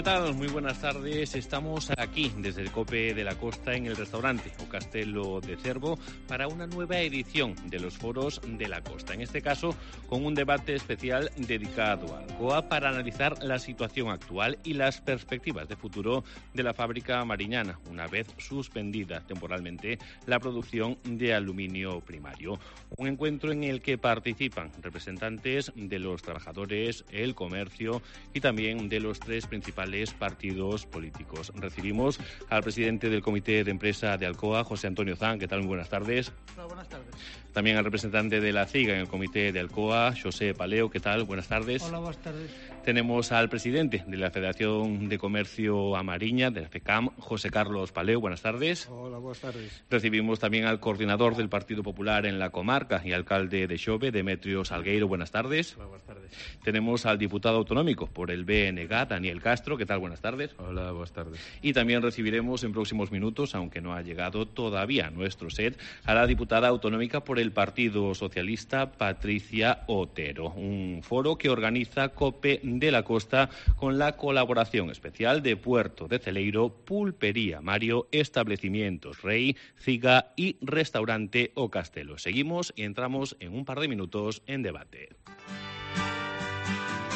tal? Muy buenas tardes. Estamos aquí desde el COPE de la Costa en el restaurante O Castelo de Cervo para una nueva edición de los foros de la Costa. En este caso, con un debate especial dedicado a Alcoa para analizar la situación actual y las perspectivas de futuro de la fábrica mariñana, una vez suspendida temporalmente la producción de aluminio primario. Un encuentro en el que participan representantes de los trabajadores, el comercio y también de los tres principales partidos políticos. Recibimos al presidente del Comité de Empresa de Alcoa, José Antonio Zan. ¿Qué tal? Muy buenas tardes. Hola, buenas tardes. También al representante de la CIGA en el Comité de Alcoa, José Paleo. ¿Qué tal? Buenas tardes. Hola, buenas tardes. Tenemos al presidente de la Federación de Comercio Amariña, de la FECAM, José Carlos Paleo. Buenas tardes. Hola, buenas tardes. Recibimos también al coordinador del Partido Popular en la comarca y alcalde de Xove, Demetrio Salgueiro. Buenas tardes. Hola, buenas tardes. Tenemos al diputado autonómico por el BNG, Daniel Castro. ¿Qué tal? Buenas tardes. Hola, buenas tardes. Y también recibiremos en próximos minutos, aunque no ha llegado todavía nuestro set, a la diputada autonómica por el Partido Socialista, Patricia Otero. Un foro que organiza COPE de la Costa con la colaboración especial de Puerto de Celeiro, Pulpería Mario, Establecimientos Rey, CIGA y Restaurante O Castelo. Seguimos y entramos en un par de minutos en debate.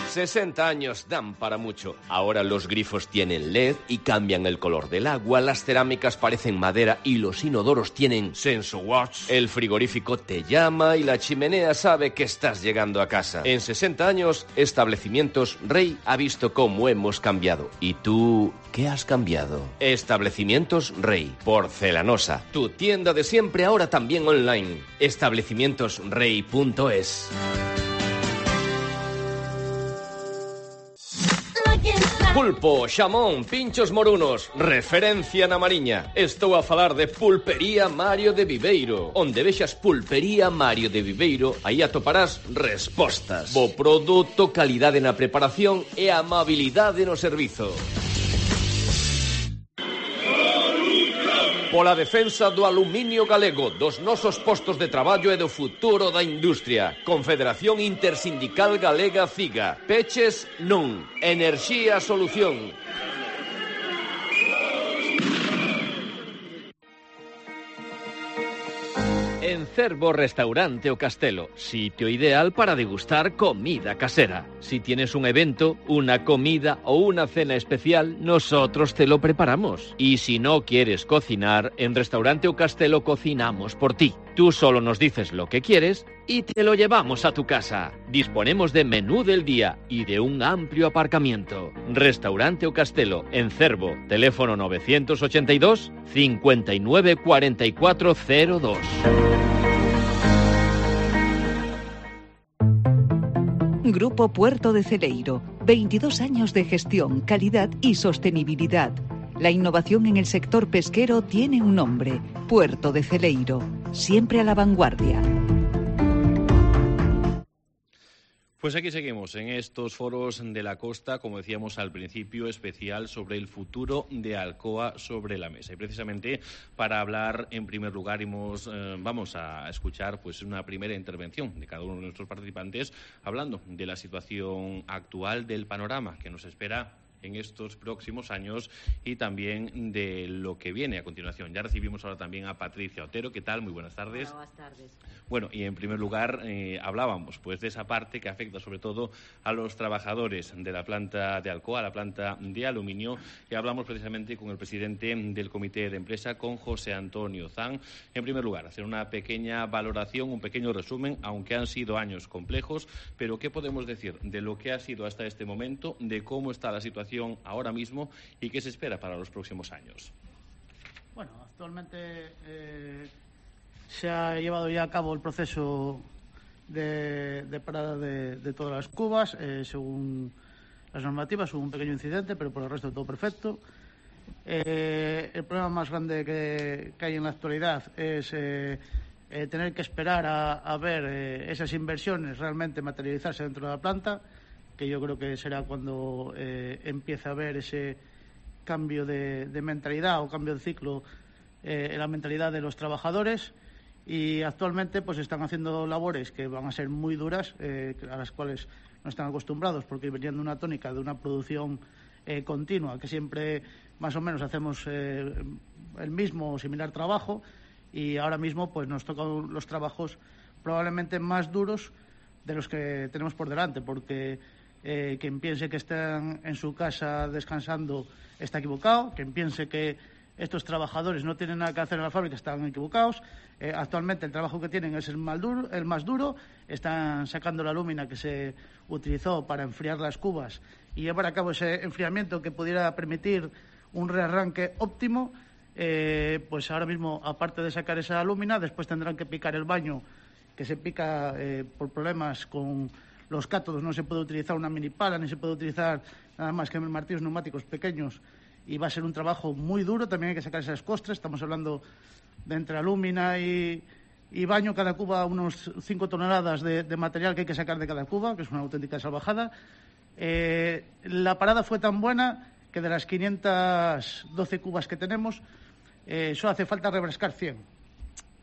60 años dan para mucho. Ahora los grifos tienen LED y cambian el color del agua, las cerámicas parecen madera y los inodoros tienen SensoWatch. El frigorífico te llama y la chimenea sabe que estás llegando a casa. En 60 años, Establecimientos Rey ha visto cómo hemos cambiado. ¿Y tú qué has cambiado? Establecimientos Rey, porcelanosa. Tu tienda de siempre ahora también online. Establecimientosrey.es. Pulpo, xamón, pinchos morunos, referencia na Mariña. Estou a falar de Pulpería Mario de Viveiro. Onde vexas Pulpería Mario de Viveiro, aí atoparás respostas. Bo produto, calidade na preparación e amabilidade no servizo. Pola defensa do aluminio galego, dos nosos postos de traballo e do futuro da industria. Confederación Intersindical Galega CIGA. Peches non. Enerxía solución. En Cervo Restaurante O Castelo, sitio ideal para degustar comida casera. Si tienes un evento, una comida o una cena especial, nosotros te lo preparamos. Y si no quieres cocinar, en Restaurante O Castelo cocinamos por ti. Tú solo nos dices lo que quieres y te lo llevamos a tu casa. Disponemos de menú del día y de un amplio aparcamiento. Restaurante O Castelo, en Cervo, teléfono 982 59 44 02. Grupo Puerto de Celeiro, 22 años de gestión, calidad y sostenibilidad. La innovación en el sector pesquero tiene un nombre, Puerto de Celeiro, siempre a la vanguardia. Pues aquí seguimos en estos foros de la costa, como decíamos al principio, especial sobre el futuro de Alcoa sobre la mesa. Y precisamente para hablar, en primer lugar, vamos a escuchar pues una primera intervención de cada uno de nuestros participantes, hablando de la situación actual, del panorama que nos espera en estos próximos años y también de lo que viene a continuación. Ya recibimos ahora también a Patricia Otero. ¿Qué tal? Muy buenas tardes. Hola, buenas tardes. Bueno, y en primer lugar hablábamos pues de esa parte que afecta sobre todo a los trabajadores de la planta de Alcoa, la planta de aluminio, y hablamos precisamente con el presidente del Comité de Empresa, con José Antonio Zan. En primer lugar, hacer una pequeña valoración, un pequeño resumen, aunque han sido años complejos, pero ¿qué podemos decir de lo que ha sido hasta este momento, de cómo está la situación ahora mismo y qué se espera para los próximos años? Bueno, actualmente se ha llevado ya a cabo el proceso de parada de todas las cubas, según las normativas. Hubo un pequeño incidente, pero por el resto todo perfecto. El problema más grande que hay en la actualidad es tener que esperar a ver esas inversiones realmente materializarse dentro de la planta, que yo creo que será cuando empiece a haber ese cambio de mentalidad o cambio de ciclo en la mentalidad de los trabajadores. Y actualmente pues están haciendo labores que van a ser muy duras, a las cuales no están acostumbrados, porque venían de una tónica de una producción continua, que siempre más o menos hacemos el mismo o similar trabajo, y ahora mismo pues nos tocan los trabajos probablemente más duros de los que tenemos por delante, porque quien piense que están en su casa descansando está equivocado, quien piense que estos trabajadores no tienen nada que hacer en la fábrica están equivocados. Actualmente el trabajo que tienen es el más duro, están sacando la lúmina que se utilizó para enfriar las cubas y llevar a cabo ese enfriamiento que pudiera permitir un rearranque óptimo. Pues ahora mismo, aparte de sacar esa lúmina, después tendrán que picar el baño, que se pica por problemas con los cátodos. No se puede utilizar una mini pala, ni se puede utilizar nada más que martillos neumáticos pequeños, y va a ser un trabajo muy duro. También hay que sacar esas costras. Estamos hablando de entre alúmina y baño, cada cuba unos 5 toneladas de material que hay que sacar de cada cuba, que es una auténtica salvajada. La parada fue tan buena que de las 512 cubas que tenemos, solo hace falta rebrascar 100.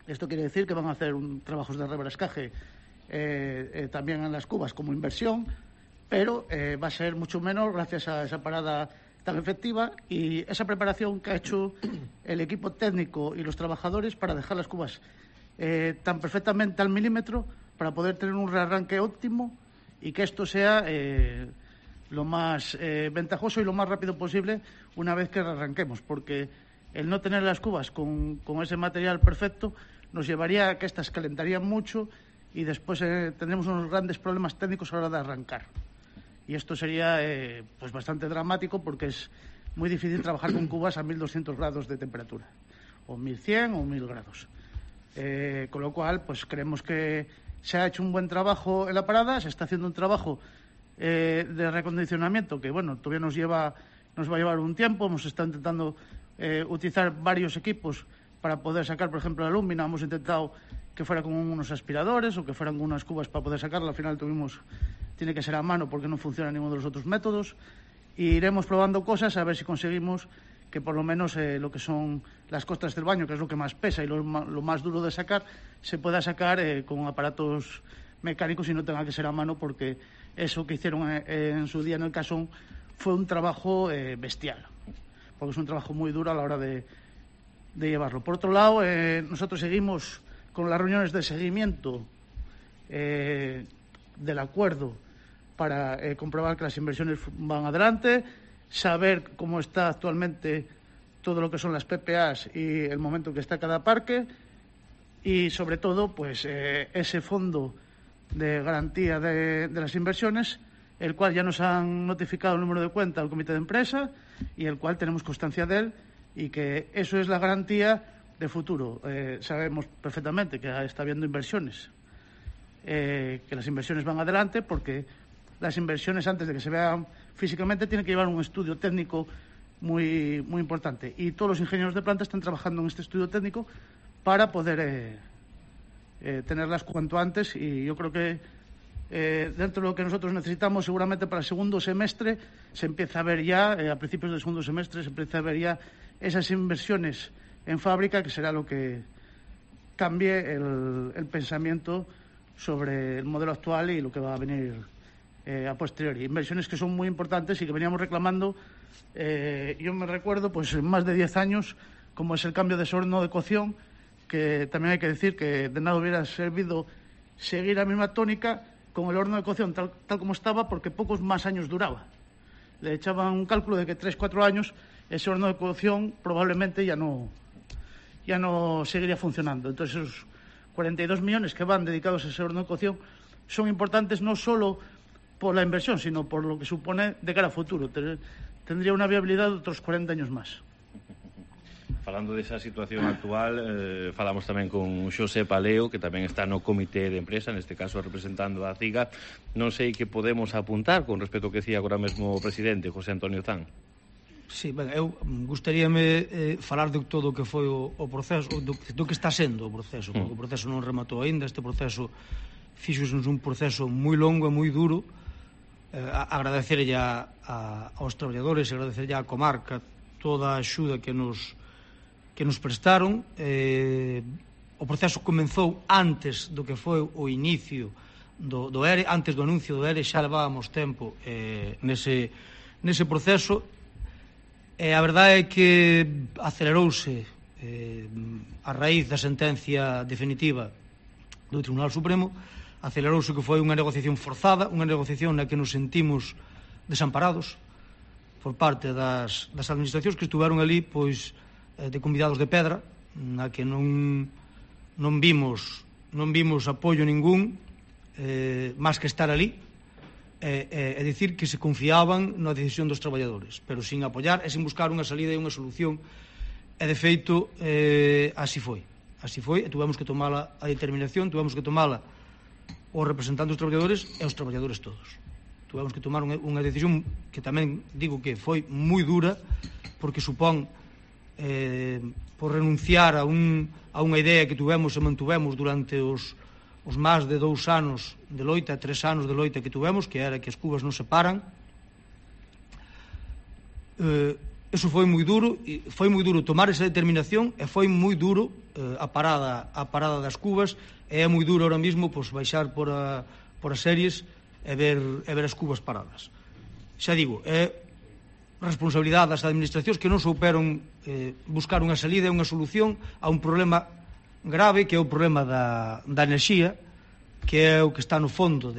Esto quiere decir que van a hacer trabajos de rebrascaje también en las cubas como inversión, pero va a ser mucho menos gracias a esa parada tan efectiva y esa preparación que ha hecho el equipo técnico y los trabajadores para dejar las cubas tan perfectamente al milímetro para poder tener un rearranque óptimo y que esto sea lo más ventajoso y lo más rápido posible una vez que rearranquemos, porque el no tener las cubas con ese material perfecto nos llevaría a que estas calentarían mucho y después tendremos unos grandes problemas técnicos a la hora de arrancar. Y esto sería pues bastante dramático, porque es muy difícil trabajar con cubas a 1200 grados de temperatura, o 1100 o 1000 grados. Con lo cual, pues creemos que se ha hecho un buen trabajo en la parada, se está haciendo un trabajo de recondicionamiento que, bueno, todavía nos va a llevar un tiempo. Hemos estado intentando utilizar varios equipos para poder sacar, por ejemplo, la lúmina. Hemos intentado que fuera con unos aspiradores o que fueran con unas cubas para poder sacarla. Al final tiene que ser a mano porque no funciona ninguno de los otros métodos. Y iremos probando cosas a ver si conseguimos que por lo menos lo que son las costras del baño, que es lo que más pesa y lo más duro de sacar, se pueda sacar con aparatos mecánicos y no tenga que ser a mano, porque eso que hicieron en su día en el Casón fue un trabajo bestial, porque es un trabajo muy duro a la hora de llevarlo. Por otro lado, nosotros seguimos con las reuniones de seguimiento del acuerdo para comprobar que las inversiones van adelante, saber cómo está actualmente todo lo que son las PPAs y el momento que está cada parque, y sobre todo pues ese fondo de garantía de las inversiones, el cual ya nos han notificado el número de cuenta al comité de empresa y el cual tenemos constancia de él, y que eso es la garantía de futuro. Sabemos perfectamente que está habiendo inversiones, que las inversiones van adelante, porque las inversiones, antes de que se vean físicamente, tienen que llevar un estudio técnico muy, muy importante, y todos los ingenieros de planta están trabajando en este estudio técnico para poder tenerlas cuanto antes. Y yo creo que dentro de lo que nosotros necesitamos, seguramente para el segundo semestre se empieza a ver ya, a principios del segundo semestre se empieza a ver ya esas inversiones en fábrica, que será lo que cambie el pensamiento sobre el modelo actual y lo que va a venir a posteriori. Inversiones que son muy importantes y que veníamos reclamando, yo me recuerdo, pues más de 10 años, como es el cambio de ese horno de cocción, que también hay que decir que de nada hubiera servido seguir la misma tónica con el horno de cocción tal como estaba, porque pocos más años duraba. Le echaban un cálculo de que 3-4 años ese horno de cocción probablemente ya no seguiría funcionando. Entonces esos 42 millones que van dedicados a ese horno de cocción son importantes, no solo por la inversión, sino por lo que supone de cara a futuro. Tendría una viabilidad de otros 40 años más. Falando desa situación actual, falamos tamén con Xosé Paleo, que tamén está no comité de empresa, neste caso representando a CIGA. Non sei que podemos apuntar con respecto ao que decía agora mesmo o presidente, José Antonio Zan. Sí, ben, eu gustaríame falar de todo o que foi o proceso, do que está sendo o proceso, porque o proceso non rematou aínda. Este proceso fixose un proceso moi longo e moi duro. Agradecerlle aos traballadores, agradecerlle á comarca toda a axuda que nos prestaron. O proceso comenzou antes do que foi o inicio do ERE, antes do anuncio do ERE. Xa levábamos tempo nese nese proceso, e a verdade é que acelerouse a raíz da sentencia definitiva do Tribunal Supremo, acelerouse que foi unha negociación forzada, unha negociación na que nos sentimos desamparados por parte das administracións que estuveron ali pois de convidados de pedra, na que non vimos apoio ningún, máis que estar ali e dicir que se confiaban na decisión dos traballadores, pero sin apoiar e sin buscar unha salida e unha solución. E de feito así foi, e tuvemos que tomala a determinación, tuvemos que tomala os representantes dos traballadores e os traballadores todos. Tuvemos que tomar unha decisión que tamén digo que foi moi dura, porque supón por renunciar a unha idea que tuvemos e mantuvemos durante os máis de 2 anos de loita, 3 anos de loita que tuvemos, que era que as cubas non se paran. Eso foi moi duro tomar esa determinación, e foi moi duro a parada das cubas, e é moi duro ahora mesmo pois, baixar por as series e ver as cubas paradas. Xa digo, é responsabilidade das administracións que non souperon buscar unha salida e unha solución a un problema grave, que é o problema da enerxía, que é o que está no fondo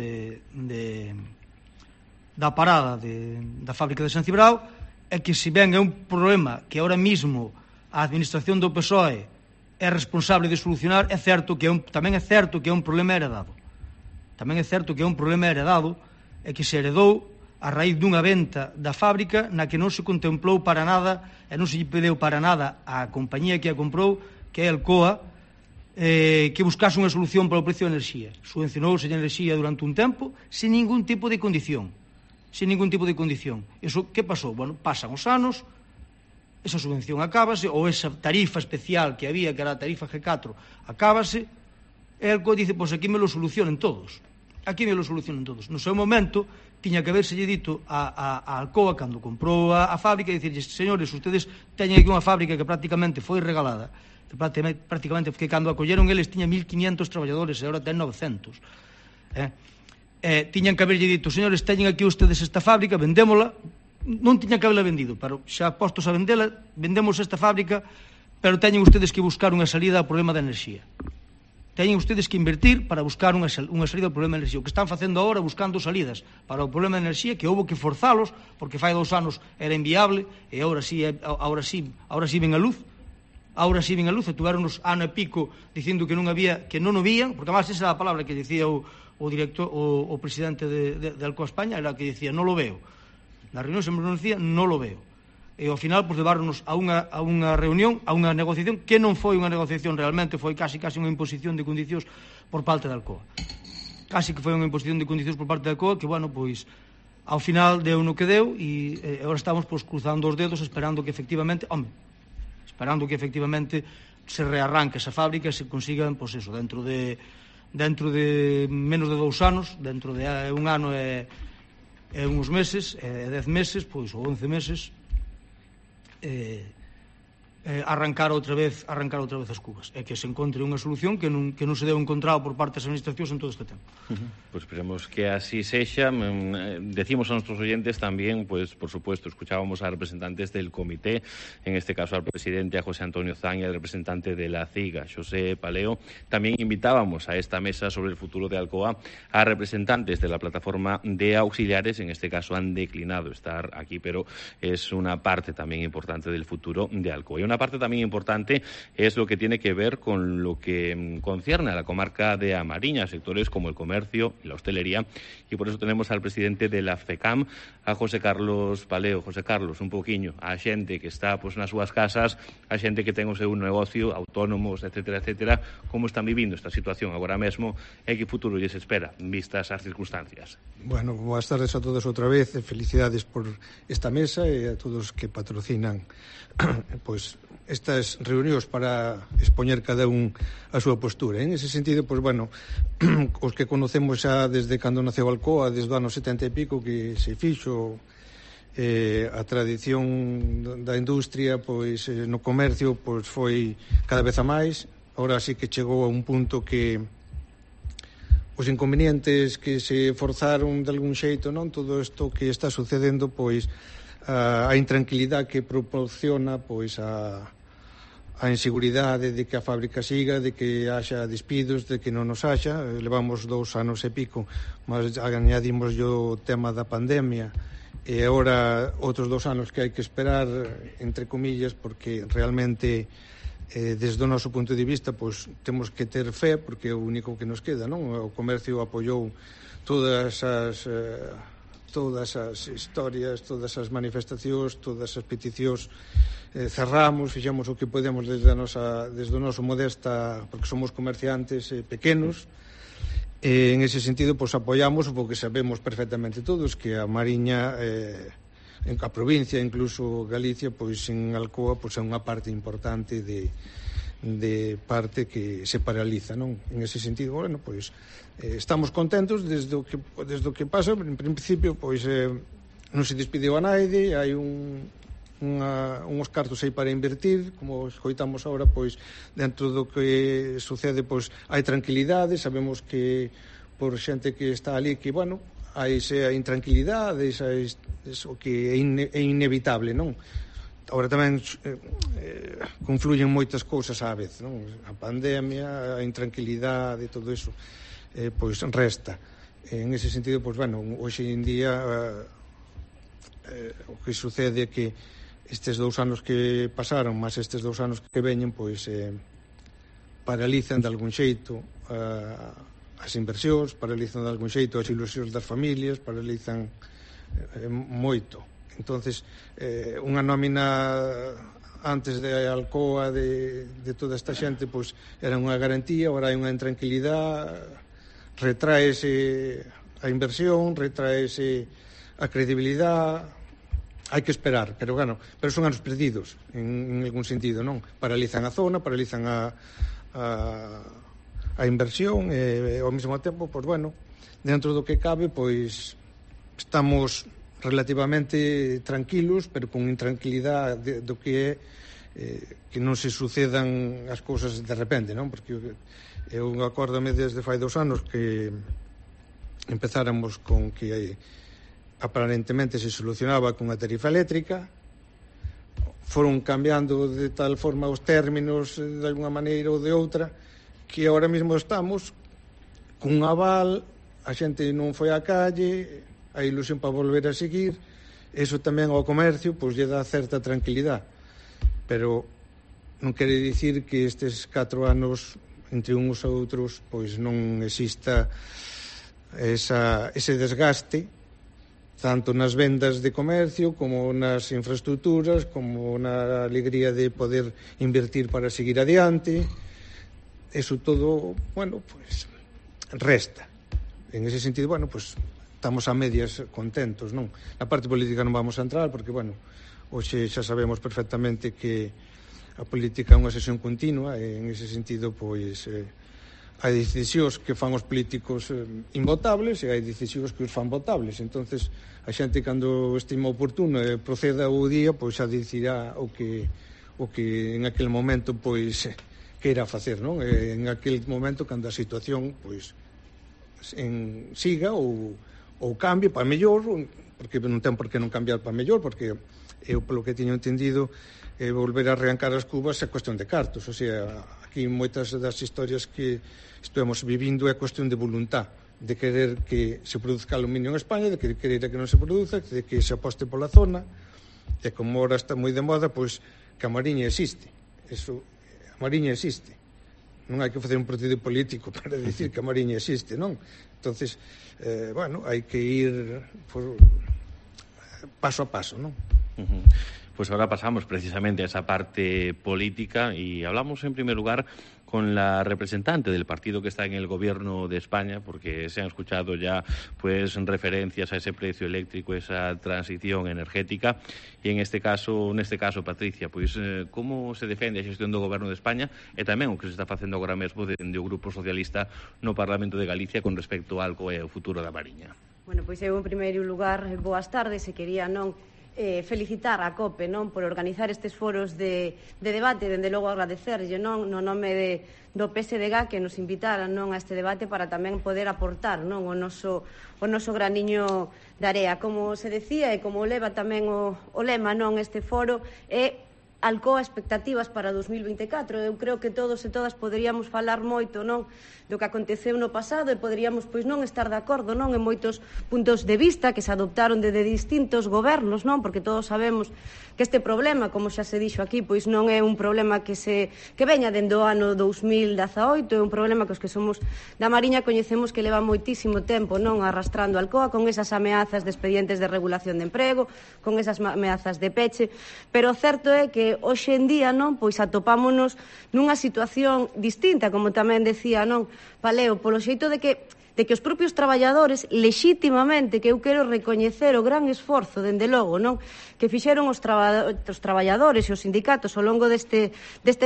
da parada da fábrica de San Cibrao, é que se ben é un problema que ahora mismo a administración do PSOE é responsable de solucionar, tamén é certo que é un problema heredado. Tamén é certo que é un problema heredado, e que se heredou a raíz dunha venta da fábrica na que non se contemplou para nada e non se lle pediu para nada á compañía que a comprou, que é Alcoa, que buscase unha solución para o precio da enerxía. Subvencionouse a enerxía durante un tempo sin ningún tipo de condición. Eso, que pasou? Bueno, pasan os anos, esa subvención acábase, ou esa tarifa especial que había, que era a tarifa G4, acábase, e Alcoa dice, pois aquí me lo solucionen todos. No seu momento, tiña que haberse dito a Alcoa, cando comprou a fábrica, e dicirles, señores, ustedes teñen aquí unha fábrica que prácticamente foi regalada, que cando a colleron eles tiña 1.500 traballadores e agora ten 900. Tiñan que haberlle dito, señores, teñen aquí ustedes esta fábrica, vendémola. Non tiñan que haberla vendido, pero xa postos a vendela, vendemos esta fábrica, pero teñen ustedes que buscar unha salida ao problema da enerxía. Teñen ustedes que invertir para buscar unha salida ao problema da enerxía. O que están facendo agora, buscando salidas para o problema da enerxía, que houve que forzalos, porque fai 2 anos era inviable, e agora sí ven a luz. E tuveronos ano e pico dicindo que non o vían, porque además esa era a palabra que dicía o director, o presidente de Alcoa España, era que dicía, non lo veo. Na reunión sempre nos dicía, non lo veo. E ao final, pues, levarnos a unha reunión, a unha negociación, que non foi unha negociación realmente, foi casi unha imposición de condicións por parte da Alcoa. Casi que foi unha imposición de condicións por parte da Alcoa, que, bueno, pois, ao final deu no que deu, e agora estamos, pues, cruzando os dedos, esperando que efectivamente se rearranque esa fábrica e se consigan, pues, eso, dentro de menos de 2 anos, dentro de 1 ano e uns meses, 10 meses, pois, ou 11 meses, arrancar outra vez as cubas, e que se encontre unha solución que non se deu encontrado por parte das administracións en todo este tempo. Pues esperemos que así sexa. Decimos a nuestros oyentes también, pues por supuesto, escuchábamos a representantes del comité, en este caso al presidente, a José Antonio Zan, y al representante de la CIGA, José Paleo. También invitábamos a esta mesa sobre el futuro de Alcoa a representantes de la plataforma de auxiliares, en este caso han declinado estar aquí, pero es una parte también importante del futuro de Alcoa. Y una parte también importante es lo que tiene que ver con lo que concierne a la comarca de A Mariña, sectores como el comercio y la hostelería, y por eso tenemos al presidente de la FECAM, a José Carlos Paleo. José Carlos, un poquinho a xente que está nas súas casas, a xente que ten o seu negocio, autónomos, etcétera, etcétera, como están vivindo esta situación agora mesmo e que futuro lles espera, vistas as circunstancias. Bueno, boas tardes a todos outra vez, e felicidades por esta mesa e a todos que patrocinan pois estas reunións para expoñer cada un a súa postura. En ese sentido, pois, bueno, os que conocemos xa desde cando naceu Alcoa, desde o ano 70 e pico que se fixo a tradición da industria, pois no comercio, pois foi cada vez a máis. Ahora sí que chegou a un punto que os inconvenientes que se forzaron de algún xeito, non? Todo isto que está sucedendo, pois a intranquilidade que proporciona pois a inseguridade de que a fábrica siga, de que haxa despidos, de que non nos haxa. Levamos 2 anos e pico, mas añadimos o tema da pandemia e agora outros 2 anos que hai que esperar, entre comillas, porque realmente desde o noso punto de vista pois temos que ter fe, porque é o único que nos queda, non? O comercio apoiou todas as historias, todas as manifestacións, todas as peticións, cerramos, fixemos o que podemos desde o noso modesta, porque somos comerciantes pequenos, e en ese sentido pois apoiamos, porque sabemos perfectamente todos que a Mariña, a provincia, incluso Galicia, pois en Alcoa pois é unha parte importante de parte que se paraliza, non? En ese sentido, bueno, pois estamos contentos desde o que pasa. En principio, pois non se despediu a naide, hai uns cartos aí para invertir, como escoitamos agora, pois dentro do que sucede, pois hai tranquilidade, sabemos que por xente que está ali, que, bueno, hai esa intranquilidade, eso que é inevitable, non? Agora tamén confluyen moitas cousas á vez, non? A pandemia, a intranquilidade, todo iso, pois resta. En ese sentido, pois, bueno, hoxe en día o que sucede é que estes 2 anos que pasaron, máis estes 2 anos que veñen, pois paralizan de algún xeito as inversións, paralizan de algún xeito as ilusións das familias, paralizan moito. Entonces, unha nómina antes de Alcoa de toda esta xente, pois era unha garantía, agora hai unha intranquilidade, retraese a inversión, retraese a credibilidade. Hai que esperar, pero bueno, pero son anos perdidos en algún sentido, non? Paralizan a zona, paralizan a inversión e ao mesmo tempo, pois bueno, dentro do que cabe, pois estamos relativamente tranquilos, pero con intranquilidade do que é que non se sucedan as cousas de repente, non? Porque eu acórdame desde fai 2 anos que empezáramos con que aparentemente se solucionaba con a tarifa eléctrica, foron cambiando de tal forma os términos de alguna maneira ou de outra, que agora mesmo estamos cun aval, a xente non foi á calle, a ilusión para volver a seguir, eso tamén ao comercio pois lle dá certa tranquilidade, pero non quere dicir que estes 4 anos entre uns e outros pois non exista ese desgaste tanto nas vendas de comercio como nas infraestructuras, como na alegría de poder invertir para seguir adiante. Eso todo, bueno, pues resta. En ese sentido, bueno, pues estamos a medias contentos, non? Na parte política non vamos a entrar porque, bueno, hoxe xa sabemos perfectamente que a política é unha sesión continua e en ese sentido, pois hai decisións que fan os políticos invotables e hai decisións que os fan votables. Entonces a xente, cando estima oportuno e proceda o día, pois xa dicirá o que en aquel momento pois queira facer, non? En aquel momento, cando a situación pois siga ou cambie para mellor, porque non ten por que non cambiar para mellor, porque eu, polo que teño entendido, volver a arrancar as cubas é cuestión de cartos. O sea, aquí moitas das historias que estamos vivindo é cuestión de voluntad, de querer que se produzca aluminio en España, de querer que non se produza, de que se aposte pola zona, e como ahora está moi de moda, pois que a Mariña existe. Eso, a Mariña existe. Non hai que facer un partido político para dicir que a Mariña existe, non? Entonces, bueno, hai que ir paso a paso, non? Pues ahora pasamos precisamente a esa parte política y hablamos en primer lugar con la representante del partido que está en el gobierno de España, porque se han escuchado ya pues referencias a ese precio eléctrico, esa transición energética, y en este caso, Patricia, pues como se defende a xestión do goberno de España e tamén o que se está facendo agora mesmo dende o Grupo Socialista no Parlamento de Galicia con respecto ao Alcoa e ao futuro da Mariña. Bueno, pois eu en primeiro lugar, boas tardes, e quería non felicitar a COPE, non, por organizar estes foros de debate, dende logo agradecerlle, non, no nome do PSDG que nos invitaran, non, a este debate para tamén poder aportar, non, o noso graniño de area. Como se decía e como leva tamén o lema, non, este foro é Alcoa expectativas para 2024. Eu creo que todos e todas poderíamos falar moito, non, do que aconteceu no pasado e poderíamos, pois, non estar de acordo, non, en moitos puntos de vista que se adoptaron de distintos gobernos, non, porque todos sabemos que este problema, como xa se dixo aquí, pois non é un problema que veña dende o ano 2018, é un problema que os que somos da Mariña coñecemos que leva moitísimo tempo, non, arrastrando Alcoa con esas ameazas de expedientes de regulación de emprego, con esas ameazas de peche, pero o certo é que hoxe en día, non, pois atopámonos nunha situación distinta, como tamén decía, non, Paleo, polo xeito de que os propios traballadores, lexítimamente, que eu quero recoñecer o gran esforzo, dende logo, non, que fixeron os traballadores e os sindicatos ao longo destes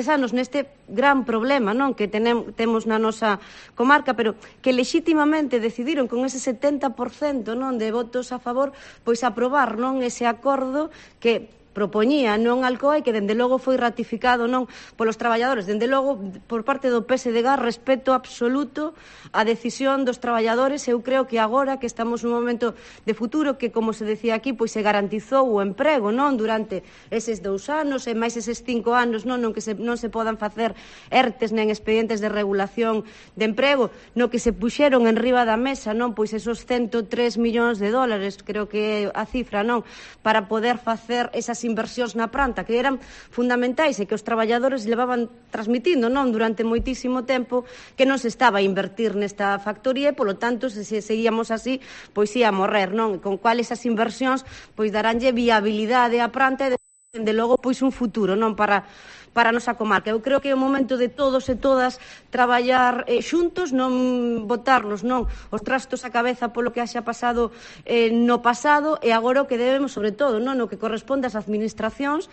anos neste gran problema, non, que temos na nosa comarca, pero que lexítimamente decidiron con ese 70%, non, de votos a favor, pois aprobar, non, ese acordo que propoñía non Alcoa e que dende logo foi ratificado non polos traballadores, dende logo por parte do PSDG, respeto absoluto á decisión dos traballadores. Eu creo que agora que estamos nun momento de futuro que, como se decía aquí, pois se garantizou o emprego non durante eses 2 anos e máis eses 5 anos non que non se podan facer ERTES nen expedientes de regulación de emprego, no que se puxeron en riba da mesa non pois esos 103 millóns de dólares, creo que é a cifra non, para poder facer esas inversións na planta que eran fundamentais e que os traballadores levaban transmitindo non durante moitísimo tempo que non se estaba a invertir nesta factoría e, polo tanto, se seguíamos así, pois ia a morrer, non? Con cual esas inversións pois daránlle viabilidade á planta e, dende logo, pois un futuro, non, para a nosa comarca. Eu creo que é o momento de todos e todas traballar xuntos, non botarnos non os trastos á cabeza polo que haxa pasado no pasado, e agora o que debemos, sobre todo, non, no que corresponde ás administracións,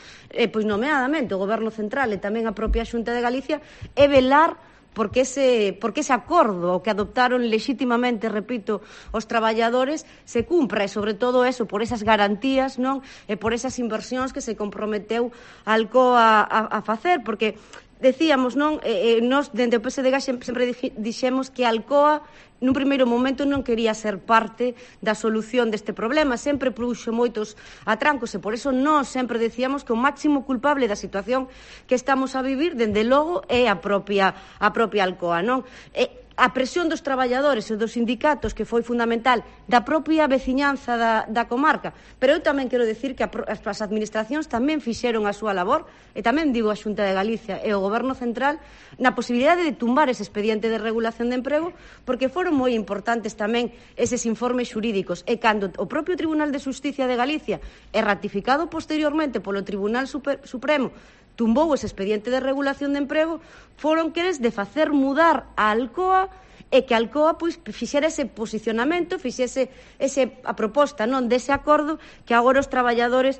pois nomeadamente o Goberno Central e tamén a propia Xunta de Galicia, é velar porque ese acordo o que adoptaron lexítimamente, repito, os traballadores se cumpra, e sobre todo eso, por esas garantías, non, e por esas inversións que se comprometeu Alcoa a facer, porque decíamos, non, nós dende o PSDG sempre dixemos que Alcoa nun primeiro momento non quería ser parte da solución deste problema, sempre puxo moitos atrancos e por eso nós sempre decíamos que o máximo culpable da situación que estamos a vivir, dende logo, é a propia Alcoa, non? A presión dos traballadores e dos sindicatos, que foi fundamental, da propia veciñanza da comarca. Pero eu tamén quero decir que as administracións tamén fixeron a súa labor, e tamén digo a Xunta de Galicia e o Goberno Central, na posibilidade de tumbar ese expediente de regulación de emprego, porque foron moi importantes tamén eses informes xurídicos. E cando o propio Tribunal de Xusticia de Galicia é ratificado posteriormente polo Tribunal Supremo, tumbou ese expediente de regulación de emprego, foron queres de facer mudar a Alcoa e que Alcoa pois fixera ese posicionamento, fixese a proposta non dese acordo que agora os traballadores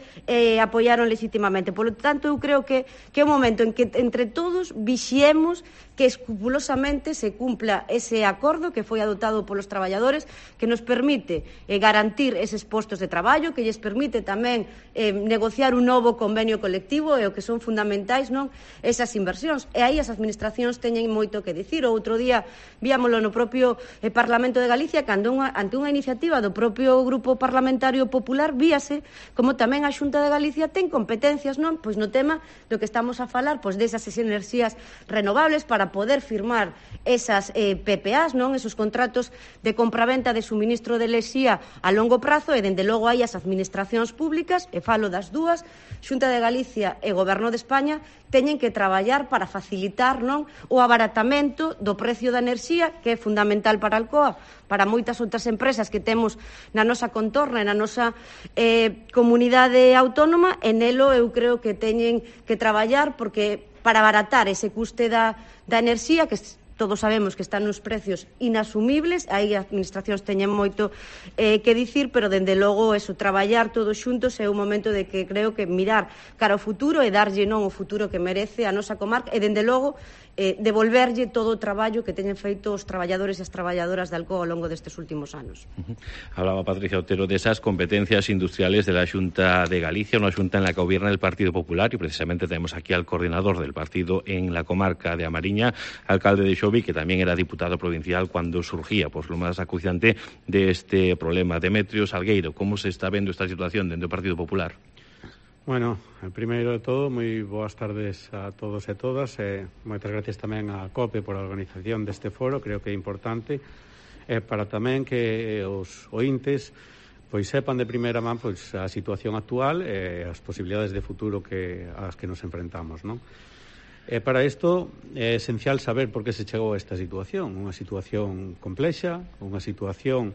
apoiaron legitimamente. Por lo tanto, eu creo que é o momento en que entre todos vixiemos que escrupulosamente se cumpla ese acordo que foi adoptado polos traballadores, que nos permite garantir eses postos de traballo, que lles permite tamén negociar un novo convenio colectivo e o que son fundamentais non esas inversións. E aí as administracións teñen moito que dicir. O outro día víamolo no propio Parlamento de Galicia, cando ante unha iniciativa do propio Grupo Parlamentario Popular víase como tamén a Xunta de Galicia ten competencias non pois no tema do que estamos a falar, pois desas enerxías renovables para poder firmar esas PPAs, non, esos contratos de compraventa de suministro de enerxía a longo prazo, e dende logo hai as administracións públicas, e falo das dúas, Xunta de Galicia e Goberno de España, teñen que traballar para facilitar non o abaratamento do precio da enerxía, que é fundamental para Alcoa, para moitas outras empresas que temos na nosa contorna e na nosa comunidade autónoma, e nelo eu creo que teñen que traballar porque para abaratar ese custe da enerxía, que todos sabemos que están nos precios inasumibles, aí as administracións teñen moito que dicir, pero dende logo eso, traballar todos xuntos é un momento de que creo que mirar cara ao futuro e darlle non o futuro que merece a nosa comarca, e dende logo devolverlle todo o traballo que teñen feito os traballadores e as traballadoras de Alcoa ao longo destes últimos anos. Hablaba Patricia Otero de esas competencias industriales de la Xunta de Galicia, una Xunta en la que gobierna el Partido Popular, y precisamente tenemos aquí al coordinador del partido en la comarca de A Mariña, alcalde de Xovi, que también era diputado provincial cuando surgía lo más acuciante de este problema. Demetrio Salgueiro, ¿cómo se está vendo esta situación dentro do Partido Popular? Bueno, primeiro de todo, moi boas tardes a todos e todas. Moitas gracias tamén á COPE por a organización deste foro, creo que é importante, para tamén que os ointes pois sepan de primeira man pois a situación actual e as posibilidades de futuro ás que nos enfrentamos, non? Para isto é esencial saber por que se chegou a esta situación, unha situación complexa, unha situación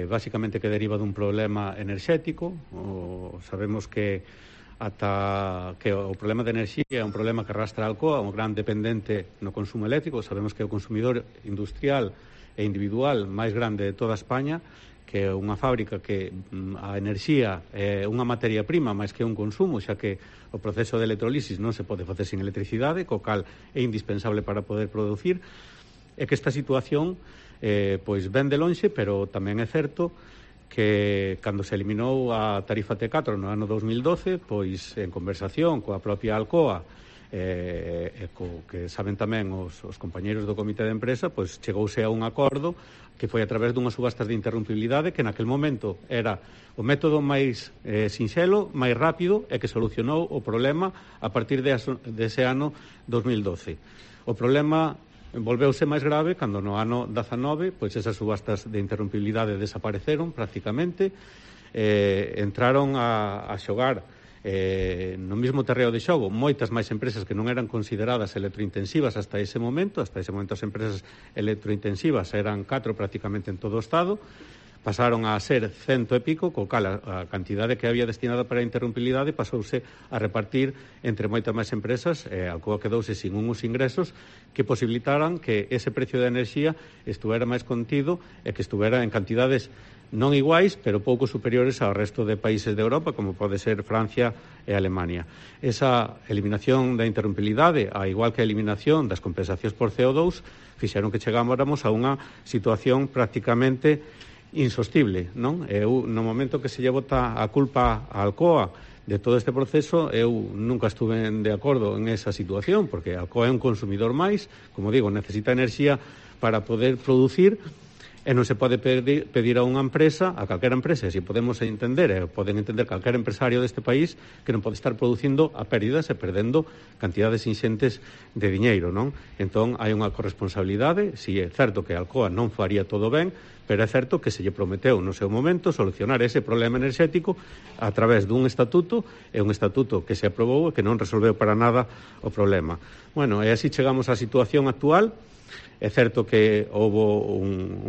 básicamente que deriva dun problema enerxético. Sabemos que o problema de enerxía é un problema que arrastra a Alcoa, un gran dependente no consumo eléctrico. Sabemos que é o consumidor industrial e individual máis grande de toda España, que é unha fábrica que a enerxía é unha materia prima máis que un consumo, xa que o proceso de electrolisis non se pode facer sin electricidade, co cal é indispensable para poder producir. É que esta situación pois ven de lonxe, pero tamén é certo que cando se eliminou a tarifa T4 no ano 2012, pois en conversación coa propia Alcoa que saben tamén os compañeiros do comité de empresa, pois chegouse a un acordo que foi a través dunhas subastas de interrumpibilidade que naquel momento era o método máis sinxelo, máis rápido e que solucionou o problema a partir dese ano 2012. O problema volveuse máis grave cando no ano 19 pois esas subastas de interrumpibilidade desapareceron prácticamente, entraron a xogar no mesmo terreo de xogo moitas máis empresas que non eran consideradas electrointensivas hasta ese momento. As empresas electrointensivas eran 4 prácticamente en todo o Estado, pasaron a ser 100 e pico, co cal a cantidade que había destinada para a interrumpibilidade pasouse a repartir entre moitas máis empresas. Alcoa quedouse sin uns ingresos que posibilitaran que ese precio de enerxía estuvera máis contido e que estuvera en cantidades non iguais, pero pouco superiores ao resto de países de Europa, como pode ser Francia e Alemania. Esa eliminación da interrumpibilidade, a igual que a eliminación das compensacións por CO2, fixeron que chegáramos a unha situación prácticamente insostible, non? No momento que se lle bota a culpa a Alcoa de todo este proceso, eu nunca estuve de acordo en esa situación, porque Alcoa é un consumidor máis, como digo, necesita enerxía para poder producir, e non se pode pedir a unha empresa, a calquera empresa, e se podemos entender, poden entender calquera empresario deste país, que non pode estar producindo a pérdidas e perdendo cantidades inxentes de diñeiro, non? Entón, hai unha corresponsabilidade. Si é certo que Alcoa non faría todo ben, pero é certo que se lle prometeu no seu momento solucionar ese problema enerxético a través dun estatuto, e un estatuto que se aprobou e que non resolveu para nada o problema. Bueno, e así chegamos á situación actual. É certo que houve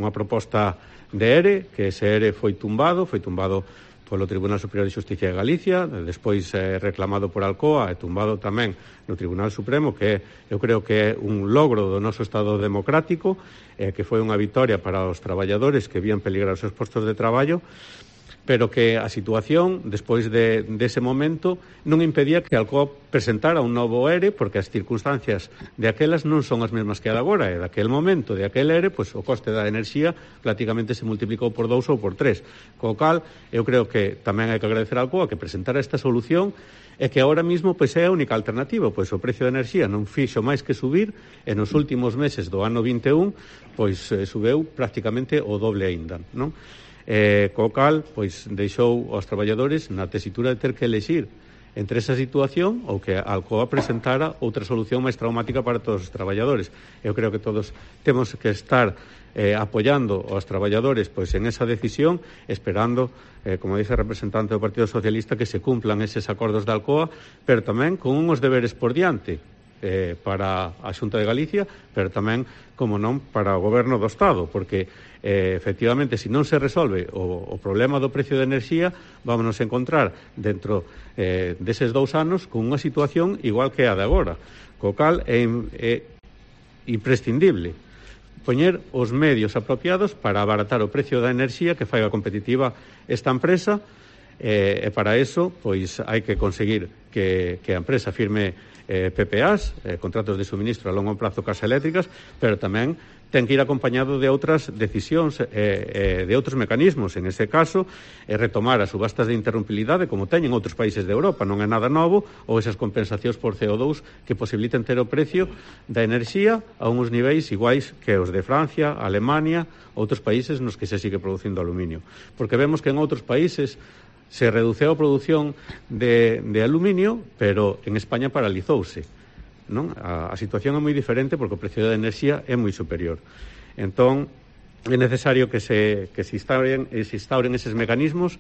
unha proposta de ERE, que ese ERE foi tumbado polo Tribunal Superior de Xusticia de Galicia, despois reclamado por Alcoa e tumbado tamén no Tribunal Supremo, que eu creo que é un logro do noso Estado democrático, que foi unha vitoria para os traballadores que vían peligrar os seus postos de traballo, pero que a situación, despois dese momento, non impedía que Alcoa presentara un novo ERE, porque as circunstancias de aquelas non son as mesmas que a de agora, e daquel momento, de aquel ERE, pois o coste da enerxía prácticamente se multiplicou por 2 ou por 3, co cal eu creo que tamén hai que agradecer a Alcoa que presentara esta solución, e que agora mesmo pois é a única alternativa, pois o precio de enerxía non fixo máis que subir, e nos últimos meses do ano 21 pois subeu prácticamente o doble aínda, non? Co cal, pois, deixou aos traballadores na tesitura de ter que elexir entre esa situación ou que Alcoa presentara outra solución máis traumática para todos os traballadores. Eu creo que todos temos que estar apoiando aos traballadores pois en esa decisión, esperando, como dice o representante do Partido Socialista, que se cumplan eses acordos de Alcoa, pero tamén con uns deberes por diante para a Xunta de Galicia, pero tamén, como non, para o Goberno do Estado, porque efectivamente, se non se resolve o problema do precio de enerxía, vámonos a encontrar dentro deses 2 anos con unha situación igual que a de agora, co cal é imprescindible poñer os medios apropiados para abaratar o precio da enerxía que faiga competitiva esta empresa, e para eso pois hai que conseguir que a empresa firme PPAs, contratos de suministro a longo prazo cas eléctricas, pero tamén ten que ir acompañado de outras decisións, de outros mecanismos. En ese caso, retomar as subastas de interrumpibilidade, como teñen outros países de Europa, non é nada novo, ou esas compensacións por CO2 que posibiliten ter o precio da enerxía a uns niveis iguais que os de Francia, Alemania, outros países nos que se sigue producindo aluminio. Porque vemos que en outros países se reduceu a produción de aluminio, pero en España paralizouse. Non? A situación é moi diferente porque o precio da enerxía é moi superior. Entón, é necesario que se instauren eses mecanismos.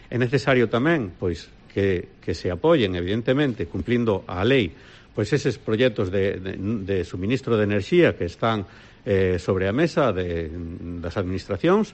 É necesario tamén pois que se apoyen, evidentemente, cumplindo a lei, pois eses proxectos de suministro de enerxía que están sobre a mesa das administracións,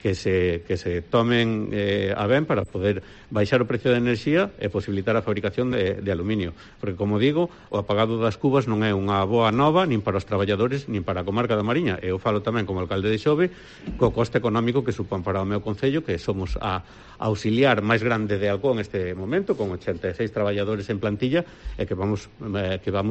que se tomen a ben para poder baixar o precio da enerxía e posibilitar a fabricación de aluminio. Porque, como digo, o apagado das cubas non é unha boa nova nin para os traballadores nin para a comarca da Mariña. Eu falo tamén como alcalde de Xove co coste económico que supón para o meu concello, que somos a auxiliar máis grande de Alcoa neste momento, con 86 traballadores en plantilla, e que vamos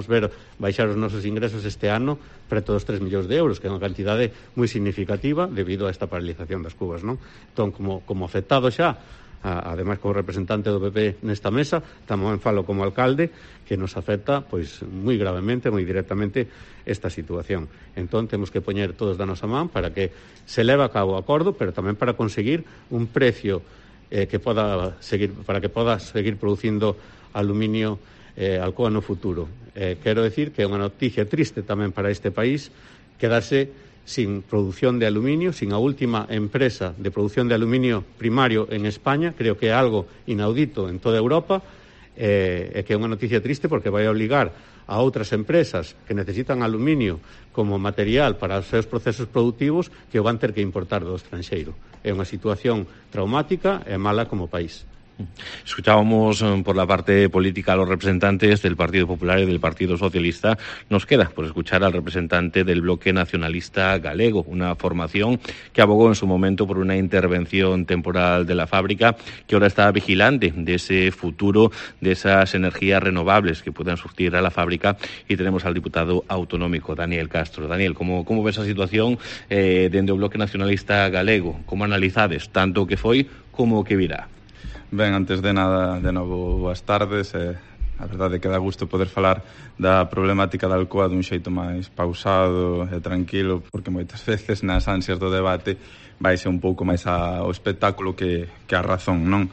ver baixar os nosos ingresos este ano preto dos 3 millóns de euros, que é unha cantidade moi significativa debido a esta paralización das cubas, non? Entón, como afectado xa, ademais como representante do PP nesta mesa, tamén falo como alcalde, que nos afecta pois moi gravemente, moi directamente esta situación. Entón, temos que poñer todos da nosa man para que se leve a cabo o acordo, pero tamén para conseguir un precio que poda seguir producindo aluminio Alcoa no futuro. Quero decir que é unha noticia triste tamén para este país quedarse sin producción de aluminio, sin a última empresa de producción de aluminio primario en España. Creo que é algo inaudito en toda Europa, e que é unha noticia triste porque vai obligar a outras empresas que necesitan aluminio como material para os seus procesos productivos que o van ter que importar do estranxeiro. É unha situación traumática e mala como país. Escuchábamos por la parte política a los representantes del Partido Popular y del Partido Socialista. Nos queda por escuchar al representante del Bloque Nacionalista Galego, una formación que abogó en su momento por una intervención temporal de la fábrica, que ahora está vigilante de ese futuro, de esas energías renovables que puedan surtir a la fábrica. Y tenemos al diputado autonómico, Daniel Castro. Daniel, ¿cómo ves esa situación dentro del Bloque Nacionalista Galego? ¿Cómo analizades tanto o que foi como o que virá? Ben, antes de nada, de novo, boas tardes. A verdade é que dá gusto poder falar da problemática da Alcoa dun xeito máis pausado e tranquilo, porque moitas veces nas ansias do debate vaise un pouco máis ao espectáculo que a razón, non?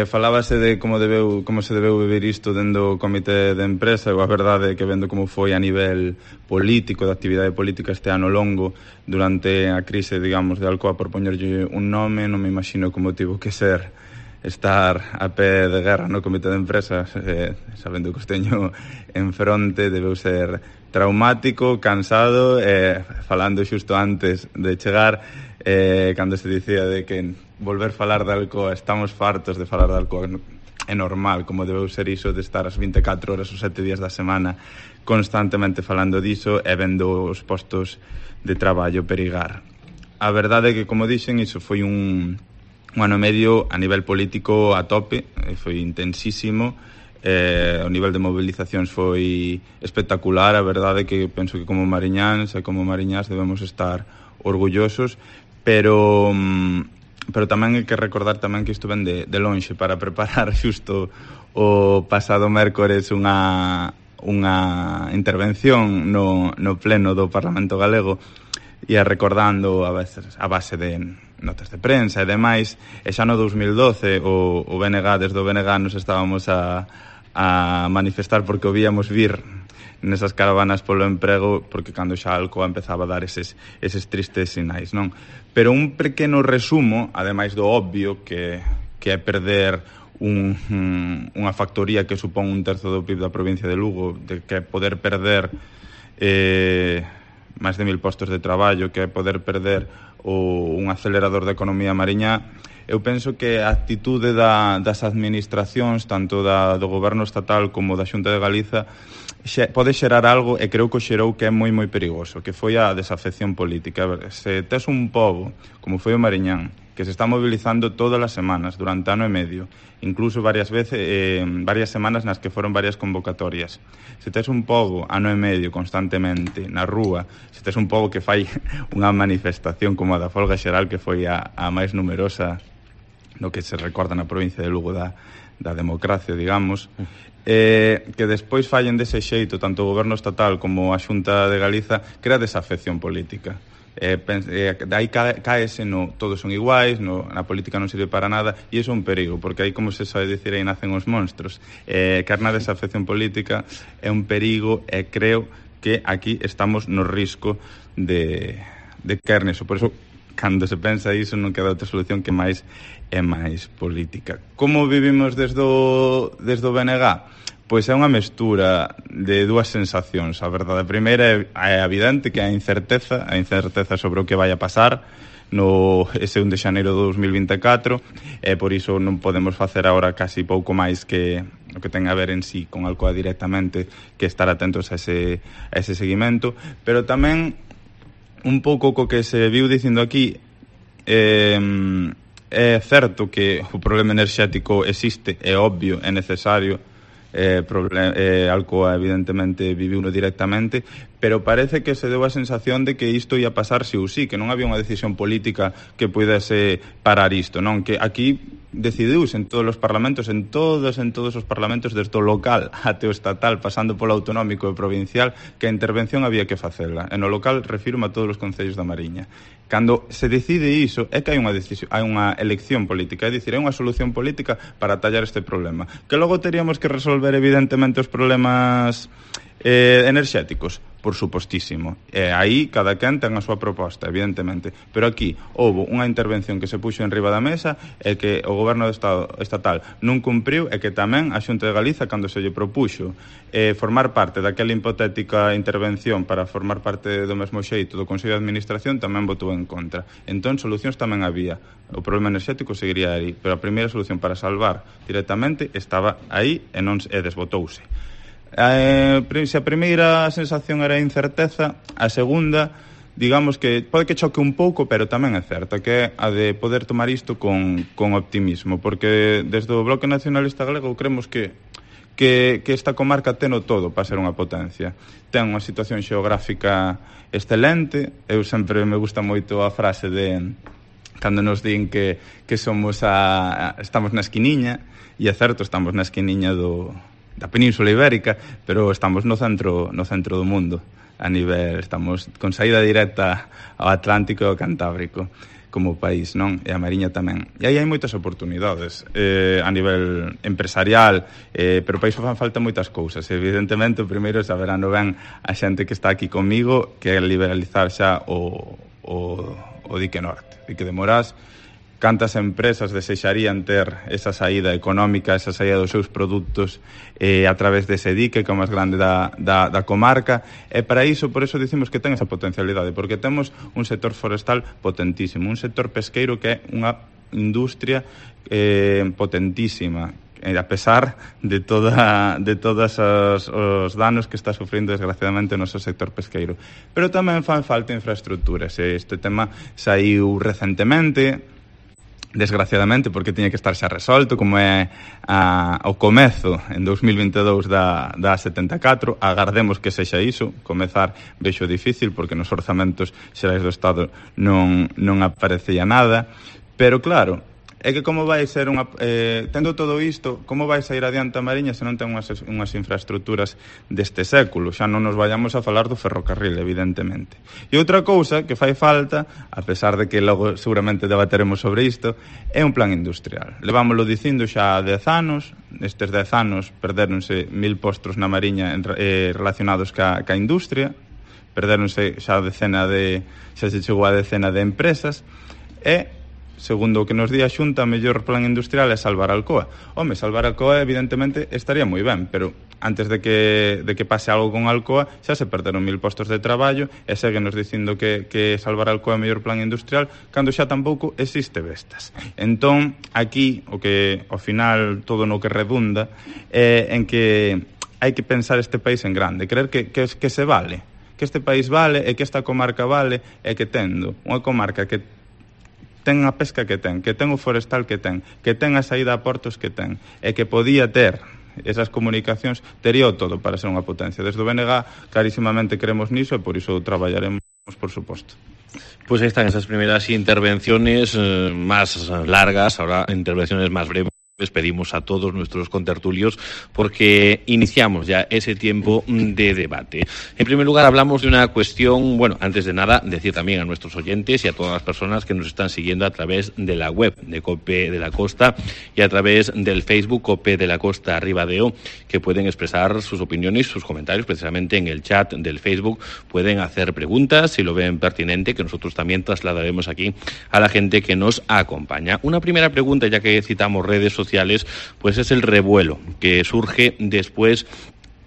Falábase de como se debeu vivir isto dentro do comité de empresa. E a verdade é que vendo como foi a nivel político, de actividade política este ano longo, durante a crise, digamos, de Alcoa, por poñerlle un nome, non me imagino como tivo que ser estar a pé de guerra no comité de empresas, sabendo que os teño en fronte. Debeu ser traumático, cansado, falando xusto antes de chegar, cando se dicía de que volver falar de Alcoa, estamos fartos de falar de Alcoa, é normal, como debeu ser iso de estar as 24 horas os 7 días da semana constantemente falando diso e vendo os postos de traballo perigar. A verdade é que, como dixen, iso foi un ano e medio a nivel político a tope, foi intensísimo, o nivel de movilizacións foi espectacular. A verdade é que penso que como mariñáns e como mariñás debemos estar orgullosos, pero tamén hai que recordar tamén que isto ven de lonxe, para preparar xusto o pasado mércores unha intervención no pleno do Parlamento Galego, e recordando a base de notas de prensa e demais, e xa no 2012 o BNG, desde o BNG nos estábamos a manifestar porque o víamos vir nesas caravanas polo emprego, porque cando xa Alcoa empezaba a dar eses tristes sinais, non? Pero un pequeno resumo, ademais do obvio que é perder unha factoría que supón 1/3 do PIB da provincia de Lugo, de que poder perder máis de 1000 postos de traballo, que é poder perder un acelerador da economía mariñá. Eu penso que a actitude das administracións, tanto do goberno estatal como da Xunta de Galiza, pode xerar algo, e creo que o xerou, que é moi moi perigoso, que foi a desafección política. Se tes un pobo, como foi o Mariñán, que se está movilizando todas as semanas durante ano e medio, incluso varias semanas nas que foron varias convocatorias. Se tes un pobo ano e medio constantemente na rúa, se tes un pobo que fai unha manifestación como a da folga xeral, que foi a máis numerosa no que se recorda na provincia de Lugo da democracia, digamos, que despois fallen dese xeito tanto o goberno estatal como a Xunta de Galiza, crea desafección política. Aí caese no todos son iguais, na política non sirve para nada, e iso é un perigo, porque aí, como se sabe dicir, aí nacen os monstros. Caer na desafección política é un perigo, e creo que aquí estamos no risco de caer neso. Por iso, cando se pensa iso, non queda outra solución que máis é máis política. Como vivimos desde o BNG? Pois é unha mestura de dúas sensacións. A verdade primeira é evidente que a incerteza sobre o que vai a pasar no ese 1 de xaneiro de 2024, e por iso non podemos facer agora casi pouco máis que o que ten a ver en sí con Alcoa directamente, que estar atentos a ese seguimento, pero tamén un pouco co que se viu dicindo aquí, é certo que o problema enerxético existe, é obvio, é necesario. Alcoa evidentemente viviuno directamente, pero parece que se deu a sensación de que isto ia pasar si ou si, que non había unha decisión política que pudese parar isto, non? Que aquí decidiuse en todos os parlamentos, en todos os parlamentos, desde o local até o estatal, pasando polo autonómico e provincial, que a intervención había que facela. En o local refirmo a todos os concellos da Mariña. Cando se decide iso, é que hai unha elección política, é dicir, hai unha solución política para tallar este problema. Que logo teríamos que resolver, evidentemente, os problemas enerxéticos, por supostísimo. Aí cada quen ten a súa proposta, evidentemente. Pero aquí houve unha intervención que se puxo en riba da mesa e que o goberno do Estado estatal non cumpriu, e que tamén a Xunta de Galiza, cando se lle propuxo formar parte daquela hipotética intervención para formar parte do mesmo xeito do Consello de Administración, tamén votou en contra. Entón, solucións tamén había. O problema enerxético seguiría aí, pero a primeira solución para salvar directamente estaba aí e desbotouse. Se a primeira sensación era incerteza, a segunda, digamos que pode que choque un pouco, pero tamén é certa, que é a de poder tomar isto con optimismo, porque desde o Bloque Nacionalista Galego creemos que esta comarca teno todo para ser unha potencia. Ten unha situación xeográfica excelente. Eu sempre me gusta moito a frase de cando nos din que estamos na esquiniña, e é certo, estamos na esquiniña da Península Ibérica, pero estamos no centro do mundo. A nivel, estamos con saída directa ao Atlántico e ao Cantábrico como país, non? E a Mariña tamén. E aí hai moitas oportunidades a nivel empresarial, pero para iso fan falta moitas cousas. Evidentemente, o primeiro saberán ben a xente que está aquí comigo, que é liberalizar xa o dique norte, dique de Morás. Cantas empresas desexarían ter esa saída económica, esa saída dos seus produtos a través dese dique, que é o máis grande da comarca, e para iso, por iso dicimos que ten esa potencialidade, porque temos un sector forestal potentísimo, un sector pesqueiro que é unha industria potentísima, a pesar de todos os danos que está sufrindo desgraciadamente o noso sector pesqueiro. Pero tamén fan falta infraestructuras. Este tema saiu recentemente, desgraciadamente, porque tiña que estar xa resolto, como é o comezo en 2022 da 74. Agardemos que sexa iso. Comezar vexo difícil, porque nos orzamentos xerais do Estado non aparecía nada, pero claro, é que como vai ser tendo todo isto, como vai sair adiante a Mariña se non ten unhas infraestructuras deste século? Xa non nos vayamos a falar do ferrocarril, evidentemente. E outra cousa que fai falta, a pesar de que logo seguramente debateremos sobre isto, é un plan industrial. Levámoslo dicindo xa 10 anos, estes 10 anos perderonse 1000 postos na Mariña relacionados ca industria, perderonse xa se chegou a decena de empresas, e segundo o que nos di a Xunta, o mellor plan industrial é salvar Alcoa. Home, salvar Alcoa evidentemente estaría moi ben, pero antes de que pase algo con Alcoa xa se perderon 1000 postos de traballo, e seguenos dicindo que salvar Alcoa é o mellor plan industrial cando xa tampouco existe Vestas. Entón, aquí, o que ao final todo no que redunda é en que hai que pensar este país en grande, creer que se vale, que este país vale e que esta comarca vale, e que tendo unha comarca que ten a pesca que ten o forestal que ten a saída a portos que ten, e que podía ter esas comunicacións, tería o todo para ser unha potencia. Desde o BNG clarísimamente creemos niso e por iso traballaremos, por suposto. Pues ahí están esas primeras intervenciones más largas, ahora intervenciones más breves. Les pedimos a todos nuestros contertulios porque iniciamos ya ese tiempo de debate. En primer lugar, hablamos de una cuestión, bueno, antes de nada, decir también a nuestros oyentes y a todas las personas que nos están siguiendo a través de la web de COPE de la Costa y a través del Facebook COPE de la Costa Ribadeo, que pueden expresar sus opiniones, sus comentarios, precisamente en el chat del Facebook. Pueden hacer preguntas si lo ven pertinente, que nosotros también trasladaremos aquí a la gente que nos acompaña. Una primera pregunta, ya que citamos redes sociales, pues es el revuelo que surge después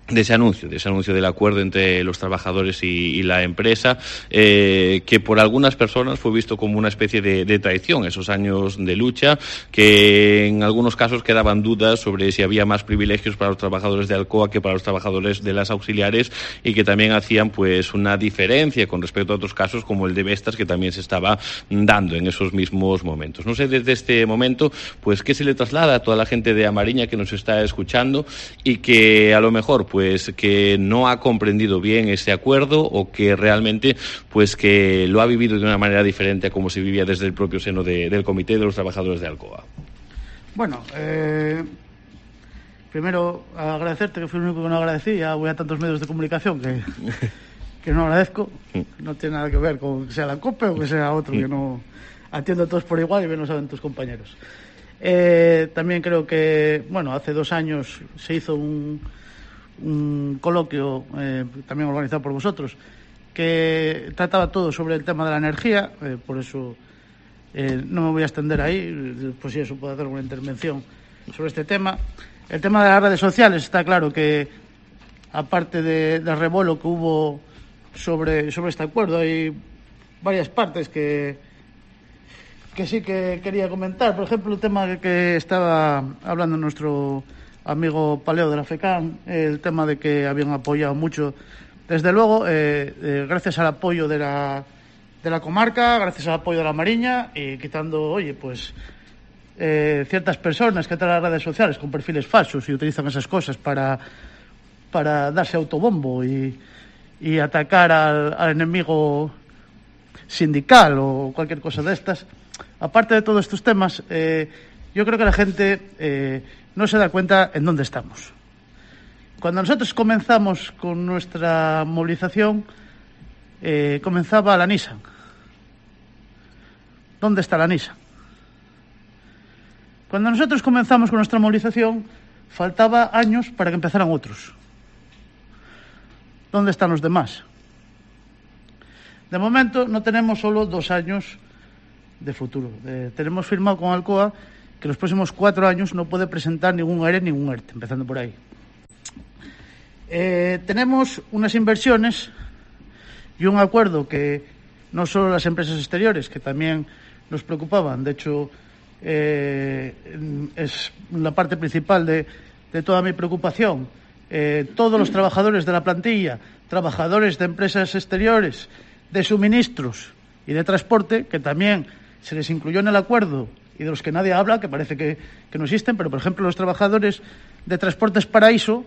de ese anuncio del acuerdo entre los trabajadores y la empresa, que por algunas personas fue visto como una especie de traición, esos años de lucha, que en algunos casos quedaban dudas sobre si había más privilegios para los trabajadores de Alcoa que para los trabajadores de las auxiliares, y que también hacían pues una diferencia con respecto a otros casos como el de Vestas, que también se estaba dando en esos mismos momentos. No sé, desde este momento, pues qué se le traslada a toda la gente de A Mariña que nos está escuchando y que a lo mejor pues que no ha comprendido bien ese acuerdo, o que realmente pues que lo ha vivido de una manera diferente a como se vivía desde el propio seno del Comité de los Trabajadores de Alcoa. Bueno, primero agradecerte, que fui el único que no agradecí. Ya voy a tantos medios de comunicación que no agradezco. No tiene nada que ver con que sea la COPE o que sea otro, que no atiendo a todos por igual, y bien lo saben tus compañeros. También creo que, bueno, hace 2 años se hizo un coloquio también organizado por vosotros, que trataba todo sobre el tema de la energía, por eso no me voy a extender ahí, pues si eso puedo hacer una intervención sobre este tema. El tema de las redes sociales, está claro que aparte del revuelo que hubo sobre este acuerdo, hay varias partes que sí que quería comentar. Por ejemplo, el tema que estaba hablando nuestro amigo Paleo de la FECAM, el tema de que habían apoyado mucho, desde luego, gracias al apoyo de la comarca, gracias al apoyo de la Mariña, y quitando, pues ciertas personas que entran a las redes sociales con perfiles falsos y utilizan esas cosas para darse autobombo y atacar al enemigo sindical o cualquier cosa de estas. Aparte de todos estos temas, yo creo que la gente no se da cuenta en dónde estamos. Cuando nosotros comenzamos con nuestra movilización, comenzaba la Nissan. ¿Dónde está la Nissan? Cuando nosotros comenzamos con nuestra movilización, faltaba años para que empezaran otros. ¿Dónde están los demás? De momento no tenemos solo 2 años de futuro. Tenemos firmado con Alcoa que los próximos 4 años no puede presentar ningún ERE ni ningún ERTE, empezando por ahí. Tenemos unas inversiones y un acuerdo que no solo las empresas exteriores, que también nos preocupaban, de hecho es la parte principal de toda mi preocupación. Todos los trabajadores de la plantilla, trabajadores de empresas exteriores, de suministros y de transporte, que también se les incluyó en el acuerdo y de los que nadie habla, que parece que no existen, pero por ejemplo los trabajadores de Transportes Paraíso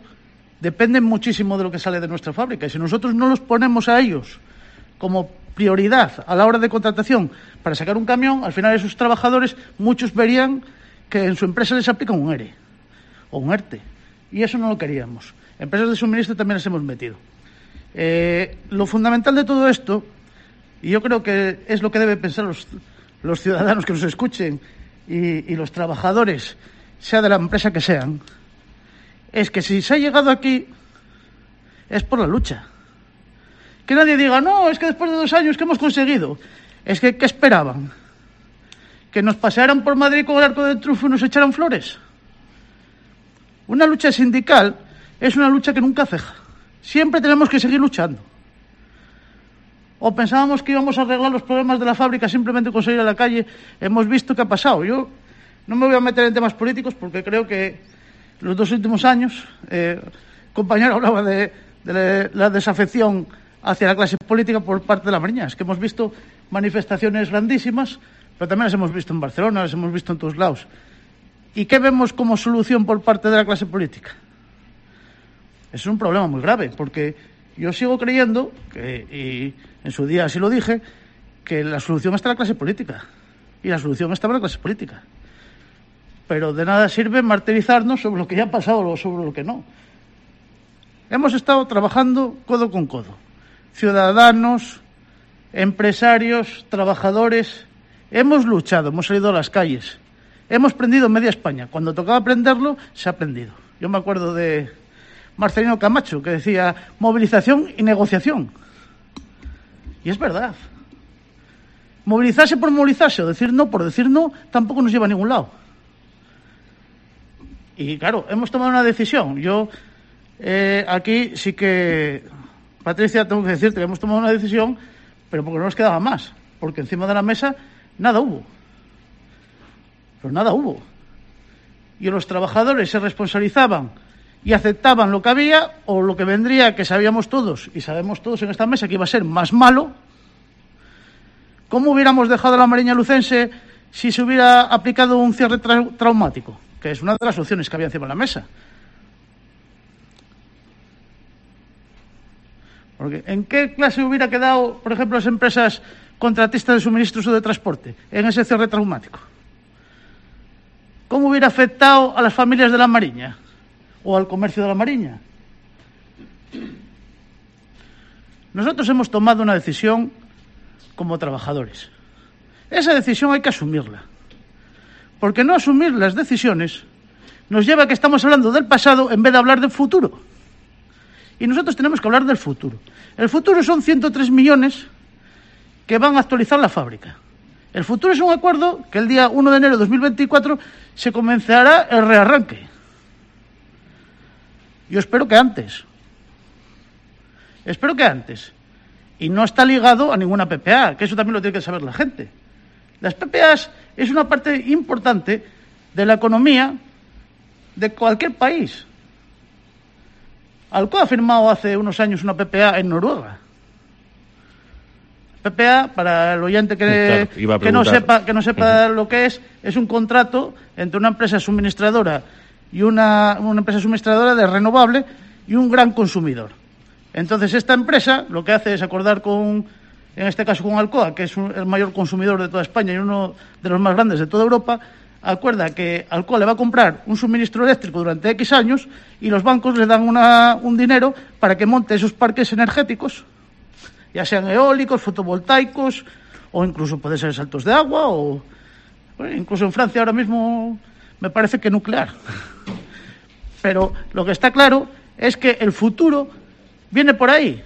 dependen muchísimo de lo que sale de nuestra fábrica, y si nosotros no los ponemos a ellos como prioridad a la hora de contratación para sacar un camión, al final esos trabajadores, muchos verían que en su empresa les aplican un ERE o un ERTE, y eso no lo queríamos. Empresas de suministro también las hemos metido. Lo fundamental de todo esto, y yo creo que es lo que deben pensar los ciudadanos que nos escuchen y los trabajadores, sea de la empresa que sean, es que si se ha llegado aquí es por la lucha. Que nadie diga, no, es que después de 2 años, ¿qué hemos conseguido? Es que, ¿qué esperaban? ¿Que nos pasearan por Madrid con el arco del triunfo y nos echaran flores? Una lucha sindical es una lucha que nunca ceja. Siempre tenemos que seguir luchando. O pensábamos que íbamos a arreglar los problemas de la fábrica simplemente con salir a la calle. Hemos visto qué ha pasado. Yo no me voy a meter en temas políticos porque creo que los 2 últimos años, compañero hablaba de la desafección hacia la clase política por parte de la Mariña. Es que hemos visto manifestaciones grandísimas pero también las hemos visto en Barcelona, las hemos visto en todos lados. ¿Y qué vemos como solución por parte de la clase política? Es un problema muy grave, porque yo sigo creyendo, y en su día así lo dije, que la solución está en la clase política. Y la solución está en la clase política. Pero de nada sirve martirizarnos sobre lo que ya ha pasado o sobre lo que no. Hemos estado trabajando codo con codo. Ciudadanos, empresarios, trabajadores. Hemos luchado, hemos salido a las calles. Hemos prendido media España. Cuando tocaba prenderlo, se ha prendido. Yo me acuerdo de Marcelino Camacho, que decía movilización y negociación. Y es verdad. Movilizarse por movilizarse o decir no por decir no tampoco nos lleva a ningún lado. Y claro, hemos tomado una decisión. Yo aquí sí que, Patricia, tengo que decirte que hemos tomado una decisión, pero porque no nos quedaba más. Porque encima de la mesa nada hubo. Pero nada hubo. Y los trabajadores se responsabilizaban y aceptaban lo que había o lo que vendría, que sabíamos todos y sabemos todos en esta mesa que iba a ser más malo. ¿Cómo hubiéramos dejado a la Mariña Lucense si se hubiera aplicado un cierre traumático? Que es una de las opciones que había encima de la mesa. Porque ¿en qué clase hubiera quedado, por ejemplo, las empresas contratistas de suministros o de transporte en ese cierre traumático? ¿Cómo hubiera afectado a las familias de la Mariña o al comercio de la Mariña? Nosotros hemos tomado una decisión como trabajadores. Esa decisión hay que asumirla. Porque no asumir las decisiones nos lleva a que estamos hablando del pasado en vez de hablar del futuro. Y nosotros tenemos que hablar del futuro. El futuro son 103 millones que van a actualizar la fábrica. El futuro es un acuerdo que el día 1 de enero de 2024 se comenzará el rearranque. Yo espero que antes. Espero que antes. Y no está ligado a ninguna PPA, que eso también lo tiene que saber la gente. Las PPAs es una parte importante de la economía de cualquier país. Alcoa ha firmado hace unos años una PPA en Noruega. PPA, para el oyente que no sepa lo que es un contrato entre una empresa suministradora y una empresa suministradora de renovable y un gran consumidor. Entonces, esta empresa lo que hace es acordar en este caso con Alcoa, que es el mayor consumidor de toda España y uno de los más grandes de toda Europa, acuerda que Alcoa le va a comprar un suministro eléctrico durante X años y los bancos le dan un dinero para que monte esos parques energéticos, ya sean eólicos, fotovoltaicos, o incluso puede ser saltos de agua, o incluso en Francia ahora mismo me parece que nuclear. Pero lo que está claro es que el futuro viene por ahí,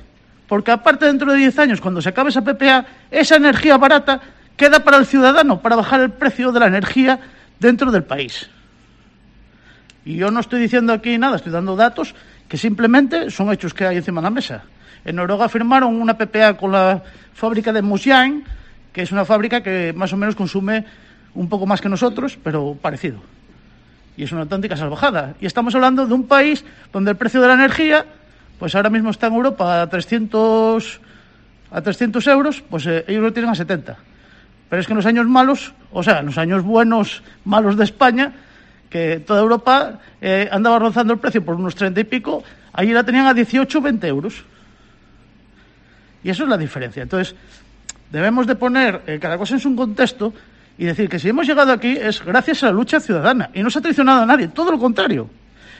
porque aparte dentro de 10 años, cuando se acabe esa PPA, esa energía barata queda para el ciudadano, para bajar el precio de la energía dentro del país. Y yo no estoy diciendo aquí nada, estoy dando datos que simplemente son hechos que hay encima de la mesa. En Noruega firmaron una PPA con la fábrica de Mosjärn, que es una fábrica que más o menos consume un poco más que nosotros, pero parecido. Y es una auténtica salvajada. Y estamos hablando de un país donde el precio de la energía, pues ahora mismo está en Europa a 300 euros, pues ellos lo tienen a 70. Pero es que en los años malos, o sea, en los años buenos, malos de España, que toda Europa andaba rozando el precio por unos 30 y pico, allí la tenían a 18 o 20 euros. Y eso es la diferencia. Entonces, debemos de poner cada cosa en su contexto y decir que si hemos llegado aquí es gracias a la lucha ciudadana. Y no se ha traicionado a nadie, todo lo contrario.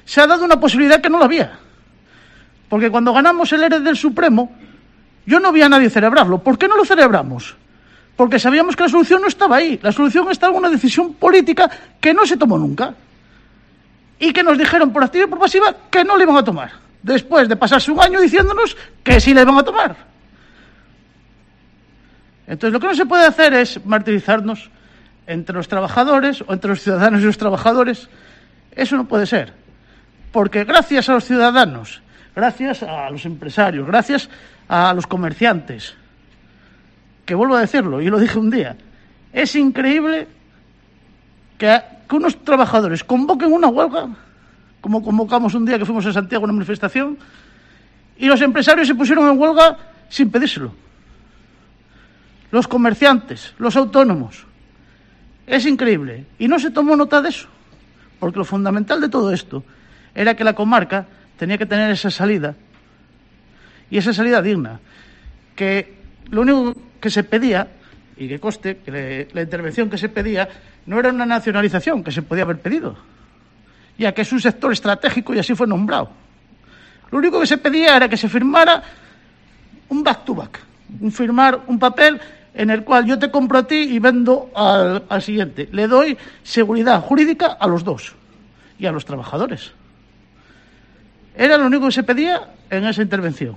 Se ha dado una posibilidad que no la había. Porque cuando ganamos el ERE del Supremo, yo no vi a nadie celebrarlo. ¿Por qué no lo celebramos? Porque sabíamos que la solución no estaba ahí. La solución estaba en una decisión política que no se tomó nunca. Y que nos dijeron por activa y por pasiva que no le iban a tomar. Después de pasarse un año diciéndonos que sí le iban a tomar. Entonces, lo que no se puede hacer es martirizarnos entre los trabajadores o entre los ciudadanos y los trabajadores. Eso no puede ser. Porque gracias a los ciudadanos, gracias a los empresarios, gracias a los comerciantes, que vuelvo a decirlo, y lo dije un día, es increíble que unos trabajadores convoquen una huelga, como convocamos un día que fuimos a Santiago a una manifestación, y los empresarios se pusieron en huelga sin pedírselo. Los comerciantes, los autónomos. Es increíble. Y no se tomó nota de eso, porque lo fundamental de todo esto era que la comarca tenía que tener esa salida, y esa salida digna, que lo único que se pedía, y que conste que la intervención que se pedía no era una nacionalización que se podía haber pedido, ya que es un sector estratégico y así fue nombrado. Lo único que se pedía era que se firmara un back-to-back, firmar un papel en el cual yo te compro a ti y vendo al siguiente. Le doy seguridad jurídica a los dos y a los trabajadores. Era lo único que se pedía en esa intervención.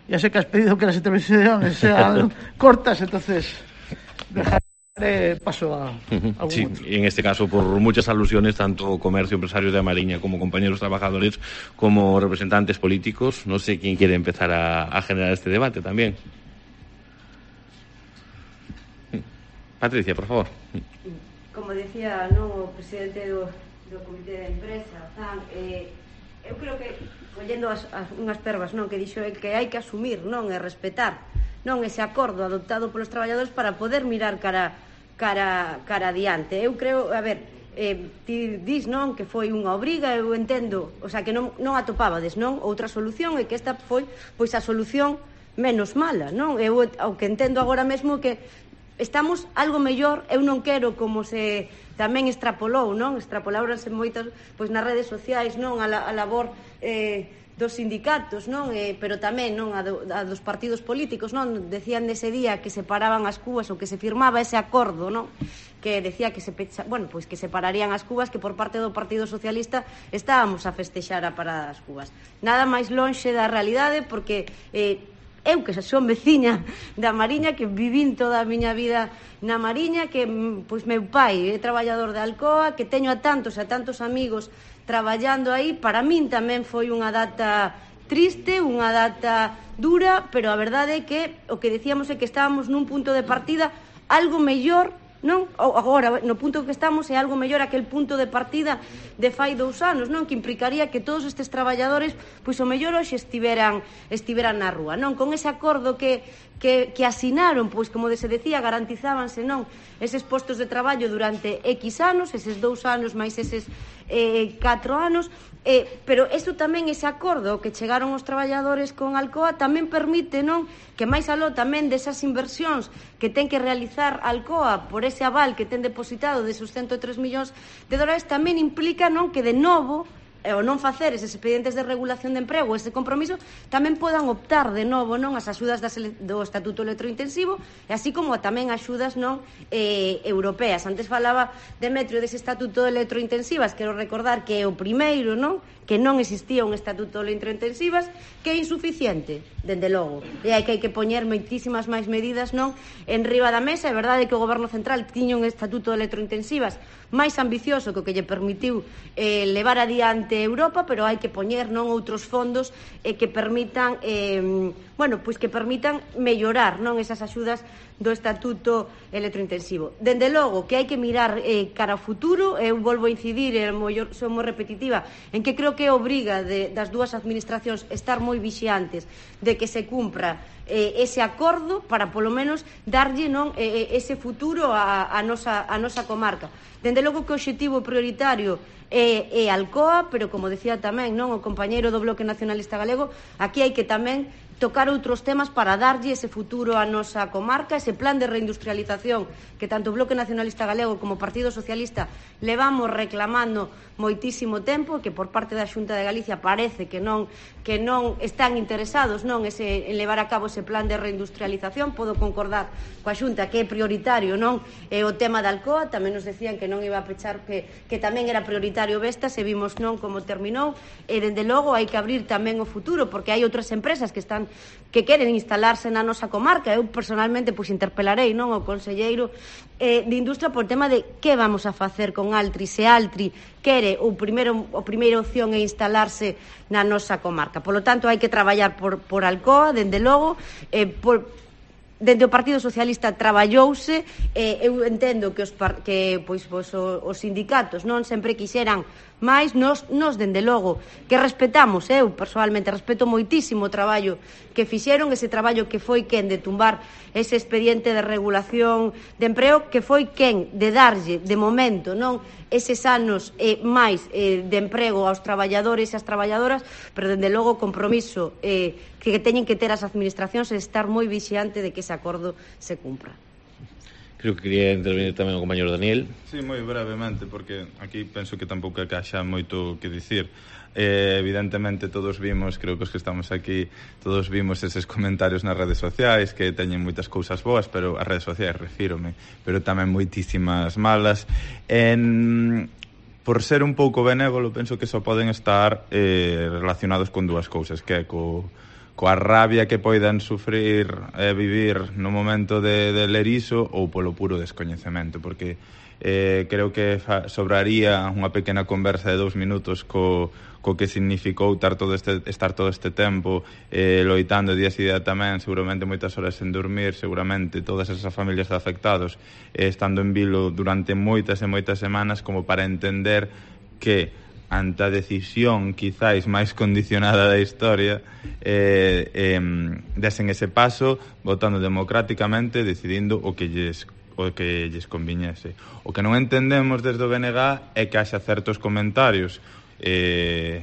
Ya sé que has pedido que las intervenciones sean cortas, entonces dejaré paso a algún sí, otro. en este caso por muchas alusiones, tanto comercio, empresarios de Amariña como compañeros trabajadores, como representantes políticos. No sé quién quiere empezar a generar este debate también. Patricia, por favor. Como decía o presidente do comité de empresa, eu creo que collendo unhas pervas que dixo que hai que asumir e respetar ese acordo adoptado polos traballadores para poder mirar cara adiante. Eu creo, ti dis que foi unha obriga, eu entendo, o sea, que non atopabades outra solución, e que esta foi pois a solución menos mala, Eu o que entendo agora mesmo que estamos algo mellor. Eu non quero, como se tamén extrapolou, extrapoláronse moitas pois nas redes sociais, a labor dos sindicatos, pero tamén a dos partidos políticos, decían nese día que se paraban as cubas ou que se firmaba ese acordo, que decía que que se pararían as cubas, que por parte do Partido Socialista estábamos a festexar a parada das cubas. Nada máis lonxe da realidade, porque eu que son veciña da Mariña, que vivín toda a miña vida na Mariña, que pois meu pai é traballador de Alcoa, que teño a tantos amigos traballando aí, para min tamén foi unha data triste, unha data dura, pero a verdade é que o que decíamos é que estábamos nun punto de partida algo mellor, agora no punto que estamos é algo mellor aquel punto de partida de fai 2 anos, que implicaría que todos estes traballadores pois o mellor hoxe estiveran na rúa, con ese acordo que asinaron, pois como se decía, garantizábanse eses postos de traballo durante X anos, eses 2 anos máis eses 4 anos, pero eso tamén, ese acordo que chegaron os traballadores con Alcoa, tamén permite que máis aló tamén desas inversións que ten que realizar Alcoa por ese aval que ten depositado desos 103 millóns de dólares, tamén implica que de novo o non facer eses expedientes de regulación de emprego, ese compromiso, tamén podan optar de novo as axudas do Estatuto Electrointensivo, e así como tamén axudas europeas. Antes falaba Demetrio dese Estatuto de Electrointensivas, quero recordar que é o primeiro, que non existía un Estatuto de Electrointensivas, que é insuficiente, dende logo, e hai que poñer moitísimas máis medidas en riba da mesa. É verdade que o Goberno Central tiña un Estatuto de Electrointensivas máis ambicioso que o que lle permitiu levar adiante Europa, pero hai que poñer outros fondos que permitan que permitan mellorar esas axudas do Estatuto Electrointensivo. Dende logo que hai que mirar cara ao futuro. Eu volvo a incidir, son moi repetitiva, en que creo que é obriga das dúas administracións estar moi vixiantes de que se cumpra ese acordo para polo menos darlle ese futuro a nosa comarca. Dende logo que o obxectivo prioritario é Alcoa, pero como decía tamén o compañeiro do Bloque Nacionalista Galego, aquí hai que tamén tocar outros temas para darlle ese futuro a nosa comarca, ese plan de reindustrialización que tanto o Bloque Nacionalista Galego como o Partido Socialista levamos reclamando moitísimo tempo, que por parte da Xunta de Galicia parece que non están interesados en levar a cabo ese plan de reindustrialización. Podo concordar coa Xunta que é prioritario o tema da Alcoa, tamén nos decían que non iba a pechar, que tamén era prioritario Vestas, e vimos como terminou, e dende logo hai que abrir tamén o futuro, porque hai outras empresas que queren instalarse na nosa comarca. Eu personalmente interpelarei o conselleiro de Industria por tema de que vamos a facer con Altri, se Altri quere a primeira opción é instalarse na nosa comarca. Por lo tanto, hai que traballar por Alcoa, dende logo, dende o Partido Socialista traballouse. Eu entendo que os sindicatos non sempre quixeran Mais nos dende logo, que respetamos, eu personalmente respeto moitísimo o traballo que fixeron, ese traballo que foi quen de tumbar ese expediente de regulación de emprego, que foi quen de darlle, de momento, non eses anos máis de emprego aos traballadores e as traballadoras, pero dende logo o compromiso que teñen que ter as administracións é estar moi vixiante de que ese acordo se cumpra. Creo que quería intervenir tamén o compañero Daniel. Sí, moi brevemente, porque aquí penso que tampouco é que haxa moito que dicir. Evidentemente todos vimos, creo que os que estamos aquí, todos vimos eses comentarios nas redes sociais que teñen moitas cousas boas, pero as redes sociais refírome, pero tamén moitísimas malas. Por ser un pouco benévolo, penso que só poden estar relacionados con dúas cousas, que é coa rabia que poidan sufrir e vivir no momento de ler iso ou polo puro descoñecemento, porque creo que sobraría unha pequena conversa de 2 minutos co que significou estar todo este tempo loitando día e día tamén, seguramente moitas horas sen dormir, seguramente todas esas familias de afectados estando en vilo durante moitas e moitas semanas, como para entender que ante a decisión quizáis máis condicionada da historia desen ese paso votando democráticamente, decidindo o que lles conviñese. O que non entendemos desde o BNG é que haxa certos comentarios que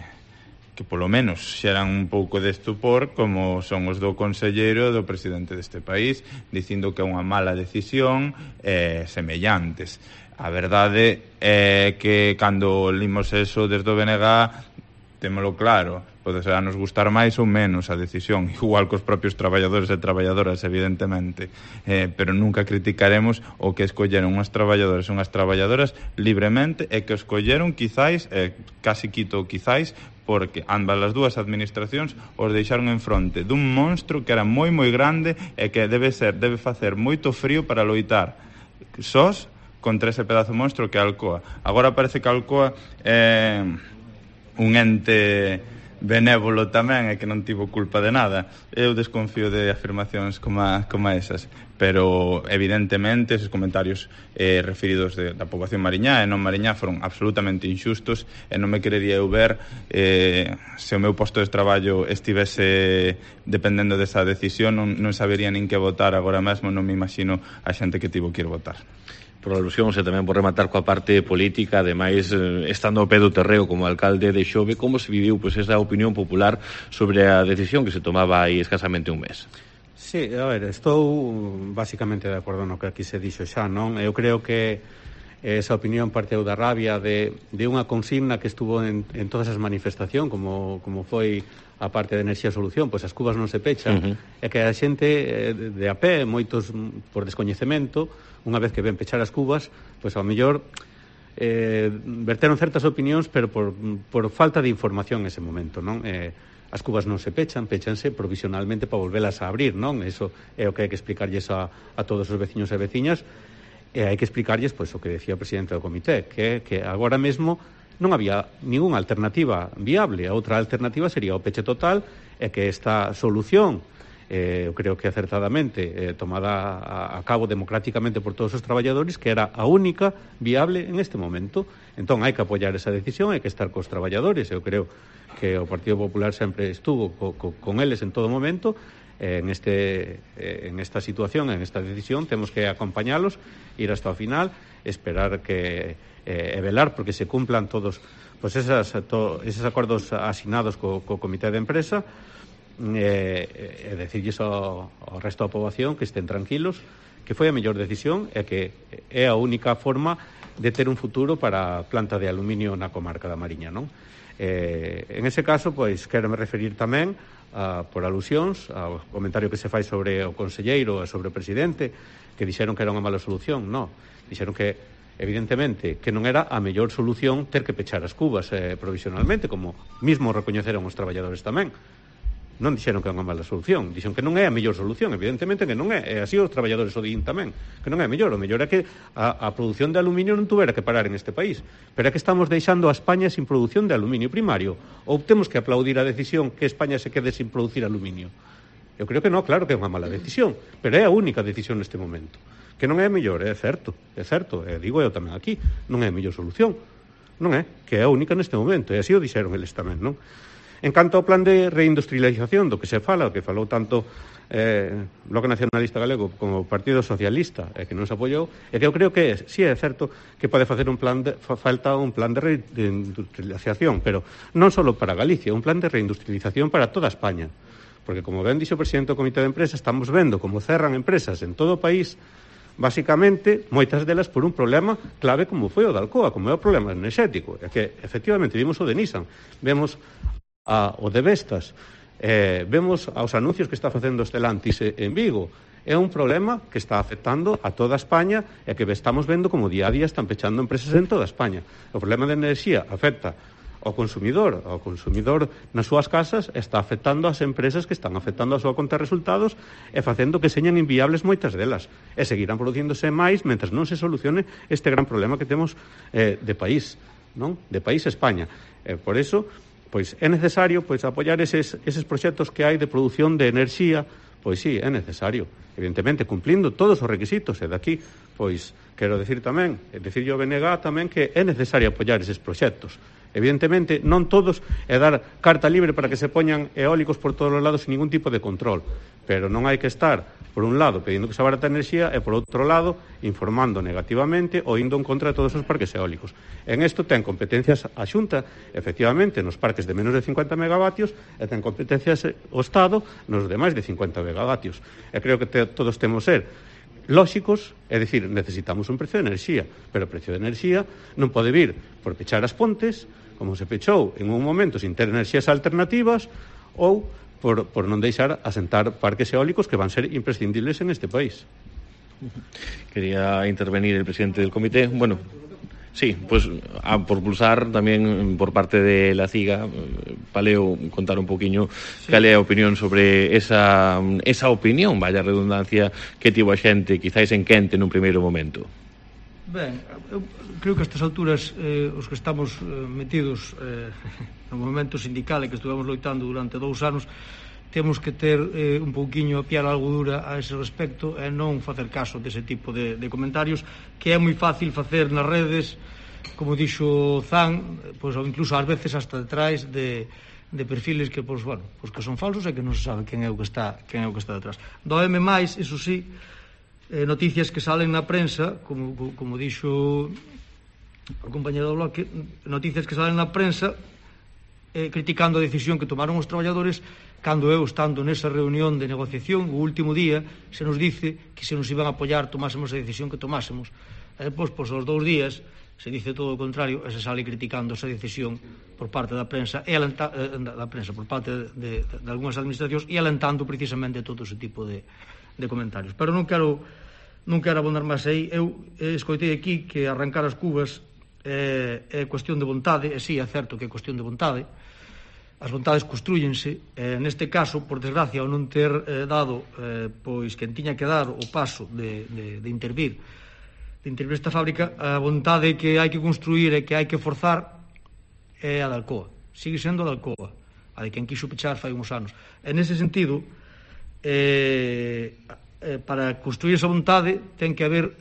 polo menos xeran un pouco de estupor, como son os do conselleiro do presidente deste país, dicindo que é unha mala decisión semellantes. A verdade é que cando limos eso desde o BNG témolo claro, pode ser a nos gustar máis ou menos a decisión, igual cos propios traballadores e traballadoras, evidentemente, pero nunca criticaremos o que escolleron unhas traballadores e unhas traballadoras libremente e que escolleron quizáis, casi quito quizáis, porque ambas as dúas administracións os deixaron en fronte dun monstro que era moi moi grande e que debe facer moito frío para loitar sós contra ese pedazo monstro que é a Alcoa. Agora parece que a Alcoa é un ente benévolo tamén e que non tivo culpa de nada. Eu desconfío de afirmacións como esas, pero evidentemente esos comentarios referidos da poboación mariñá e non mariñá foron absolutamente inxustos e non me querería eu ver se o meu posto de traballo estivese dependendo desa decisión, non sabería nin que votar agora mesmo, non me imagino a xente que tivo que ir votar. Por alusións e tamén por rematar coa parte política, ademais, estando ao pé do terreo como alcalde de Xove, como se viviu esa opinión popular sobre a decisión que se tomaba aí escasamente un mes? Sí, a ver, estou basicamente de acordo no que aquí se dixo xa, non? Eu creo que esa opinión parteu da rabia de unha consigna que estuvo en todas as manifestacións, como foi a parte de Enerxía Solución, pois as cubas non se pechan, e que a xente de a pé, moitos por descoñecemento, unha vez que ven pechar as cubas, pois ao mellor verteron certas opinións, pero por falta de información nese momento, non? As cubas non se pechanse provisionalmente para volvelas a abrir, non? Eso é o que hai que explicarlles a todos os veciños e veciñas, e hai que explicarlles, pois, o que decía o presidente do comité, que agora mesmo non había ninguna alternativa viable. A outra alternativa sería o peche total, e que esta solución, eu creo que acertadamente tomada a cabo democráticamente por todos os traballadores, que era a única viable en este momento. Entón hai que apoiar esa decisión, hai que estar cos traballadores. Eu creo que o Partido Popular sempre estuvo con eles en todo momento. En esta situación, en esta decisión, temos que acompañalos, ir hasta o final, esperar que velar porque se cumplan todos pues esos acordos asinados co Comité de Empresa, e decirlles ao resto da poboación que estén tranquilos, que foi a mellor decisión e que é a única forma de ter un futuro para a planta de aluminio na comarca da Mariña, non? En ese caso, pois, quero me referir tamén por alusións ao comentario que se fai sobre o conselleiro e sobre o presidente, que dixeron que era unha mala solución. Non, dixeron que evidentemente que non era a mellor solución ter que pechar as cubas provisionalmente, como mismo recoñeceron os traballadores tamén. Non dixeron que é unha mala solución, dixeron que non é a mellor solución, evidentemente que non é, e así os traballadores o din tamén, que non é mellor. O mellor é que a produción de aluminio non tuvera que parar en este país, pero é que estamos deixando a España sin produción de aluminio primario, ou temos que aplaudir a decisión que España se quede sin producir aluminio. Eu creo que non, claro que é unha mala decisión, pero é a única decisión neste momento. Que non é a mellor, é certo, digo eu tamén aquí, non é a mellor solución. non é? Que é a única neste momento, e así o dixeron eles tamén, non? En canto ao plan de reindustrialización do que se fala, que falou tanto Bloque Nacionalista Galego como o Partido Socialista, que non se apoiou, é que eu creo que sí é certo que pode facer falta un plan de reindustrialización, pero non só para Galicia, un plan de reindustrialización para toda España, porque como ben dixo o presidente do Comité de Empresa, estamos vendo como cerran empresas en todo o país, basicamente, moitas delas por un problema clave como foi o da Alcoa, como é o problema enerxético, é que efectivamente vimos o de Nissan, vemos o de Vestas, vemos aos anuncios que está facendo Stellantis en Vigo. É un problema que está afectando a toda España e que estamos vendo como día a día están pechando empresas en toda España. O problema de enerxía afecta ao consumidor nas súas casas, está afectando ás empresas que están afectando a súa conta de resultados e facendo que señan inviables moitas delas. E seguirán producíndose máis mentre non se solucione este gran problema que temos de país, non? De país España. Por iso, pois é necesario apoiar eses proxectos que hai de produción de enerxía, pois sí, é necesario, evidentemente cumplindo todos os requisitos, e daqui, pois, quero decir tamén, decirlle ao BNG tamén que é necesario apoiar eses proxectos. Evidentemente, non todos é dar carta libre para que se poñan eólicos por todos os lados sin ningún tipo de control, pero non hai que estar, por un lado, pedindo que se abarata a enerxía e, por outro lado, informando negativamente ou indo en contra de todos os parques eólicos. En isto ten competencias a Xunta, efectivamente, nos parques de menos de 50 megavatios e ten competencias o Estado nos de máis de 50 megavatios. E creo que todos temos ser lóxicos, é dicir, necesitamos un precio de enerxía, pero o precio de enerxía non pode vir por pechar as pontes, como se pechou en un momento sin ter enerxías alternativas, ou por non deixar asentar parques eólicos que van ser imprescindibles en este país. Quería intervenir el presidente del comité. Bueno, sí, pues por pulsar tamén por parte de la CIGA, Paleo contar un poquinho cal é a opinión sobre esa opinión, vaya redundancia, que tivo a xente quizáis en quente nun primeiro momento. Ben, eu creo que a estas alturas os que estamos metidos no movimento sindical e que estuvemos loitando durante 2 anos temos que ter un pouquiño a piar algo dura a ese respecto e non facer caso dese tipo de comentarios que é moi fácil facer nas redes, como dixo Zan, pois, ou incluso ás veces hasta detrás de perfiles que, pois, bueno, pois que son falsos e que non se sabe quen é o que está detrás. Doeme máis, iso sí, noticias que salen na prensa, como dixo o compañero do Bloque, noticias que salen na prensa criticando a decisión que tomaron os traballadores cando eu, estando nesa reunión de negociación o último día, se nos dice que se nos iban a apoiar tomásemos a decisión que tomásemos. E depois, pois, aos 2 días se dice todo o contrario e se sale criticando esa decisión por parte da prensa e por parte de algunhas administracións e alentando precisamente todo ese tipo de comentarios. Pero non quero abonar máis aí. Eu escoitei aquí que arrancar as cubas é cuestión de vontade, e sí, é certo que é cuestión de vontade. As vontades construyense, neste caso, por desgracia, ao non ter dado pois quen tiña que dar o paso de intervir esta fábrica, a vontade que hai que construir e que hai que forzar é a da Alcoa, sigue sendo a da Alcoa, a de quen quixo pechar fai uns anos. E nese sentido, para construir esa vontade ten que haber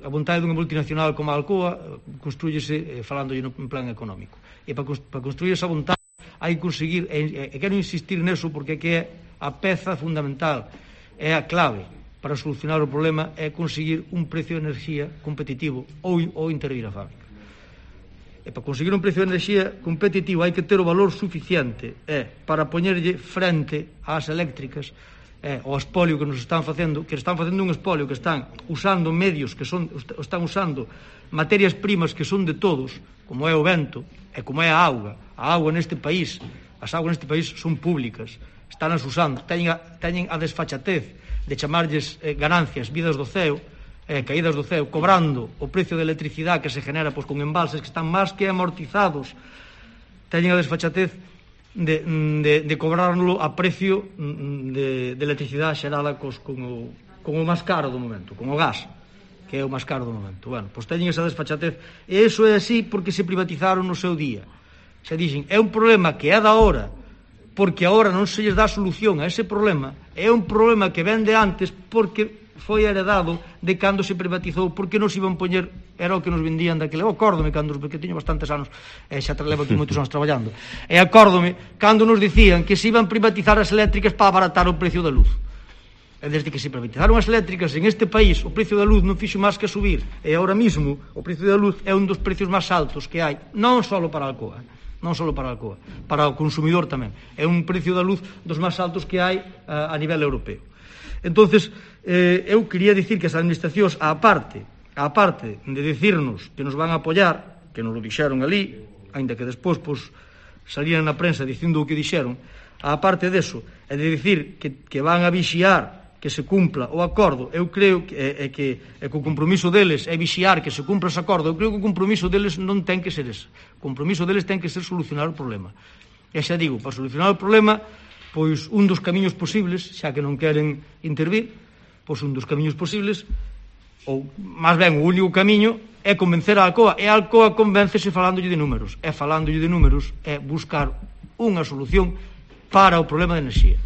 a vontade dunha multinacional como a Alcoa construyese falando en plan económico, e para construir esa vontade hai que conseguir, e quero insistir neso porque que é a peza fundamental, é a clave para solucionar o problema, é conseguir un precio de enerxía competitivo ou intervir a fábrica. E para conseguir un precio de enerxía competitivo hai que ter o valor suficiente para poñerlle frente ás eléctricas, o espolio que nos están facendo, un espolio que están usando medios están usando materias primas que son de todos, como é o vento e como é a auga. A auga neste país, as augas neste país son públicas, están as usando, teñen a desfachatez de chamarlles ganancias, vidas do ceo, caídas do ceo, cobrando o precio de electricidade que se genera pois, con embalses que están máis que amortizados, teñen a desfachatez de cobrarlo a precio de electricidade xerada con o máis caro do momento, con o gas, que é o máis caro do momento. Bueno, pois teñen esa desfachatez, e iso é así porque se privatizaron no seu día. Se dixen, é un problema que é da hora, porque agora non se lles dá solución a ese problema, é un problema que ven de antes porque foi heredado de cando se privatizou, porque nos iban poñer, era o que nos vendían daquele, eu acórdome cando, porque teño bastantes anos, xa levo aquí moitos anos traballando, e acórdome cando nos dicían que se iban privatizar as eléctricas para abaratar o precio da luz. E desde que se privatizaron as eléctricas en este país, o precio da luz non fixo máis que subir, e agora mismo o precio da luz é un dos precios máis altos que hai, non só para a Alcoa, para o consumidor tamén. É un precio da luz dos máis altos que hai a nivel europeo. Entonces, eu quería dicir que as administracións, a parte de dicirnos que nos van a apoiar, que nos lo dixeron ali, ainda que despois salían na prensa dicindo o que dixeron, a parte deso, é de dicir que van a vixiar que se cumpla o acordo, eu creo que o compromiso deles é vixiar que se cumpla ese acordo. Eu creo que o compromiso deles non ten que ser ese. O compromiso deles ten que ser solucionar o problema. E xa digo, para solucionar o problema, pois un dos camiños posibles, xa que non queren intervir, pois un dos camiños posibles, ou máis ben o único camiño, é convencer a Alcoa. E a Alcoa convéncese falándolle de números. E falándolle de números é buscar unha solución para o problema de enerxía.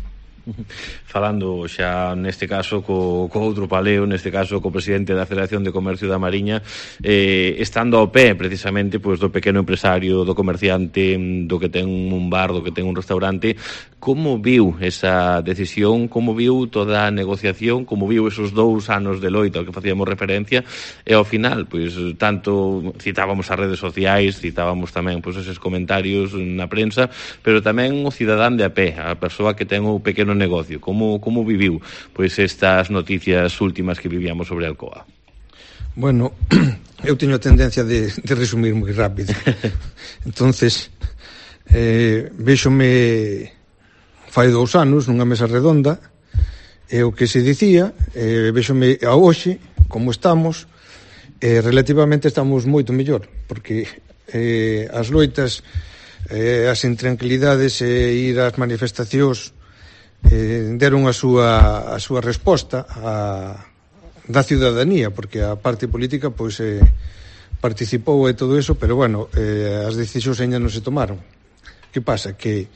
Falando xa neste caso co outro paleo, neste caso co presidente da Federación de Comercio da Mariña, estando ao pé precisamente pois do pequeno empresario, do comerciante, do que ten un bar, do que ten un restaurante, como viu esa decisión, como viu toda a negociación, como viu esos 2 anos de loita ao que facíamos referencia, e ao final, pois tanto citábamos as redes sociais, citábamos tamén pois eses comentarios na prensa, pero tamén o cidadán de a pé, a persoa que ten o pequeno negocio, como viviu pois estas noticias últimas que vivíamos sobre Alcoa? Bueno, eu teño a tendencia de resumir moi rápido. Entonces, véxome fai 2 anos nunha mesa redonda, e o que se dicía, véxome a hoxe, como estamos, relativamente estamos moito mellor, porque as loitas, as intranquilidades e ir ás manifestacións deron a súa resposta da ciudadanía, porque a parte política pois participou e todo eso, pero bueno, as decisións ainda non se tomaron. Que pasa? Que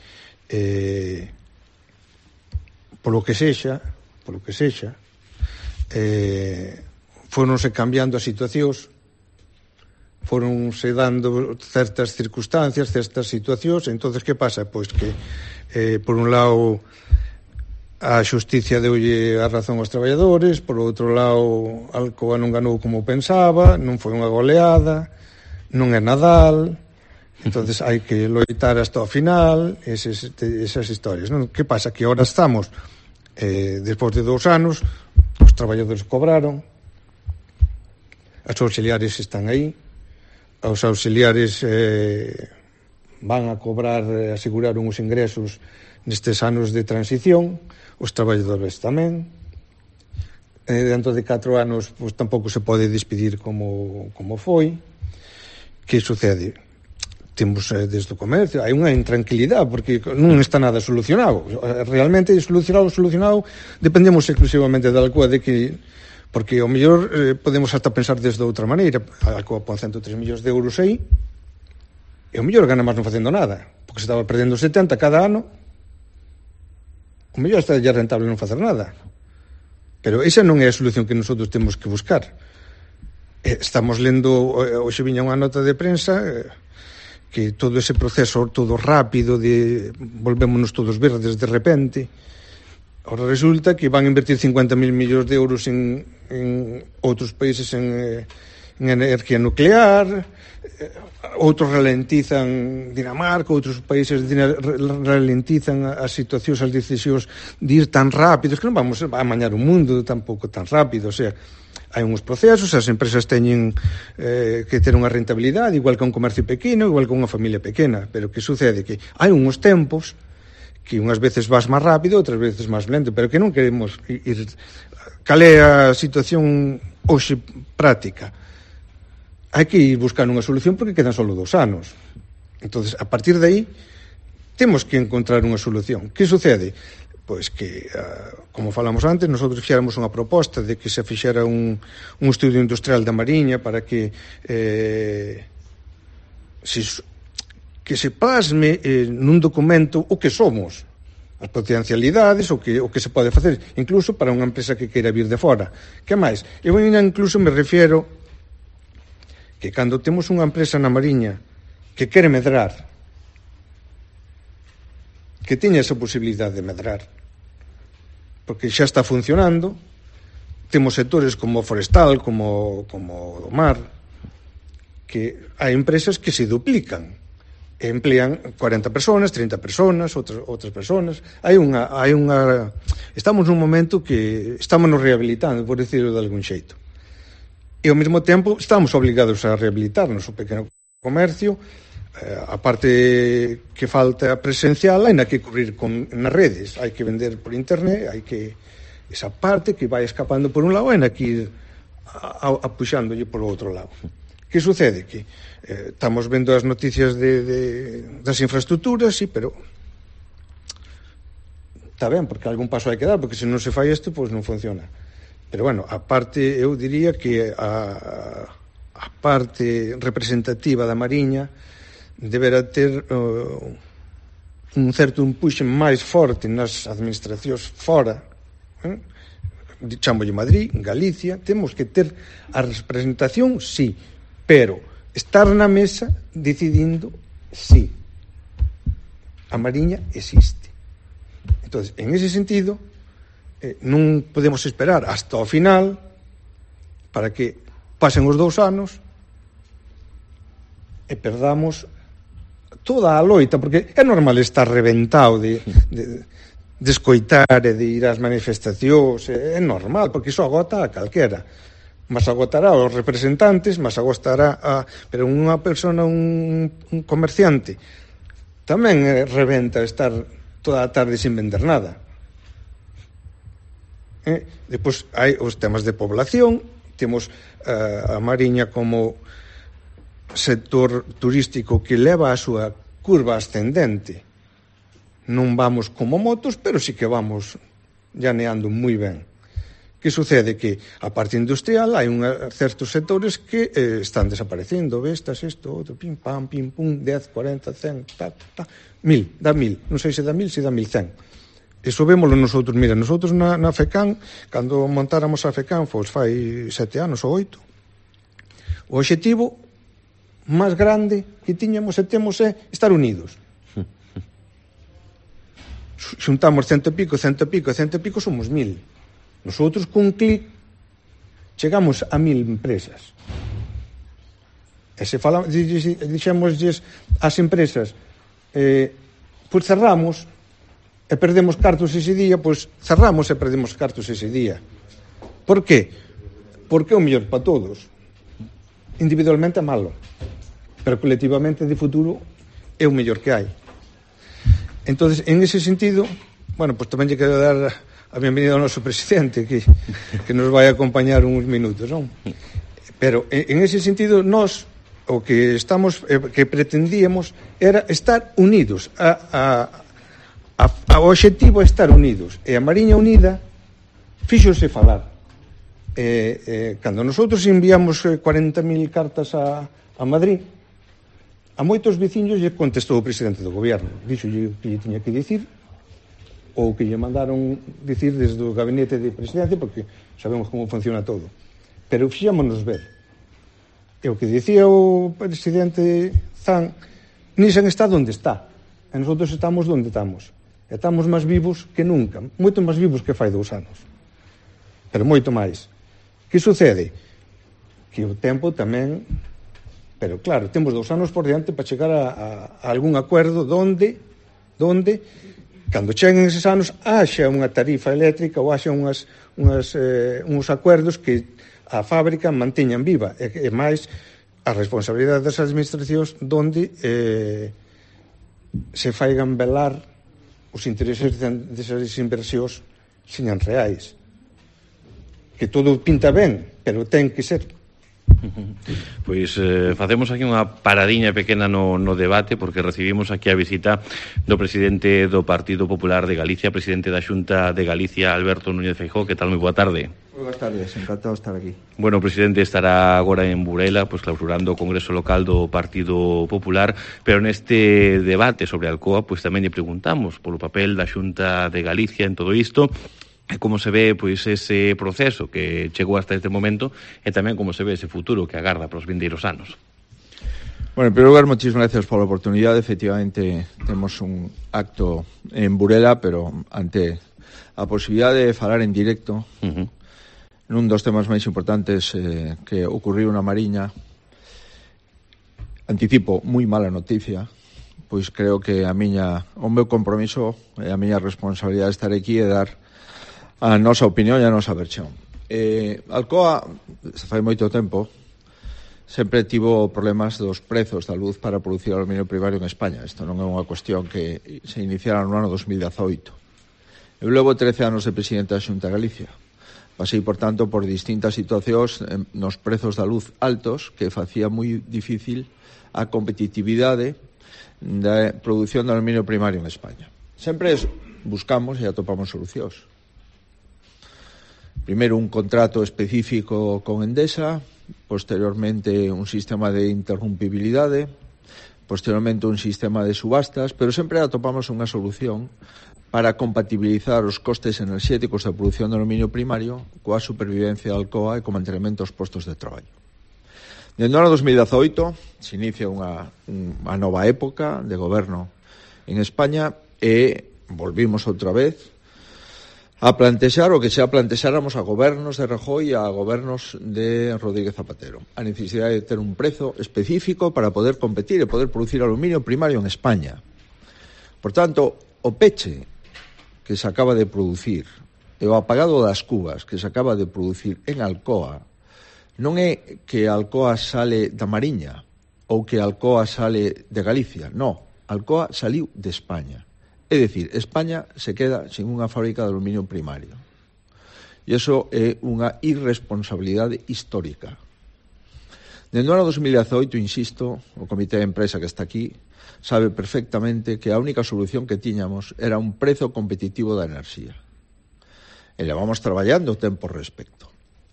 polo que sexa foronse cambiando as situacións, foronse dando certas circunstancias, certas situacións. Entonces, que pasa? Pois que por un lado a xusticia deulle a razón aos traballadores, por outro lado Alcoa non ganou como pensaba, non foi unha goleada, non é Nadal, entonces hai que loitar hasta o final, esas historias, non? Que pasa? Que agora estamos, despois de 2 anos, os traballadores cobraron, as auxiliares están aí, os auxiliares van a cobrar, aseguraron os ingresos nestes anos de transición, os traballadores tamén. Dentro de 4 anos pois tampouco se pode despedir como foi. Que sucede? Temos desde o comercio, hai unha intranquilidade porque non está nada solucionado. Realmente solucionado dependemos exclusivamente da Alcoa, de que porque ao mellor podemos hasta pensar desde outra maneira. A Alcoa pon 103 millóns de euros aí e ao mellor gana máis non facendo nada, porque se estaba perdendo 70 cada ano. O mellor está ya rentable non facer nada. Pero esa non é a solución que nosotros temos que buscar. Estamos lendo, hoxe viña unha nota de prensa, que todo ese proceso todo rápido de volvémonos todos verdes de repente. Ahora resulta que van a invertir 50.000 millóns de euros en outros países en energía nuclear, outros ralentizan Dinamarca, outros países ralentizan as situacións, as decisións de ir tan rápidos, que non vamos a amañar o mundo tampouco tan rápido. O sea, hai uns procesos, as empresas teñen que ter unha rentabilidade, igual que un comercio pequeno, igual que unha familia pequena, pero que sucede? Que hai uns tempos que unhas veces vas máis rápido, outras veces máis lento, pero que non queremos ir. Cal é a situación hoxe práctica? Hai que ir buscar unha solución porque quedan só 2 anos. Entonces, a partir de aí, temos que encontrar unha solución. Que sucede? Pois que, como falamos antes, nosotros fixéramos unha proposta de que se fixera un estudio industrial da Mariña para que se plasme nun documento o que somos. as potencialidades, o que se pode facer, incluso para unha empresa que queira vir de fora. Que máis? Eu incluso me refiero que cando temos unha empresa na Mariña que quere medrar, que teña esa posibilidade de medrar, porque xa está funcionando, temos sectores como forestal, como do mar, que hai empresas que se duplican, e emplean 40 personas, 30 personas, outras personas. Estamos nun momento que estamos nos rehabilitando, por decirlo de algún xeito. E ao mesmo tempo estamos obligados a rehabilitarnos. O pequeno comercio, a parte que falta presencial, hai que cubrir nas redes, hai que vender por internet, hai que esa parte que vai escapando por un lado, hai que ir apuxándolle por outro lado. Que sucede? Que estamos vendo as noticias das infraestructuras, sí, pero está ben, porque algún paso hai que dar, porque se non se fai isto, pois non funciona. Pero, bueno, a parte, eu diría que a parte representativa da Mariña deberá ter un certo empuxe máis forte nas administracións fora, chamolle Madrid, Galicia, temos que ter a representación, sí, pero estar na mesa decidindo, sí, a Mariña existe. Entonces, en ese sentido, non podemos esperar hasta o final para que pasen os 2 anos e perdamos toda a loita, porque é normal estar reventado de escoitar e de ir ás manifestacións, é normal, porque iso agota a calquera. Mas agotará aos representantes, mas agotará pero unha persona, un comerciante, tamén reventa estar toda a tarde sin vender nada. Depois hai os temas de población, temos a Mariña como sector turístico que leva a súa curva ascendente. Non vamos como motos, pero sí que vamos llaneando moi ben. Que sucede? Que a parte industrial hai certos sectores que están desaparecendo, vestas, isto, outro, pim, pam, pim, pum, 10, 40, 100, ta, 1000, dá 1000, non sei se dá 1000, se dá 1100. Iso vémolo nosotros, mira, nosotros na FECAN, cando montáramos a FECAN, pois fai 7 anos ou 8, o obxectivo máis grande que tiñamos e temos é estar unidos. Xuntamos 100 e pico, somos 1000. Nosotros, cun clic, chegamos a 1000 empresas. E se dixémosles ás empresas, pois cerramos e perdemos cartos ese día, pois cerramos e perdemos cartos ese día. Por qué? Porque é o mellor para todos. Individualmente é malo, pero colectivamente de futuro é o mellor que hai. Entonces, en ese sentido, bueno, pois tamén lle quero dar a benvenida ao noso presidente que nos vai acompañar uns minutos, non? Pero en ese sentido nós o que estamos que pretendíamos era estar unidos. O obxectivo é estar unidos, e a Mariña Unida fíxose falar. Cando nosotros enviamos 40.000 cartas a Madrid, a moitos veciños lle contestou o presidente do goberno, dixolle que lle tiña que dicir, ou que lle mandaron dicir desde o gabinete de presidencia, porque sabemos como funciona todo. Pero fixámonos ver. E o que dicía o presidente Zan, Nissan está onde está, e nosotros estamos onde estamos. E estamos máis vivos que nunca, moito máis vivos que fai 2 anos. Pero moito máis. Que sucede? Que o tempo tamén... Pero claro, temos 2 anos por diante para chegar a algún acordo donde cando cheguen eses anos, haxa unha tarifa eléctrica ou haxa uns acordos que a fábrica manteñan viva. E máis, a responsabilidade das administracións donde se faigan velar os intereses desas inversións señan reais. Que todo pinta ben, pero ten que ser. Pois facemos aquí unha paradiña pequena no debate, porque recibimos aquí a visita do presidente do Partido Popular de Galicia, presidente da Xunta de Galicia, Alberto Núñez Feijóo. Que tal? Moi boa tarde. Moi boas tardes, encantado de estar aquí. Bueno, o presidente estará agora en Burela, pois clausurando o Congreso Local do Partido Popular, pero neste debate sobre Alcoa, pois tamén lle preguntamos polo papel da Xunta de Galicia en todo isto, e como se ve pois ese proceso que chegou hasta este momento, e tamén como se ve ese futuro que agarda para os vindeiros anos. Bueno, en primeiro lugar, moitísimas gracias pola oportunidade. Efectivamente, temos un acto en Burela, pero ante a posibilidade de falar en directo nun dos temas máis importantes que ocurriu na Mariña, anticipo moi mala noticia, pois creo que o meu compromiso e a miña responsabilidade de estar aquí é dar a nosa opinión e a nosa versión. Alcoa, fai moito tempo, sempre tivo problemas dos prezos da luz para producir aluminio primario en España. Isto non é unha cuestión que se iniciara no ano 2018. Eu levo 13 anos de presidente da Xunta de Galicia. Pasei, por tanto, por distintas situacións nos prezos da luz altos que facía moi difícil a competitividade da produción de aluminio primario en España. Sempre buscamos e atopamos solucións. Primeiro, un contrato específico con Endesa, posteriormente un sistema de interrumpibilidade, posteriormente un sistema de subastas, pero sempre atopamos unha solución para compatibilizar os costes enerxéticos da produción de aluminio primario coa supervivencia da Alcoa e co mantenimento dos postos de traballo. Dentro do ano 2018 se inicia unha nova época de goberno en España e volvimos outra vez a plantexar o que xa plantexáramos a gobernos de Rajoy e a gobernos de Rodríguez Zapatero. A necesidade de ter un prezo específico para poder competir e poder producir aluminio primario en España. Por tanto, o peche que se acaba de producir e o apagado das cubas que se acaba de producir en Alcoa non é que Alcoa sale da Mariña ou que Alcoa sale de Galicia. No, Alcoa saliu de España. É dicir, España se queda sin unha fábrica de aluminio primario. E iso é unha irresponsabilidade histórica. Dentro do ano 2018, insisto, o comité de empresa que está aquí sabe perfectamente que a única solución que tiñamos era un prezo competitivo da enerxía. E levamos traballando tempo respecto.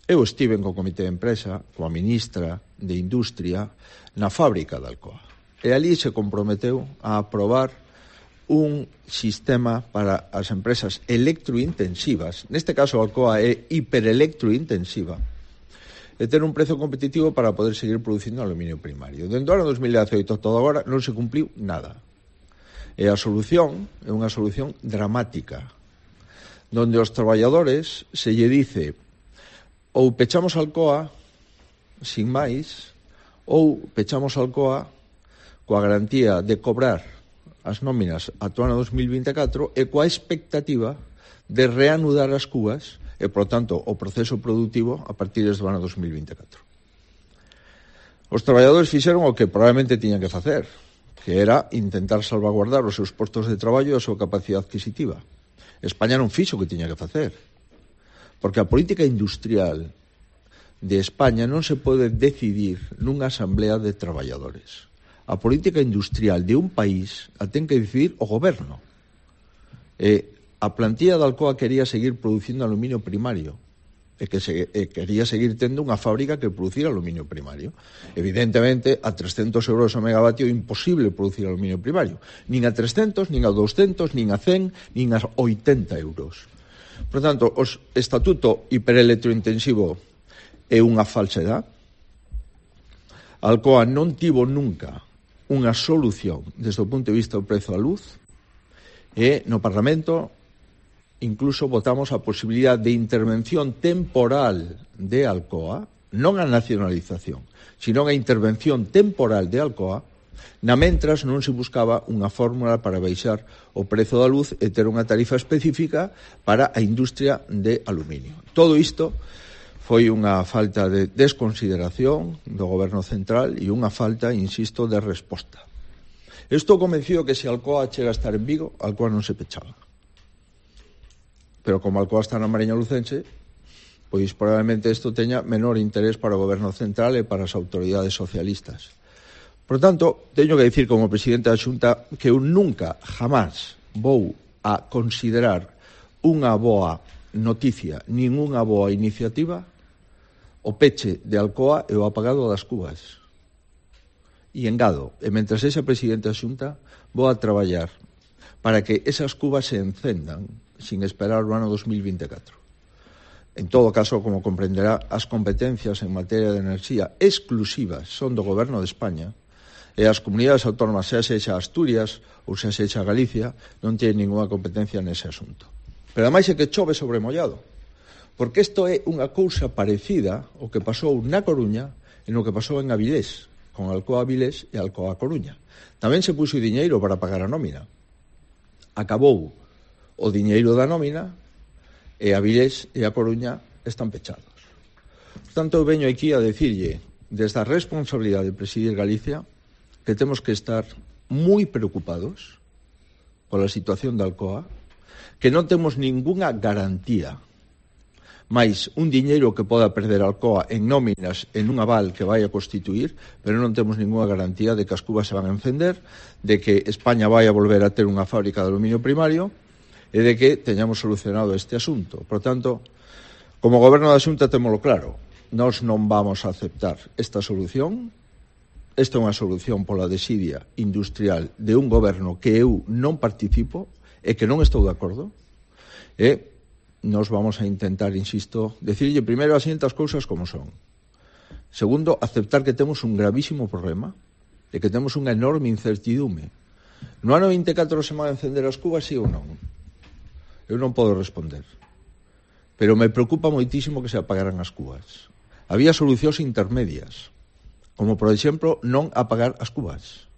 Eu estive co comité de empresa, coa ministra de Industria, na fábrica de Alcoa. E ali se comprometeu a aprobar un sistema para as empresas electrointensivas, neste caso Alcoa é hiperelectrointensiva, e ter un prezo competitivo para poder seguir producindo aluminio primario. Dentro do ano 2018 todo agora non se cumpliu nada. E a solución é unha solución dramática, donde aos traballadores se lle dice ou pechamos Alcoa sin máis, ou pechamos Alcoa coa garantía de cobrar as nóminas ata o ano 2024 e coa expectativa de reanudar as cubas e, por tanto, o proceso productivo a partir do ano 2024. Os traballadores fixeron o que probablemente tiñan que facer, que era intentar salvaguardar os seus postos de traballo e a súa capacidade adquisitiva. España non fixo o que tiña que facer, porque a política industrial de España non se pode decidir nunha asamblea de traballadores. A política industrial de un país a ten que decidir o goberno. A plantilla de Alcoa quería seguir producindo aluminio primario e quería seguir tendo unha fábrica que producira aluminio primario. Evidentemente, a 300 euros o megavatio é imposible producir aluminio primario. Nin a 300, nin a 200, nin a 100, nin a 80 euros. Por tanto, o estatuto hiperelectrointensivo é unha falsedade. Alcoa non tivo nunca unha solución desde o punto de vista do prezo da luz e no Parlamento incluso votamos a posibilidade de intervención temporal de Alcoa, non a nacionalización, sino a intervención temporal de Alcoa, na mentras non se buscaba unha fórmula para baixar o prezo da luz e ter unha tarifa específica para a industria de aluminio. Todo isto foi unha falta de desconsideración do goberno central e unha falta, insisto, de resposta. Estou convencido que se Alcoa chega a estar en Vigo, Alcoa non se pechaba. Pero como Alcoa está na Mariña Lucense, pois probablemente isto teña menor interés para o goberno central e para as autoridades socialistas. Por tanto, teño que dicir como presidente da Xunta que eu nunca, jamás, vou a considerar unha boa noticia, nin unha boa iniciativa o peche de Alcoa e o apagado das cubas. E engado, e mentre sexa presidente da Xunta, vou a traballar para que esas cubas se encendan sin esperar o ano 2024. En todo caso, como comprenderá, as competencias en materia de enerxía exclusivas son do Goberno de España e as comunidades autónomas, xa sexa Asturias ou xa sexa Galicia, non teñen ninguna competencia nese asunto. Pero ademais é que chove sobre mollado, porque isto é unha cousa parecida ao que pasou na Coruña e no que pasou en Avilés, con Alcoa Avilés e Alcoa Coruña. Tamén se puxo diñeiro para pagar a nómina. Acabou o diñeiro da nómina e Avilés e a Coruña están pechados. Por tanto, eu veño aquí a decirlle, desde a responsabilidade de presidir Galicia, que temos que estar moi preocupados pola situación da Alcoa, que non temos ningunha garantía, máis un diñeiro que poda perder Alcoa en nóminas en un aval que vai a constituir, pero non temos ningunha garantía de que as cubas se van a encender, de que España vai a volver a ter unha fábrica de aluminio primario, e de que teñamos solucionado este asunto. Por tanto, como Goberno da Xunta témolo claro, nós non vamos a aceptar esta solución. Esta é unha solución pola desidia industrial de un goberno que eu non participo e que non estou de acordo, e nos vamos a intentar, insisto, decirlle primeiro as siguientes cousas como son. Segundo, aceptar que temos un gravísimo problema, de que temos unha enorme incertidume. No ano 24 se van a encender as cubas, sí ou non? Eu non podo responder. Pero me preocupa moitísimo que se apagaran as cubas. Había solucións intermedias, como, por exemplo, non apagar as cubas.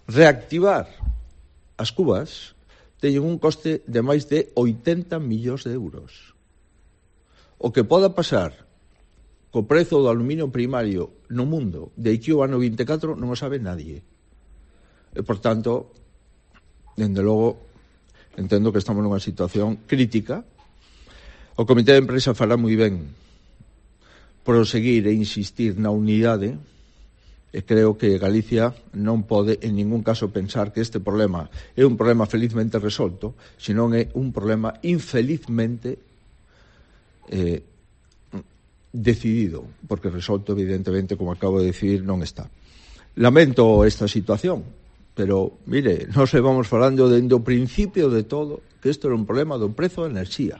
Reactivar as cubas teñen un coste de máis de 80 millóns de euros. O que poda pasar co prezo do aluminio primario no mundo de aquí ao ano 24 non o sabe nadie. E, por tanto, dende logo, entendo que estamos nunha situación crítica. O Comité de Empresa fará moi ben proseguir e insistir na unidade, e creo que Galicia non pode en ningún caso pensar que este problema é un problema felizmente resolto, senón é un problema infelizmente decidido, porque resolto evidentemente, como acabo de decidir, non está. Lamento esta situación, pero, mire, nós vamos falando dende o principio de todo que isto era un problema do prezo da enerxía,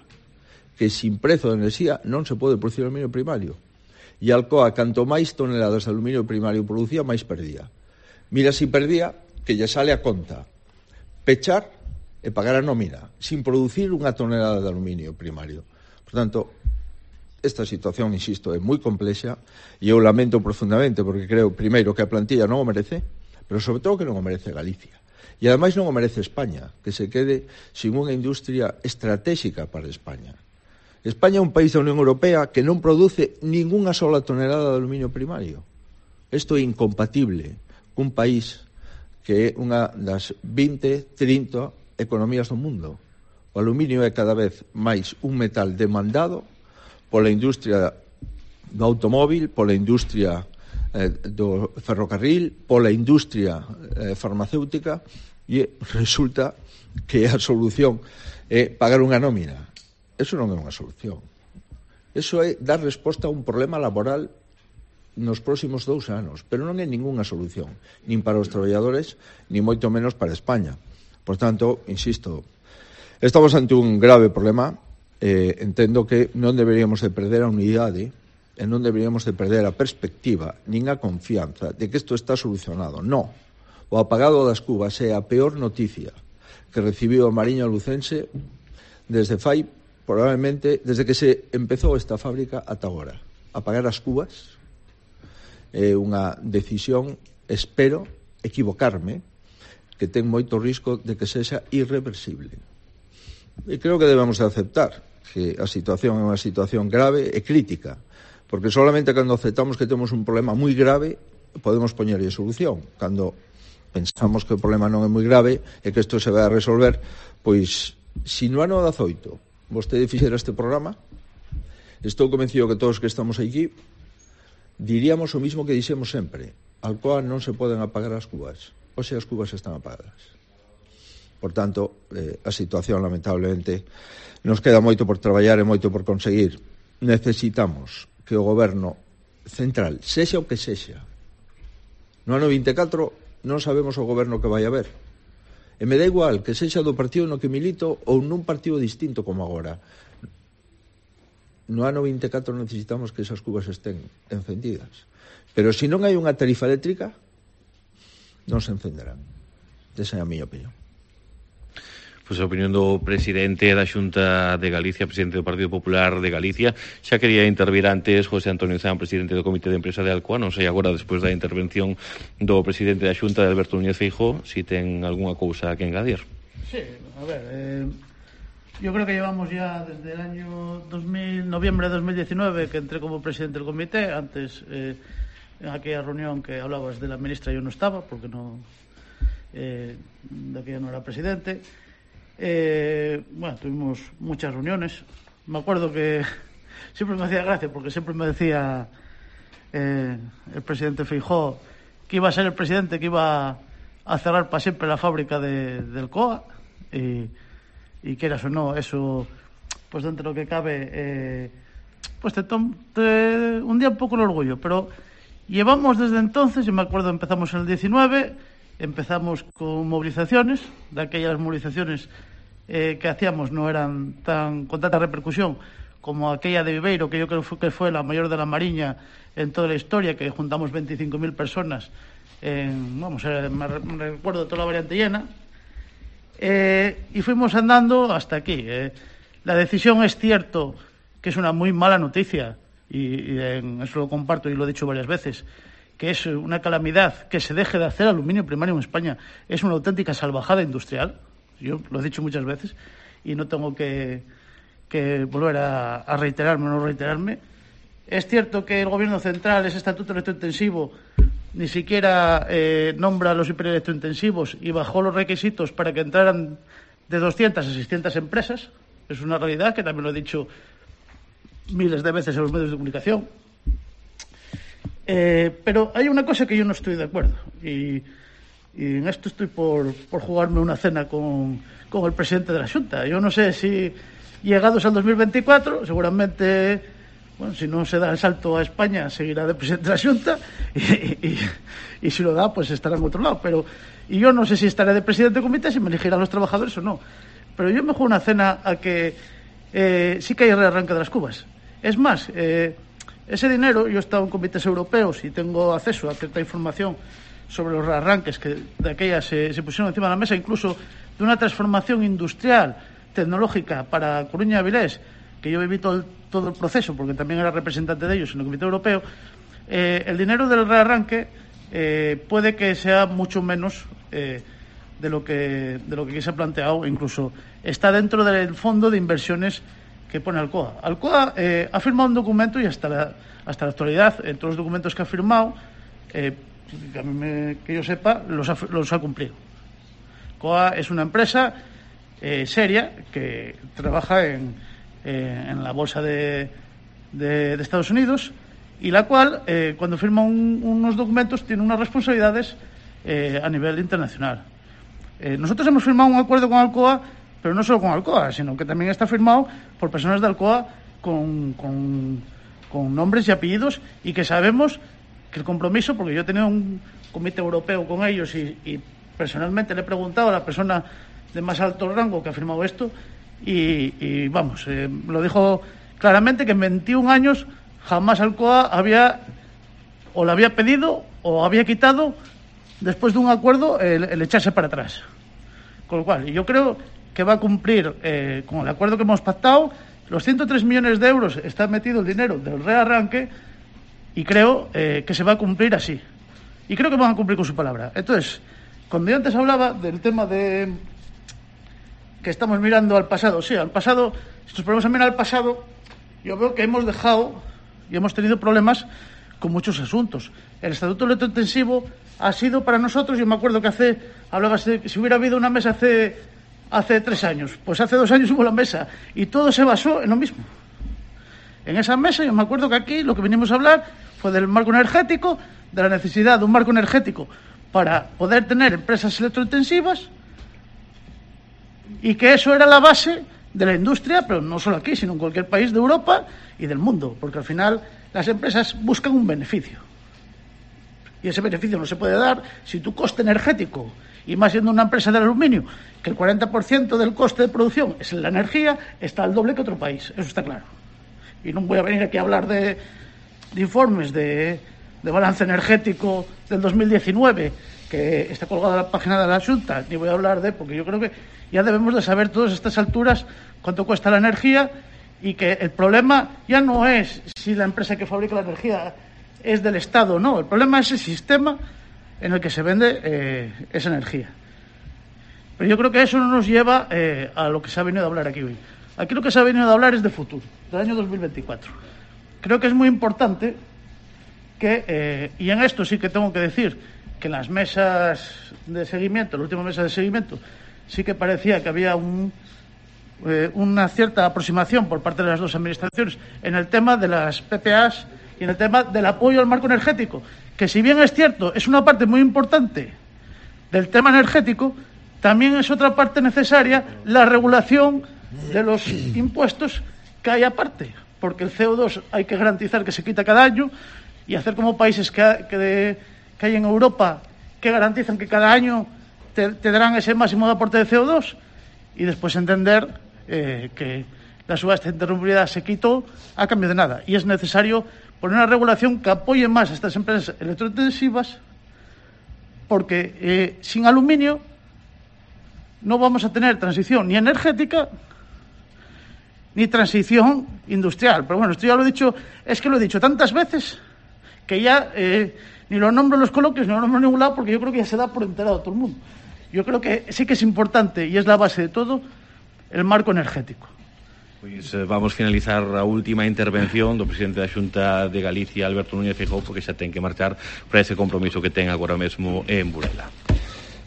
que sin prezo de enerxía non se pode producir aluminio primario. E Alcoa, canto máis toneladas de aluminio primario producía, máis perdía. Mira, si perdía, que lle sale a conta pechar e pagar a nómina, sin producir unha tonelada de aluminio primario. Por tanto, esta situación, insisto, é moi complexa e eu lamento profundamente, porque creo, primeiro, que a plantilla non o merece, pero sobre todo que non o merece Galicia. E ademais non o merece España, que se quede sin unha industria estratégica para España. España é un país da Unión Europea que non produce ningunha sola tonelada de aluminio primario. Isto é incompatible cun país que é unha das 20, 30 economías do mundo. O aluminio é cada vez máis un metal demandado pola industria do automóvil, pola industria do ferrocarril, pola industria farmacéutica, e resulta que a solución é pagar unha nómina. Eso non é unha solución. Eso é dar resposta a un problema laboral nos próximos 2 anos, pero non é ningunha solución, nin para os traballadores, nin moito menos para España. Por tanto, insisto, estamos ante un grave problema. Entendo que non deberíamos de perder a unidade e non deberíamos de perder a perspectiva nin a confianza de que isto está solucionado. No. O apagado das cubas é a peor noticia que recibiu a Mariña Lucense desde fai probablemente desde que se empezou esta fábrica ata agora. Apagar as cubas é unha decisión, espero equivocarme, que ten moito risco de que sexa irreversible. E creo que debemos de aceptar que a situación é unha situación grave e crítica, porque solamente cando aceptamos que temos un problema moi grave podemos poñerlle solución. Cando pensamos que o problema non é moi grave e que isto se vai a resolver, pois, se no ano 18 vostede fixera este programa Estou convencido que todos que estamos aquí diríamos o mismo que dixemos sempre. Alcoa non se poden apagar as cubas. Hoxe as cubas están apagadas. Por tanto, a situación, lamentablemente, nos queda moito por traballar e moito por conseguir. Necesitamos que o goberno central, sexa o que sexa, no ano 24 non sabemos o goberno que vai haber. E me dá igual que sexa do partido no que milito ou nun partido distinto como agora. No ano 24 necesitamos que esas cubas estén encendidas. Pero se non hai unha tarifa eléctrica, non se encenderán. Esa é a miña opinión. Pois a opinión do presidente da Xunta de Galicia, presidente do Partido Popular de Galicia. Xa quería intervir antes José Antonio Zan, presidente do Comité de Empresa de Alcoa. Non sei agora, despois da intervención do presidente da Xunta, de Alberto Núñez Feijóo, si ten algunha cousa que engadir. Sí, a ver, yo creo que llevamos ya desde el año noviembre de 2019, que entré como presidente del comité. Antes, en aquella reunión que hablabas de la ministra, yo no estaba, porque de aquella no era presidente. Bueno, tuvimos muchas reuniones. Me acuerdo que siempre me hacía gracia, porque siempre me decía el presidente Feijóo que iba a ser el presidente que iba a cerrar para siempre la fábrica del COA, y quieras o no, eso, pues dentro de lo que cabe, pues te hundía un poco el orgullo. Pero llevamos desde entonces, y me acuerdo, empezamos en el 19, empezamos con movilizaciones. De aquellas movilizaciones que hacíamos no eran con tanta repercusión como aquella de Viveiro, que yo creo que fue la mayor de la Mariña en toda la historia, que juntamos 25.000 personas me recuerdo toda la variante llena. Y fuimos andando hasta aquí. La decisión, es cierto que es una muy mala noticia, y eso lo comparto y lo he dicho varias veces, que es una calamidad que se deje de hacer aluminio primario en España. Es una auténtica salvajada industrial. Yo lo he dicho muchas veces y no tengo que volver a reiterarme o no reiterarme. Es cierto que el Gobierno central, ese estatuto electrointensivo, ni siquiera nombra a los hiperelectrointensivos y bajó los requisitos para que entraran de 200 a 600 empresas. Es una realidad que también lo he dicho miles de veces en los medios de comunicación. Pero hay una cosa que yo no estoy de acuerdo, y en esto estoy por jugarme una cena con el presidente de la Xunta. Yo no sé si, llegados al 2024, seguramente, bueno, si no se da el salto a España, seguirá de presidente de la Xunta, y si lo da, pues estará en otro lado. Y yo no sé si estaré de presidente de comité, si me elegirán los trabajadores o no. Pero yo me juego una cena a que sí que hay rearranque de las cubas. Es más, ese dinero, yo he estado en comités europeos y tengo acceso a cierta información sobre los rearranques que de aquellas se pusieron encima de la mesa, incluso de una transformación industrial, tecnológica para Coruña y Avilés, que yo viví todo el proceso, porque también era representante de ellos en el comité europeo. El dinero del rearranque puede que sea mucho menos de lo que se ha planteado. Incluso está dentro del fondo de inversiones que pone Alcoa. Alcoa ha firmado un documento, y hasta la actualidad, en todos los documentos que ha firmado, que yo sepa, los ha cumplido. Alcoa es una empresa seria que trabaja en la bolsa de Estados Unidos, y la cual, cuando firma unos documentos, tiene unas responsabilidades a nivel internacional. Nosotros hemos firmado un acuerdo con Alcoa, pero no solo con Alcoa, sino que también está firmado por personas de Alcoa con nombres y apellidos, y que sabemos que el compromiso, porque yo he tenido un comité europeo con ellos y personalmente le he preguntado a la persona de más alto rango que ha firmado esto, y vamos, lo dijo claramente, que en 21 años jamás Alcoa le había pedido o había quitado, después de un acuerdo, el echarse para atrás. Con lo cual, yo creo que va a cumplir con el acuerdo que hemos pactado. Los 103 millones de euros está metido el dinero del rearranque, y creo que se va a cumplir así. Y creo que van a cumplir con su palabra. Entonces, cuando yo antes hablaba del tema de que estamos mirando al pasado, sí, al pasado, si nos ponemos a mirar al pasado, yo veo que hemos dejado y hemos tenido problemas con muchos asuntos. El estatuto electrointensivo ha sido para nosotros, yo me acuerdo que hablabas de que si hubiera habido una mesa hace 3 años, pues hace 2 años hubo la mesa, y todo se basó en lo mismo. En esa mesa yo me acuerdo que aquí lo que vinimos a hablar fue del marco energético, de la necesidad de un marco energético para poder tener empresas electrointensivas, y que eso era la base de la industria, pero no solo aquí, sino en cualquier país de Europa y del mundo, porque al final las empresas buscan un beneficio. Y ese beneficio no se puede dar si tu coste energético, y más siendo una empresa de aluminio, que el 40% del coste de producción es en la energía, está al doble que otro país, eso está claro. Y no voy a venir aquí a hablar de informes de balance energético del 2019, que está colgado en la página de la Xunta, ni voy a hablar porque yo creo que ya debemos de saber todas estas alturas cuánto cuesta la energía, y que el problema ya no es si la empresa que fabrica la energía es del Estado, no, el problema es el sistema en el que se vende esa energía. Pero yo creo que eso no nos lleva a lo que se ha venido a hablar aquí hoy. Aquí lo que se ha venido a hablar es de futuro, del año 2024. Creo que es muy importante que, y en esto sí que tengo que decir que en las mesas de seguimiento, la última mesa de seguimiento, sí que parecía que había una cierta aproximación por parte de las dos administraciones en el tema de las PPAs y en el tema del apoyo al marco energético, que si bien es cierto, es una parte muy importante del tema energético, también es otra parte necesaria la regulación de los impuestos que hay aparte, porque el CO2 hay que garantizar que se quita cada año, y hacer como países que hay en Europa que garantizan que cada año te darán ese máximo de aporte de CO2, y después entender que la subasta de interrumpibilidad se quitó a cambio de nada, y es necesario poner una regulación que apoye más a estas empresas electrointensivas, porque sin aluminio no vamos a tener transición ni energética ni transición industrial. Pero bueno, esto ya lo he dicho, es que lo he dicho tantas veces que ya ni lo nombro en los coloquios, ni lo nombro en ningún lado, porque yo creo que ya se da por enterado todo el mundo. Yo creo que sí que es importante, y es la base de todo, el marco energético. Pois vamos finalizar a última intervención do presidente da Xunta de Galicia, Alberto Núñez Feijóo, porque xa ten que marchar para ese compromiso que ten agora mesmo en Burela.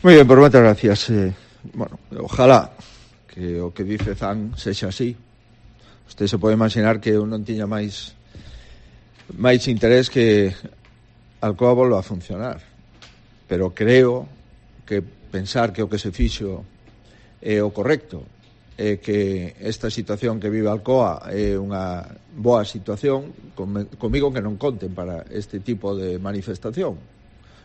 Moi ben, por moitas gracias. Bueno, ojalá que o que dice Zan sexa así. Usted se pode imaginar que eu non tiña máis interés que Alcoa volva a funcionar, pero creo que pensar que o que se fixo é o correcto, que esta situación que vive Alcoa é unha boa situación, comigo que non conten para este tipo de manifestación.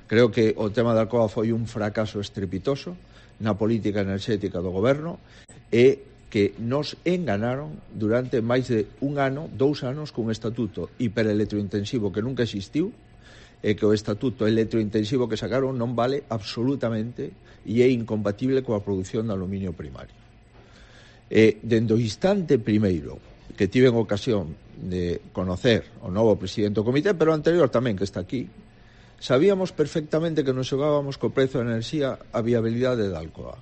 Creo que o tema de Alcoa foi un fracaso estrepitoso na política enerxética do goberno, e que nos enganaron durante máis de 1 ano, 2 anos, cun estatuto hiperelectrointensivo que nunca existiu, e que o estatuto electrointensivo que sacaron non vale absolutamente e é incompatible coa produción de aluminio primario. Dende o instante primeiro que tiven ocasión de conocer o novo presidente do comité, pero anterior tamén, que está aquí, sabíamos perfectamente que nos xogábamos co prezo da enerxía a viabilidade da Alcoa.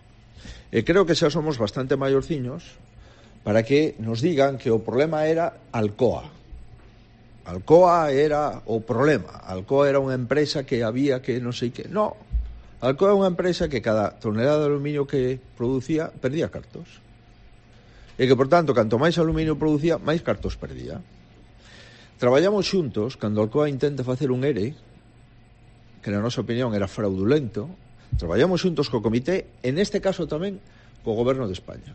E creo que xa somos bastante maiorciños para que nos digan que o problema era Alcoa. Alcoa era o problema. Alcoa era unha empresa que había que non sei que. No, Alcoa é unha empresa que cada tonelada de aluminio que producía perdía cartos. E que, por tanto, canto máis aluminio producía, máis cartos perdía. Traballamos xuntos, cando Alcoa intenta facer un ERE, que na nosa opinión era fraudulento, traballamos xuntos co comité, en este caso tamén co goberno de España,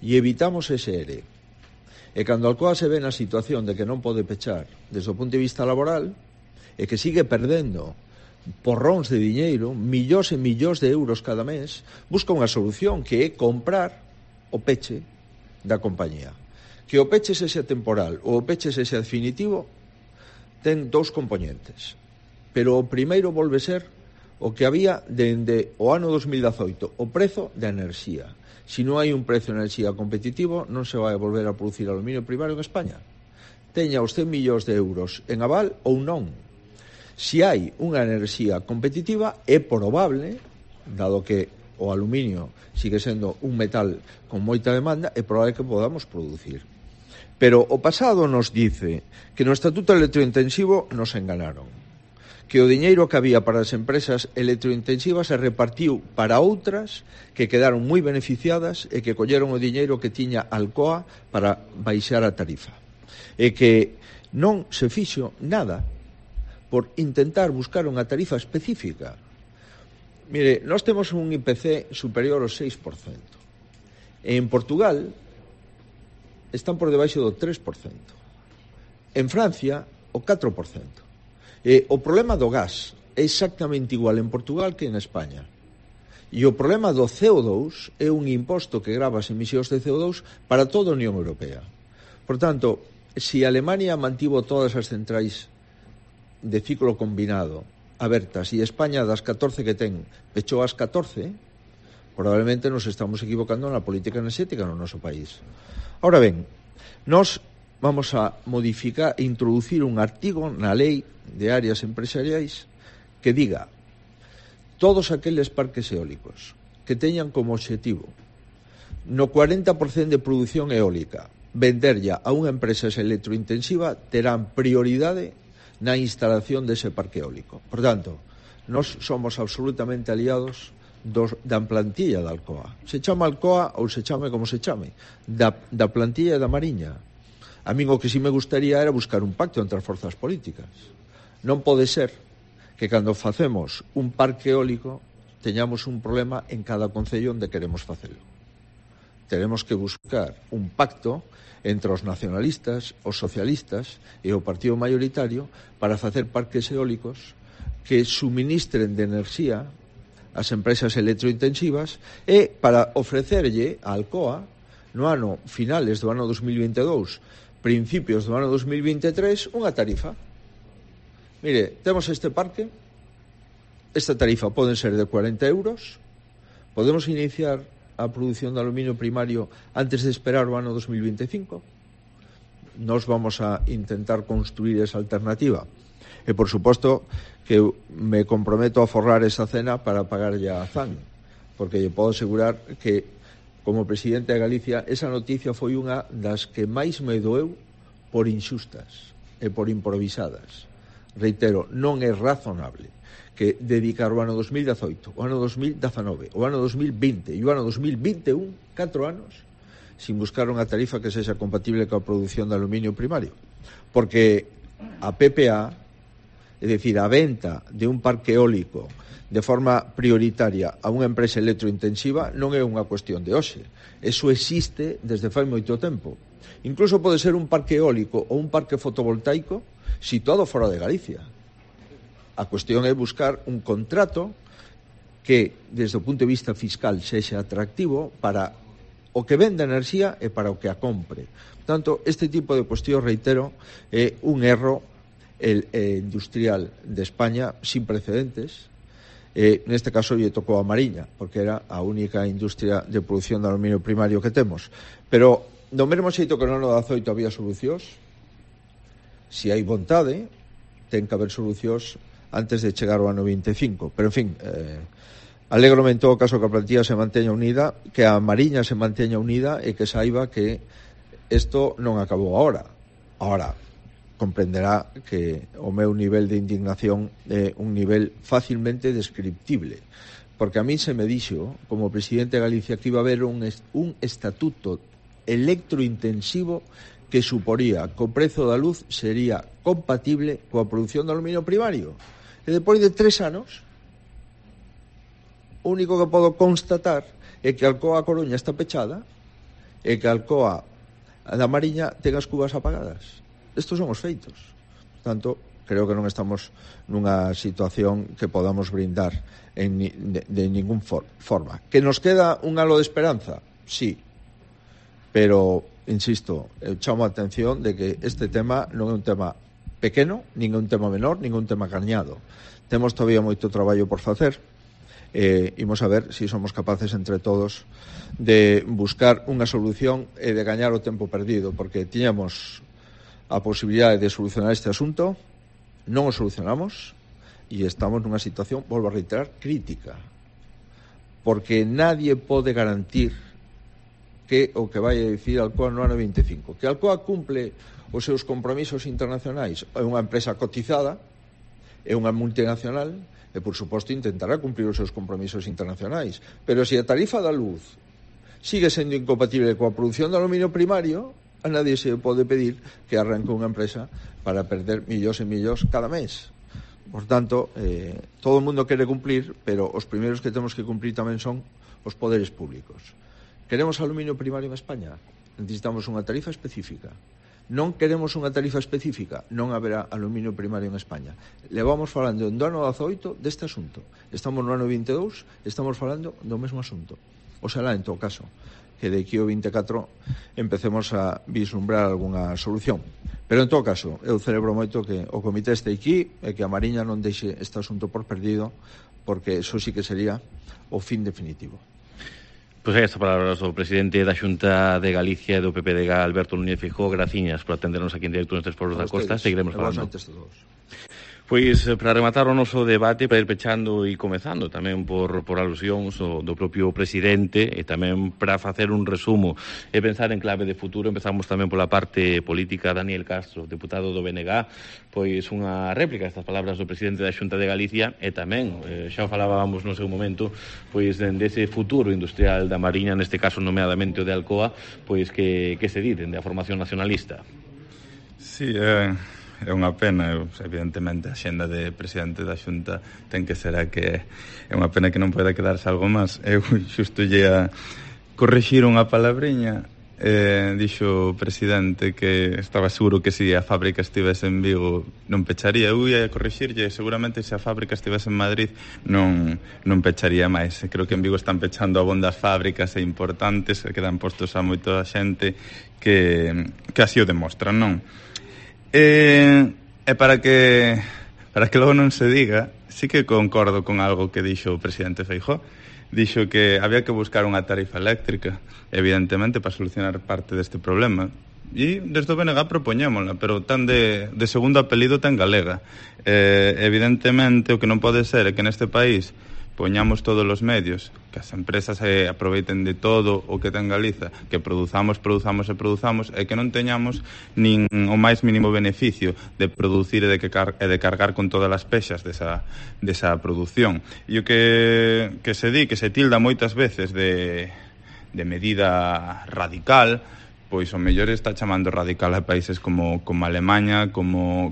e evitamos ese ERE. E cando Alcoa se ve na situación de que non pode pechar desde o punto de vista laboral, e que sigue perdendo porróns de diñeiro, millóns e millóns de euros cada mes, busca unha solución que é comprar o peche da compañía. Que o peche sexa temporal ou o peche sexa definitivo ten 2 componentes, pero o primeiro volve ser o que había dende o ano 2018, o prezo da enerxía. Se non hai un prezo de enerxía competitivo, non se vai volver a producir aluminio primario en España. Teña os 100 millóns de euros en aval ou non. Se hai unha enerxía competitiva, é probable, dado que o aluminio sigue sendo un metal con moita demanda, é probable que podamos producir. Pero o pasado nos dice que no Estatuto Electrointensivo nos enganaron, que o diñeiro que había para as empresas electrointensivas se repartiu para outras que quedaron moi beneficiadas e que colleron o diñeiro que tiña Alcoa para baixar a tarifa. e que non se fixo nada por intentar buscar unha tarifa específica. Mire, nós temos un IPC superior ao 6%. En Portugal están por debaixo do 3%. En Francia, o 4%. O problema do gas é exactamente igual en Portugal que en España. E o problema do CO2 é un imposto que grava as emisións de CO2 para toda a Unión Europea. Por tanto, se Alemania mantivo todas as centrais de ciclo combinado abertas e España das 14 que ten pechou as 14, probablemente nos estamos equivocando na política enerxética no noso país. Ahora ben, nós vamos a modificar e introducir un artigo na lei de áreas empresariais que diga todos aqueles parques eólicos que teñan como obxectivo no 40% de produción eólica venderlla a unha empresa electrointensiva terán prioridade na instalación dese parque eólico. Por tanto, nós somos absolutamente aliados da plantilla da Alcoa. Se chama Alcoa ou se chame como se chame, da plantilla da Mariña. A min o que si me gustaría era buscar un pacto entre as forzas políticas. Non pode ser que cando facemos un parque eólico teñamos un problema en cada concello onde queremos facelo. Tenemos que buscar un pacto entre os nacionalistas, os socialistas e o partido mayoritario para facer parques eólicos que suministren de enerxía ás empresas electrointensivas e para ofrecerlle a Alcoa no ano finales do ano 2022, principios do ano 2023, unha tarifa. Mire, temos este parque, esta tarifa poden ser de 40 euros, podemos iniciar a produción de aluminio primario antes de esperar o ano 2025. Nos vamos a intentar construir esa alternativa. E, por suposto, que me comprometo a forrar esa cena para pagar ya a ZAN, porque lle podo asegurar que, como presidente de Galicia, esa noticia foi unha das que máis me doeu por inxustas e por improvisadas. Reitero, non é razonable que dedicar o ano 2018, o ano 2019, o ano 2020 e o ano 2021, 4 anos, sin buscar unha tarifa que sexa compatible coa produción de aluminio primario. Porque a PPA, é dicir, a venta de un parque eólico de forma prioritaria a unha empresa electrointensiva non é unha cuestión de hoxe. Eso existe desde fai moito tempo. Incluso pode ser un parque eólico ou un parque fotovoltaico situado fora de Galicia. A cuestión é buscar un contrato que, desde o punto de vista fiscal, sexa atractivo para o que vende enerxía e para o que a compre. Por tanto, este tipo de cuestión, reitero, é un erro industrial de España sin precedentes. Neste caso lle tocou a Mariña, porque era a única industria de produción de aluminio primario que temos. Pero, do mesmo xeito que no ano 18 había solucións, se hai vontade, ten que haber solucións antes de chegar ao ano 25. Pero, en fin, alégrome en todo caso que a plantilla se manteña unida, que a Mariña se manteña unida e que saiba que isto non acabou agora. Ahora, comprenderá que o meu nivel de indignación é un nivel facilmente descriptible, porque a mí se me dixo, como presidente de Galicia, que iba a haber un estatuto electrointensivo que suporía que o prezo da luz sería compatible coa produción de aluminio primario. E depois de 3 anos, o único que podo constatar é que a Alcoa Coruña está pechada e que a Alcoa da Mariña ten as cubas apagadas. Estos son os feitos. Por tanto, creo que non estamos nunha situación que podamos brindar de ningún forma. Que nos queda un halo de esperanza? Sí. Pero, insisto, chamo a atención de que este tema non é un tema pequeno, nin é un tema menor, nin é un tema cañado. Temos todavía moito traballo por facer. Imos a ver se somos capaces entre todos de buscar unha solución e de gañar o tempo perdido, porque tiñamos a posibilidade de solucionar este asunto, non o solucionamos e estamos nunha situación, volvo a reiterar, crítica, porque nadie pode garantir que o que vai a dicir Alcoa no ano 25. Que Alcoa cumple os seus compromisos internacionais, é unha empresa cotizada, é unha multinacional, e, por suposto, intentará cumplir os seus compromisos internacionais. Pero se a tarifa da luz sigue sendo incompatible coa produción de aluminio primario, A nadie se pode pedir que arranque unha empresa para perder millóns e millóns cada mes. Por tanto, todo o mundo quere cumplir, pero os primeiros que temos que cumplir tamén son os poderes públicos. Queremos aluminio primario en España? Necesitamos unha tarifa específica. Non queremos unha tarifa específica, non haberá aluminio primario en España. Levamos falando do ano 18 deste asunto. Estamos no ano 22, estamos falando do mesmo asunto. Oxalá, en todo caso, que de aquí ao 24 empecemos a vislumbrar algunha solución. Pero, en todo caso, eu celebro moito que o comité este aquí e que a Mariña non deixe este asunto por perdido, porque eso sí que sería o fin definitivo. Pois aí estas palabras do presidente da Xunta de Galicia e do PPDG, Alberto Núñez Feijóo. Graciñas por atendernos aquí en directo nestes Foros da Costa. Seguiremos falando. Pois, para rematar o noso debate, para ir pechando e comezando tamén por alusións do propio presidente e tamén para facer un resumo e pensar en clave de futuro, empezamos tamén pola parte política. Daniel Castro, deputado do BNG, pois unha réplica a estas palabras do presidente da Xunta de Galicia e tamén, xa o falábamos no seu momento, pois dese futuro industrial da Mariña, neste caso nomeadamente o de Alcoa, pois que se di dende a formación nacionalista. Sí, é unha pena, evidentemente a xenda de presidente da Xunta ten que ser a que é unha pena que non poida quedarse algo máis. Eu xusto lle a corrixir unha palabriña, dixo o presidente que estaba seguro que se a fábrica estivese en Vigo non pecharía. Eu ia corrixirlle, seguramente se a fábrica estivese en Madrid non pecharía máis. Creo que en Vigo están pechando abondas fábricas e importantes que dan postos a moita xente que así o demostran, non? E para que logo non se diga, sí que concordo con algo que dixo o presidente Feijóo. Dixo que había que buscar unha tarifa eléctrica, evidentemente, para solucionar parte deste problema. E desde o BNG propoñémola, pero tan de segundo apelido tan galega. Evidentemente, o que non pode ser é que neste país poñamos todos os medios, que as empresas aproveiten de todo o que ten Galiza, que produzamos e que non teñamos nin o máis mínimo beneficio de producir e de cargar con todas as pexas desa produción. E o que se di, que se tilda moitas veces de medida radical, pois o mellor está chamando radical a países como Alemaña, como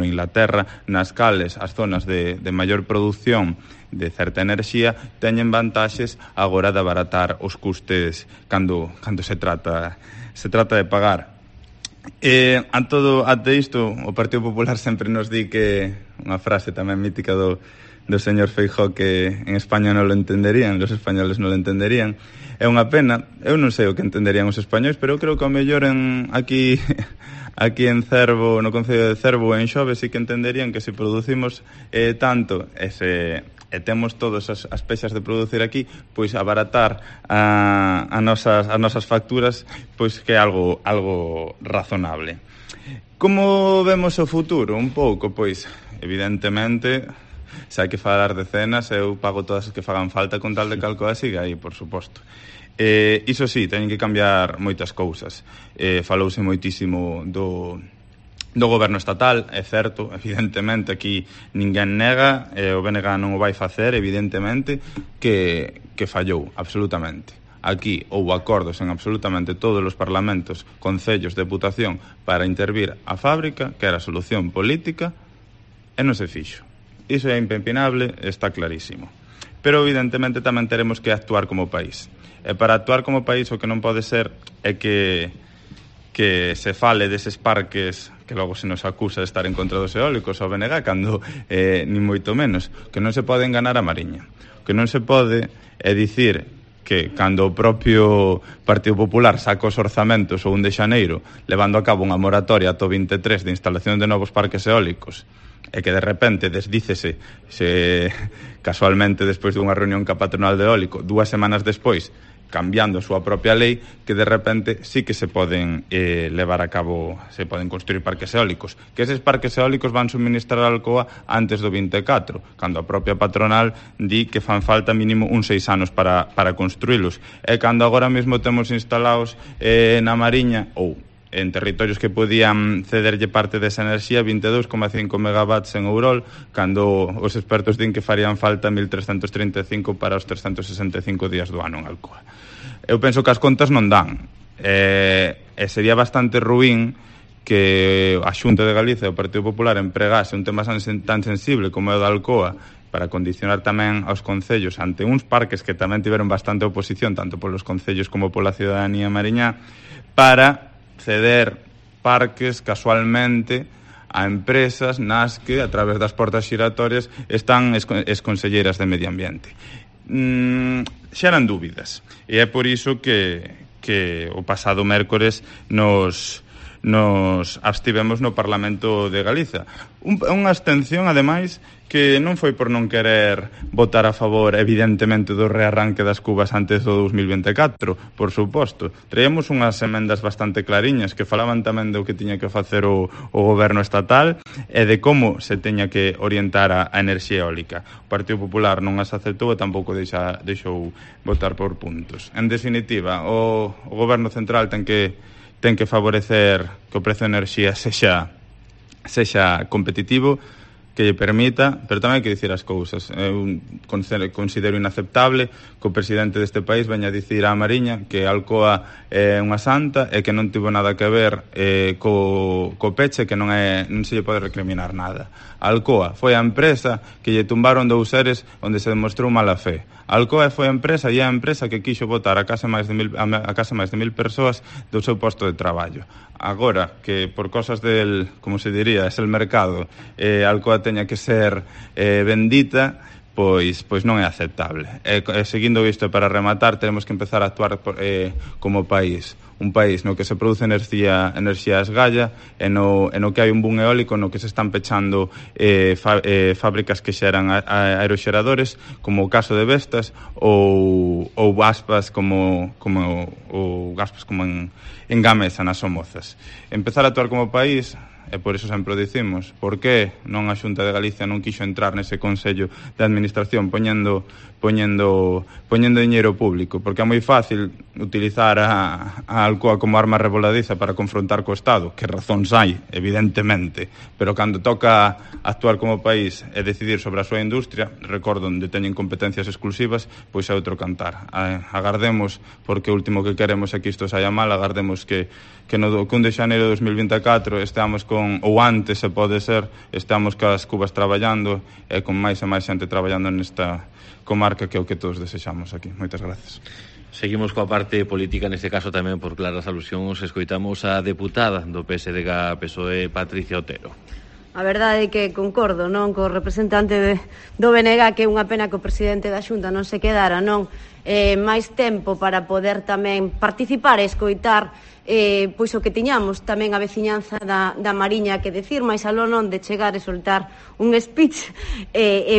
Inglaterra, nas cales as zonas de maior produción de certa enerxía teñen vantaxes agora de abaratar os custes cando se trata de pagar. Ante isto, o Partido Popular sempre nos di que unha frase tamén mítica do señor Feijóo, que en España non lo entenderían, los españoles non lo entenderían. É unha pena, eu non sei o que entenderían os españois, pero eu creo que ao mellor aquí en Cervo, no Concello de Cervo, en Xove, sí que entenderían que se producimos tanto e temos todas as pexas de producir aquí, pois abaratar as nosas facturas, pois que é algo razonable. Como vemos o futuro? Un pouco, pois, evidentemente, se hai que falar de cenas, eu pago todas as que fagan falta con tal de que Alcoa siga aí, por suposto. Iso sí, teñen que cambiar moitas cousas. Falouse moitísimo do goberno estatal, é certo, evidentemente, aquí ninguén nega, o BNG non o vai facer, evidentemente, que fallou, absolutamente. Aquí houve acordos en absolutamente todos os parlamentos, concellos, deputación, para intervir a fábrica, que era a solución política, e non se fixo. Iso é impepinable, está clarísimo. Pero, evidentemente, tamén teremos que actuar como país. E para actuar como país o que non pode ser é que se fale deses parques que logo se nos acusa de estar en contra dos eólicos ao BNG, cando ni moito menos, que non se pode enganar a Mariña. Que non se pode é dicir que cando o propio Partido Popular saca os orzamentos o 1 de xaneiro levando a cabo unha moratoria ata o 23 de instalación de novos parques eólicos e que de repente desdícese casualmente despois dunha reunión ca patronal de eólico 2 semanas despois cambiando a súa propia lei, que de repente sí que se poden levar a cabo, se poden construir parques eólicos, que eses parques eólicos van suministrar a Alcoa antes do 24, cando a propia patronal di que fan falta mínimo uns 6 anos para construílos, e cando agora mesmo temos instalados na Mariña ou en territorios que podían cederlle parte desa enerxía 22,5 megawatts en Ourol, cando os expertos din que farían falta 1.335 para os 365 días do ano en Alcoa. Eu penso que as contas non dan. sería bastante ruín que a Xunta de Galicia e o Partido Popular empregase un tema tan sensible como é o da Alcoa para condicionar tamén aos concellos ante uns parques que tamén tiveron bastante oposición, tanto polos concellos como pola ciudadanía mariñá, para ceder parques casualmente a empresas nas que, a través das portas xiratorias, están as conselleiras de Medio Ambiente. Xeran dúbidas, e é por iso que o pasado mércores nos abstivemos no Parlamento de Galiza. Unha abstención, ademais, que non foi por non querer votar a favor, evidentemente, do rearranque das cubas antes do 2024, por suposto. Traíamos unhas emendas bastante clariñas que falaban tamén do que tiña que facer o goberno estatal e de como se teña que orientar a enerxía eólica. O Partido Popular non as aceptou e tampouco deixou votar por puntos. En definitiva, o goberno central ten que favorecer que o prezo de enerxía sexa competitivo, que lle permita, pero tamén hai que dicir as cousas. Eu considero inaceptable que o presidente deste país veña a dicir á Mariña que Alcoa é unha santa e que non tivo nada que ver co peche, que non se lle pode recriminar nada. Alcoa foi a empresa que lle tumbaron 2 seres onde se demostrou mala fe. Alcoa foi a empresa e é a empresa que quixo botar a case máis de 1.000 persoas do seu posto de traballo. Agora, que por cosas del, como se diría, es el mercado, Alcoa teña que ser bendita, pois non é aceptable. Seguindo isto, para rematar, tenemos que empezar a actuar como país. Un país no que se produce enerxía a esgalla, e no que hai un boom eólico, no que se están pechando fábricas que xeran aeroxeradores, como o caso de Vestas, ou Gaspas como en Gamesa, nas Somozas. Empezar a actuar como país, e por iso sempre o dicimos, por que non a Xunta de Galicia non quixo entrar nese Consello de Administración poñendo diñeiro público? Porque é moi fácil utilizar a Alcoa como arma revoladiza para confrontar co Estado, que razóns hai, evidentemente, pero cando toca actuar como país e decidir sobre a súa industria, recordo onde teñen competencias exclusivas, pois é outro cantar. Agardemos, porque o último que queremos é que isto saia mal, agardemos que no 1 de xaneiro de 2024 esteamos ou antes, se pode ser, estamos cas cubas traballando e con máis e máis xente traballando nesta comarca, que é o que todos desexamos aquí. Moitas gracias. Seguimos coa parte política, neste caso tamén por claras alusións. Escoitamos a deputada do PSDG-PSOE, Patricia Otero. A verdade é que concordo, non, co representante do BNG, que é unha pena que o presidente da Xunta non se quedara, non, máis tempo para poder tamén participar e escoitar pois o que tiñamos tamén a veciñanza da Mariña que decir, máis aló non de chegar e soltar un speech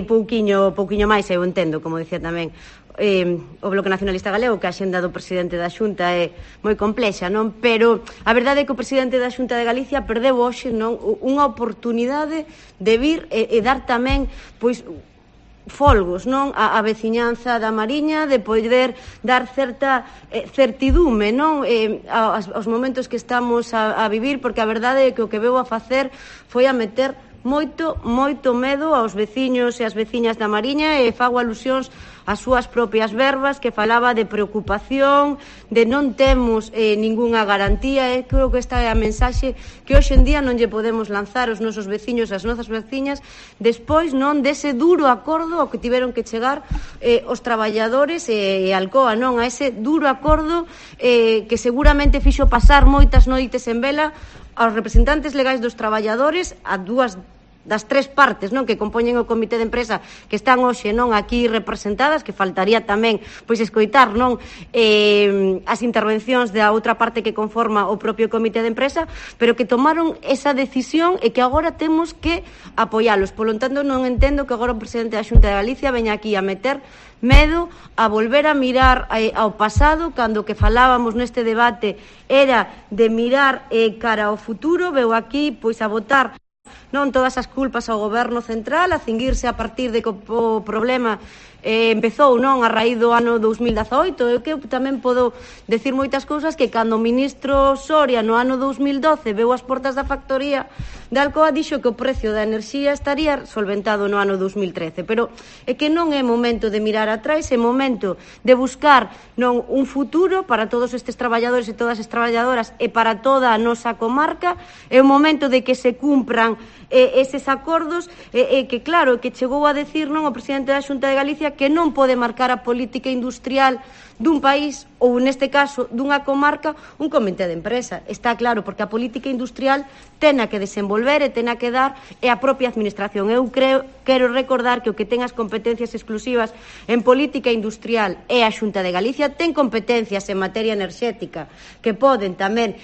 pouquiño máis, eu entendo, como decía tamén o Bloque Nacionalista Galego, que a xenda do presidente da Xunta é moi complexa, non? Pero a verdade é que o presidente da Xunta de Galicia perdeu hoxe, non, unha oportunidade de vir e dar tamén, pois, folgos, non, a veciñanza da Mariña, de poder dar certa certidume, non, aos momentos que estamos a vivir, porque a verdade é que o que veu a facer foi a meter moito medo aos veciños e as veciñas da Mariña, e fago alusións ás súas propias verbas, que falaba de preocupación, de non temos ningunha garantía, e creo que esta é a mensaxe que hoxe en día non lle podemos lanzar aos nosos veciños e as nosas veciñas, despois non dese duro acordo ao que tiveron que chegar os traballadores e Alcoa, non, a ese duro acordo que seguramente fixo pasar moitas noites en vela aos representantes legais dos traballadores, a dúas das 3 partes, non, que compoñen o comité de empresa, que están hoxe, non, aquí representadas, que faltaría tamén pois escoitar, non, as intervencións da outra parte que conforma o propio comité de empresa, pero que tomaron esa decisión e que agora temos que apoialos. Polo tanto, non entendo que agora o presidente da Xunta de Galicia veña aquí a meter medo, a volver a mirar ao pasado, cando que falábamos neste debate era de mirar cara ao futuro. Veu aquí pois a botar non todas as culpas ao goberno central, a cinguirse a partir de que o problema empezou non a raíz do ano 2018. Eu que tamén podo decir moitas cousas que cando o ministro Soria no ano 2012 veu as portas da factoría de Alcoa dixo que o precio da enerxía estaría solventado no ano 2013, pero é que non é momento de mirar atrás, é momento de buscar non un futuro para todos estes traballadores e todas as traballadoras e para toda a nosa comarca. É o momento de que se cumpran eses acordos que claro, que chegou a decir non o presidente da Xunta de Galicia que non pode marcar a política industrial dun país ou neste caso dunha comarca un comité de empresa. Está claro, porque a política industrial tena que desenvolver e tena que dar é a propia administración. Eu quero recordar que o que ten as competencias exclusivas en política industrial é a Xunta de Galicia, ten competencias en materia enerxética que poden tamén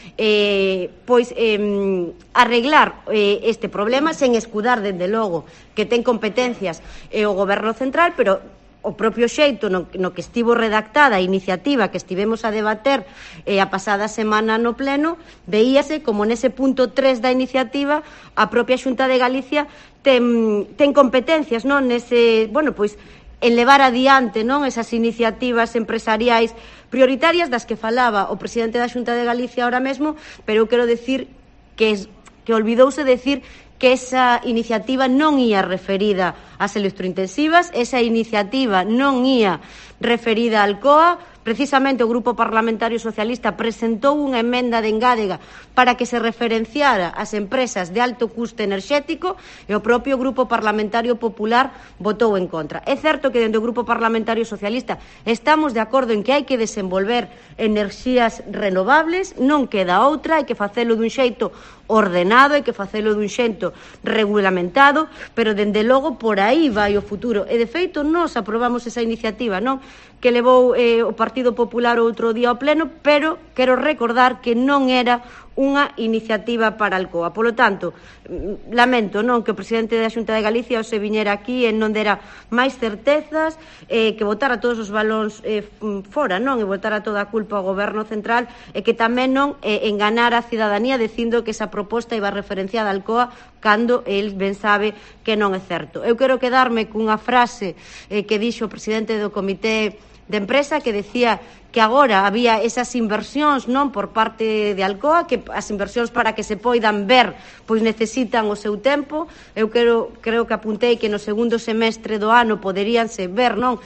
arreglar este problema sen escudar dende logo que ten competencias o goberno central, pero o propio xeito no que estivo redactada a iniciativa que estivemos a debater a pasada semana no pleno, veíase como nese punto 3 da iniciativa a propia Xunta de Galicia ten competencias non nese, en levar adiante non esas iniciativas empresariais prioritarias das que falaba o presidente da Xunta de Galicia ahora mesmo, pero eu quero decir que olvidouse decir que esa iniciativa non ía referida ás electrointensivas, esa iniciativa non ía referida a Alcoa. Precisamente o Grupo Parlamentario Socialista presentou unha emenda de engádega para que se referenciara as empresas de alto custe enerxético e o propio Grupo Parlamentario Popular votou en contra. É certo que dentro do Grupo Parlamentario Socialista estamos de acordo en que hai que desenvolver enerxías renovables, non queda outra, hai que facelo dun xeito ordenado, hai que facelo dun xeito regulamentado, pero dende logo por aí vai o futuro. E de feito nós aprobamos esa iniciativa, non? Que levou o Partido Popular outro día ao pleno, pero quero recordar que non era unha iniciativa para Alcoa. Polo tanto, lamento non que o presidente da Xunta de Galicia se viñera aquí e non dera máis certezas, que botara todos os balóns fora, non? E botara toda a culpa ao goberno central e que tamén non enganara a cidadanía dicindo que esa proposta iba referenciada a Alcoa cando el ben sabe que non é certo. Eu quero quedarme cunha frase que dixo o presidente do comité de empresa que decía que agora había esas inversións non por parte de Alcoa, que as inversións para que se poidan ver pois necesitan o seu tempo. Eu creo que apuntei que no segundo semestre do ano poderíanse ver non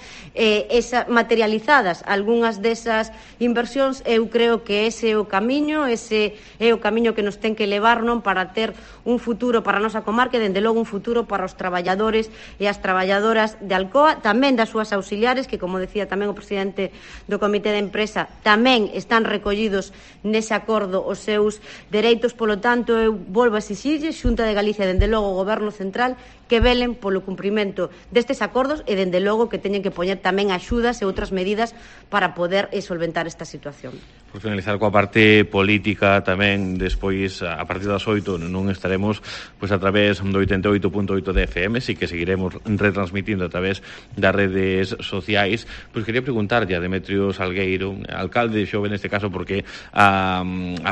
materializadas algunhas desas inversións. Eu creo que ese é o camiño que nos ten que levar non para ter un futuro para a nosa comarca e dende logo un futuro para os traballadores e as traballadoras de Alcoa, tamén das súas auxiliares que, como decía tamén o presidente do comité de empresa, tamén están recollidos nese acordo os seus dereitos. Polo tanto, eu volvo a exixirlle, Xunta de Galicia, dende logo o Goberno Central, que velen polo cumprimento destes acordos e dende logo que teñen que poñer tamén axudas e outras medidas para poder solventar esta situación. Por finalizar coa parte política tamén, despois a partir das 8 non estaremos pois a través do 88.8 de FM, si que seguiremos retransmitindo a través das redes sociais. Pois quería preguntarlle a Demetrio Salgueiro, alcalde xove neste caso, porque a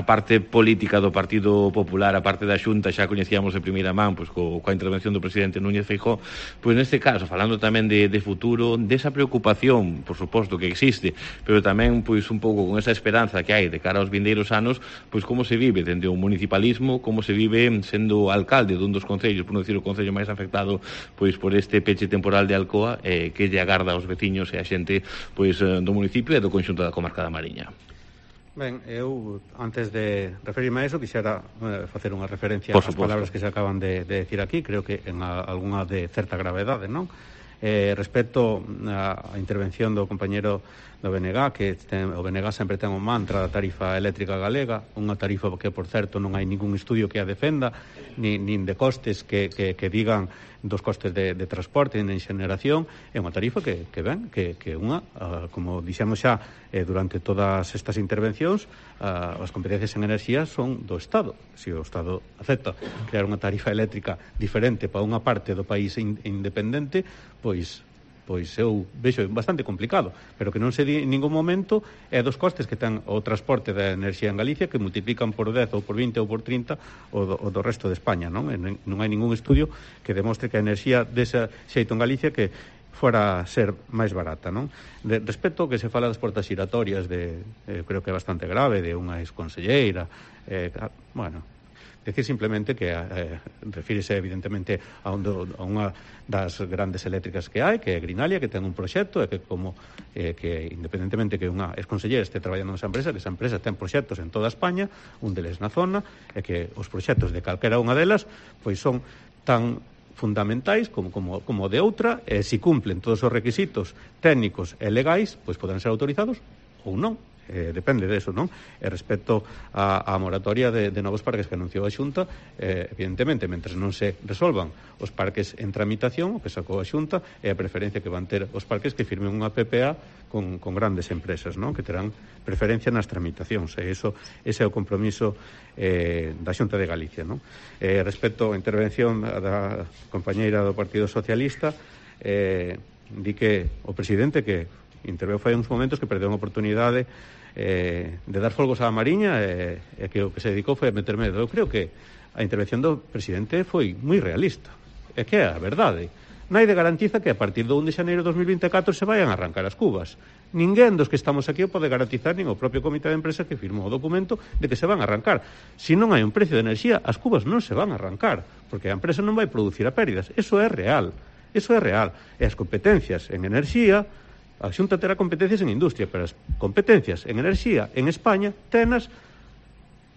parte política do Partido Popular, a parte da Xunta, xa coñecíamos de primeira man pois coa intervención do presidente Núñez Feijóo, pois neste caso, falando tamén de futuro, desa preocupación, por suposto que existe, pero tamén pois un pouco con esa esperanza que hai de cara aos vindeiros anos, pois como se vive dende o municipalismo, como se vive sendo alcalde dun dos concellos, por non dicir o concello máis afectado pois por este peche temporal de Alcoa, que lle agarda aos veciños e a xente pois do municipio e do conxunto da comarca da Mariña. Ben, eu, antes de referirme a eso, quixera facer unha referencia ás palabras que se acaban de decir aquí, creo que en algunha de certa gravedade, non? Respecto á intervención do compañero do BNG, que o BNG sempre ten un mantra da tarifa eléctrica galega, unha tarifa que, por certo, non hai ningún estudio que a defenda, nin de costes que digan dos costes de transporte nin xeneración. É unha tarifa que unha, como dixemos xa durante todas estas intervencións, as competencias en enerxía son do Estado. Se o Estado acepta crear unha tarifa eléctrica diferente para unha parte do país independente, pois pois eu vexo bastante complicado, pero que non se di en ningún momento é dos costes que ten o transporte da enerxía en Galicia, que multiplican por 10 ou por 20 ou por 30 o do resto de España, non? Non hai ningún estudio que demostre que a enerxía desa xeito en Galicia que fora a ser máis barata, non? Respecto ao que se fala das portas xiratorias, creo que é bastante grave, de unha exconselleira, bueno, decir simplemente que refírese evidentemente a unha das grandes eléctricas que hai, que é Grinalia, que ten un proxecto e que que independentemente que unha exconselleira este traballando nesa empresa, que esa empresa ten proxectos en toda España, un deles na zona, e que os proxectos de calquera unha delas pois son tan fundamentais como de outra, e se cumplen todos os requisitos técnicos e legais, pois poden ser autorizados ou non. Depende deso, non? E respecto á moratoria de novos parques que anunciou a Xunta, evidentemente, mentre non se resolvan os parques en tramitación, o que sacou a Xunta é a preferencia que van ter os parques que firmen unha PPA con grandes empresas, non? Que terán preferencia nas tramitacións, e ese é o compromiso da Xunta de Galicia, non? Respecto á intervención da compañeira do Partido Socialista, di que o presidente que interveu fai uns momentos que perdeu unha oportunidade de dar folgos á Mariña e que o que se dedicou foi a meter medo. Eu creo que a intervención do presidente foi moi realista. É que é a verdade. Naide garantiza que a partir do 1 de xaneiro de 2024 se vayan a arrancar as cubas. Ninguén dos que estamos aquí o pode garantizar, nin o propio comité de empresa que firmou o documento de que se van a arrancar. Se non hai un precio de enerxía, as cubas non se van a arrancar, porque a empresa non vai producir a pérdidas. Eso é real. Eso é real. E as competencias en enerxía, a Xunta terá competencias en industria, pero as competencias en enerxía en España tenas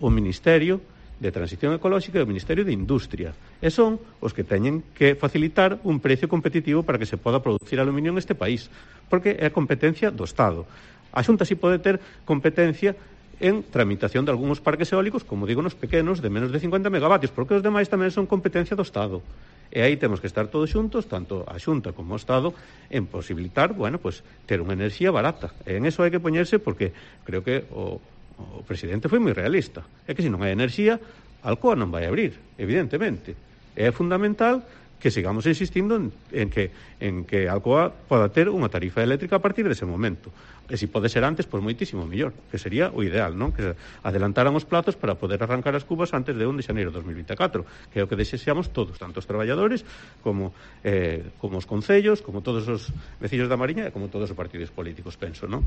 o Ministerio de Transición Ecolóxica e o Ministerio de Industria. E son os que teñen que facilitar un precio competitivo para que se poda producir aluminio en este país, porque é a competencia do Estado. A Xunta si pode ter competencia en tramitación de algúns parques eólicos, como digo, nos pequenos, de menos de 50 megavatios, porque os demais tamén son competencia do Estado. E aí temos que estar todos xuntos, tanto a Xunta como o Estado, en posibilitar, bueno, pues, ter unha enerxía barata. E en eso hai que poñerse, porque creo que o presidente foi moi realista. É que se non hai enerxía, Alcoa non vai abrir, evidentemente. É fundamental que sigamos insistindo en que Alcoa poda ter unha tarifa eléctrica a partir dese momento. E se pode ser antes, pois moitísimo mellor, que sería o ideal, non? Que adelantaran os plazos para poder arrancar as cubas antes de 1 de xaneiro de 2024, que é o que desexamos todos, tanto os traballadores como os concellos, como todos os veciños da Mariña e como todos os partidos políticos, penso, non?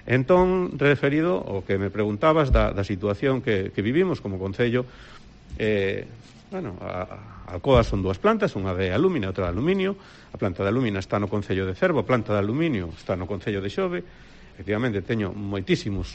Entón, referido ao que me preguntabas da situación que vivimos como concello, bueno, a Alcoa son dúas plantas, unha de alumina e outra de aluminio. A planta de alumina está no concello de Cervo, a planta de aluminio está no concello de Xove. Efectivamente, teño moitísimos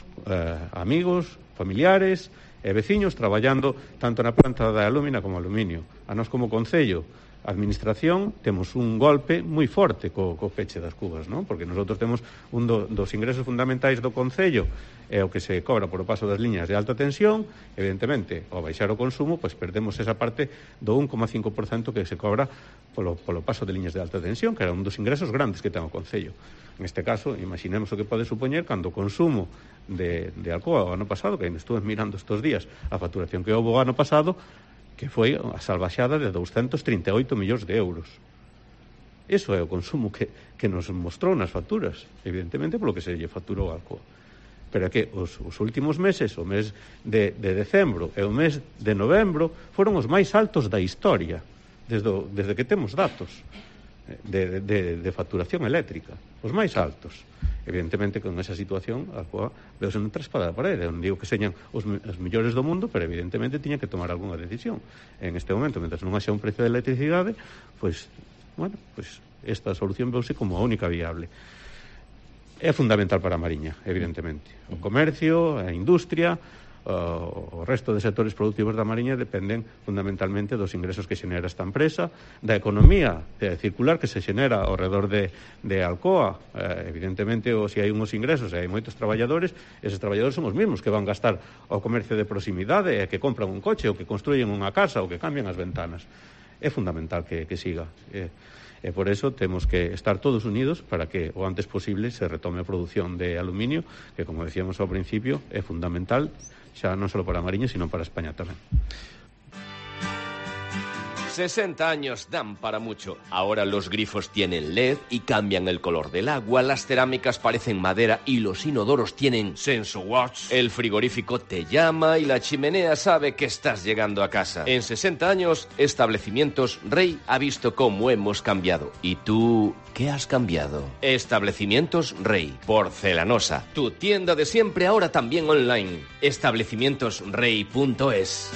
amigos, familiares e veciños traballando tanto na planta de alumina como aluminio. A nós como concello, a administración, temos un golpe moi forte co peche das cubas, non? Porque nosotros temos un dos ingresos fundamentais do concello é o que se cobra por o paso das liñas de alta tensión. Evidentemente, ao baixar o consumo, pois perdemos esa parte do 1,5% que se cobra polo paso de liñas de alta tensión, que era un dos ingresos grandes que ten o concello. En este caso, imaginemos o que pode supoñer cando o consumo de Alcoa o ano pasado, que estuve mirando estes días a facturación que houve o ano pasado, que foi a salvaxada de 238 millóns de euros. Eso é o consumo que nos mostrou nas facturas, evidentemente polo que se lle facturou a Alcoa. Pero é que os últimos meses, o mes de decembro e o mes de novembro, foron os máis altos da historia, desde que temos datos de facturación eléctrica, os máis altos. Evidentemente, con esa situación, a Alcoa veuse noutra espada da parede. Non digo que señan os mellores do mundo, pero evidentemente tiña que tomar algunha decisión. En este momento, mentre non haxa un precio de electricidade, pois, bueno, pois esta solución veuse como a única viable. É fundamental para a Mariña, evidentemente. O comercio, a industria, o resto de sectores productivos da Mariña dependen fundamentalmente dos ingresos que xenera esta empresa, da economía circular que se xenera ao redor de Alcoa. Evidentemente, se hai uns ingresos e hai moitos traballadores, eses traballadores son os mesmos que van gastar ao comercio de proximidade e que compran un coche ou que construyen unha casa ou que cambian as ventanas. É fundamental que siga. E por eso temos que estar todos unidos para que o antes posible se retome a produción de aluminio, que, como decíamos ao principio, é fundamental xa non só para a Mariña, sino para España tamén. 60 años dan para mucho. Ahora los grifos tienen LED y cambian el color del agua, las cerámicas parecen madera y los inodoros tienen SensoWatch. El frigorífico te llama y la chimenea sabe que estás llegando a casa. En 60 años, Establecimientos Rey ha visto cómo hemos cambiado. ¿Y tú qué has cambiado? Establecimientos Rey, porcelanosa. Tu tienda de siempre ahora también online. Establecimientosrey.es.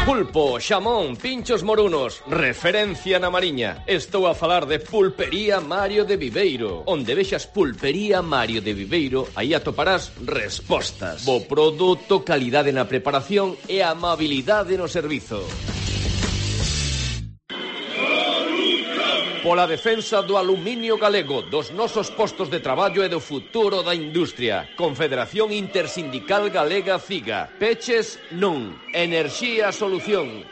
Pulpo, xamón, pinchos morunos, referencia na Mariña. Estou a falar de Pulpería Mario de Viveiro. Onde vexas Pulpería Mario de Viveiro, aí atoparás respostas. Bo produto, calidade na preparación e amabilidade no servizo. Pola defensa do aluminio galego, dos nosos postos de traballo e do futuro da industria. Confederación Intersindical Galega CIGA. Peches non. Enerxía solución.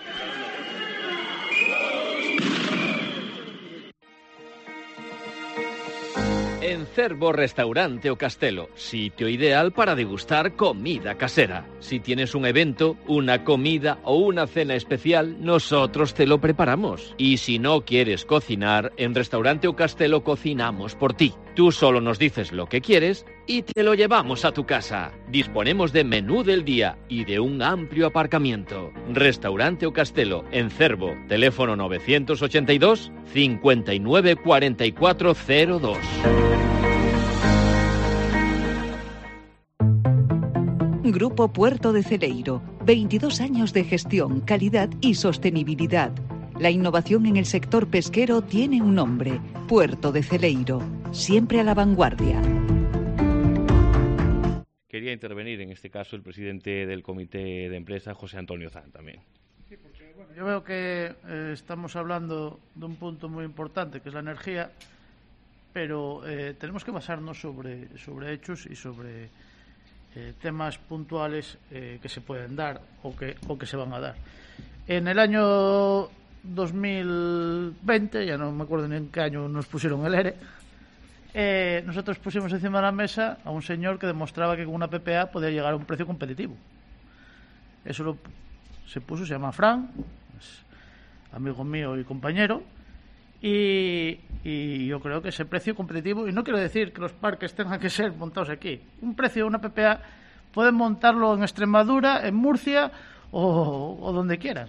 En Cervo Restaurante O Castelo, sitio ideal para degustar comida casera. Si tienes un evento, una comida o una cena especial, nosotros te lo preparamos. Y si no quieres cocinar, en Restaurante O Castelo cocinamos por ti. Tú solo nos dices lo que quieres y te lo llevamos a tu casa. Disponemos de menú del día y de un amplio aparcamiento. Restaurante O Castelo, en Cervo, teléfono 982 59 44 02. Grupo Puerto de Celeiro, 22 años de gestión, calidad y sostenibilidad. La innovación en el sector pesquero tiene un nombre, Puerto de Celeiro, siempre a la vanguardia. Quería intervenir en este caso el presidente del comité de empresa, José Antonio Zan, también. Sí, porque bueno, yo veo que estamos hablando de un punto muy importante, que es la energía, pero tenemos que basarnos sobre hechos y sobre temas puntuales que se pueden dar o que se van a dar. En el año 2020, ya no me acuerdo ni en qué año nos pusieron el ERE, nosotros pusimos encima de la mesa a un señor que demostraba que con una PPA podía llegar a un precio competitivo. Eso se puso, se llama Fran, es amigo mío y compañero, y yo creo que ese precio competitivo, y no quiero decir que los parques tengan que ser montados aquí, un precio de una PPA pueden montarlo en Extremadura, en Murcia o donde quieran,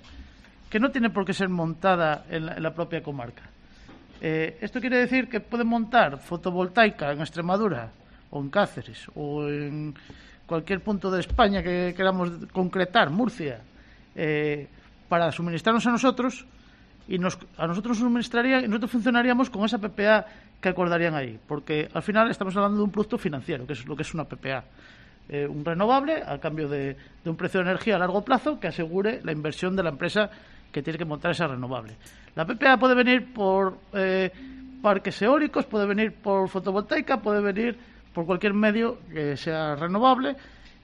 que no tiene por qué ser montada en la propia comarca. Esto quiere decir que pueden montar fotovoltaica en Extremadura o en Cáceres o en cualquier punto de España que queramos concretar, Murcia, para suministrarnos a nosotros, y a nosotros suministrarían y nosotros funcionaríamos con esa PPA que acordarían ahí, porque al final estamos hablando de un producto financiero, que es lo que es una PPA, un renovable a cambio de un precio de energía a largo plazo que asegure la inversión de la empresa que tiene que montar esa renovable. La PPA puede venir por parques eólicos, puede venir por fotovoltaica, puede venir por cualquier medio que sea renovable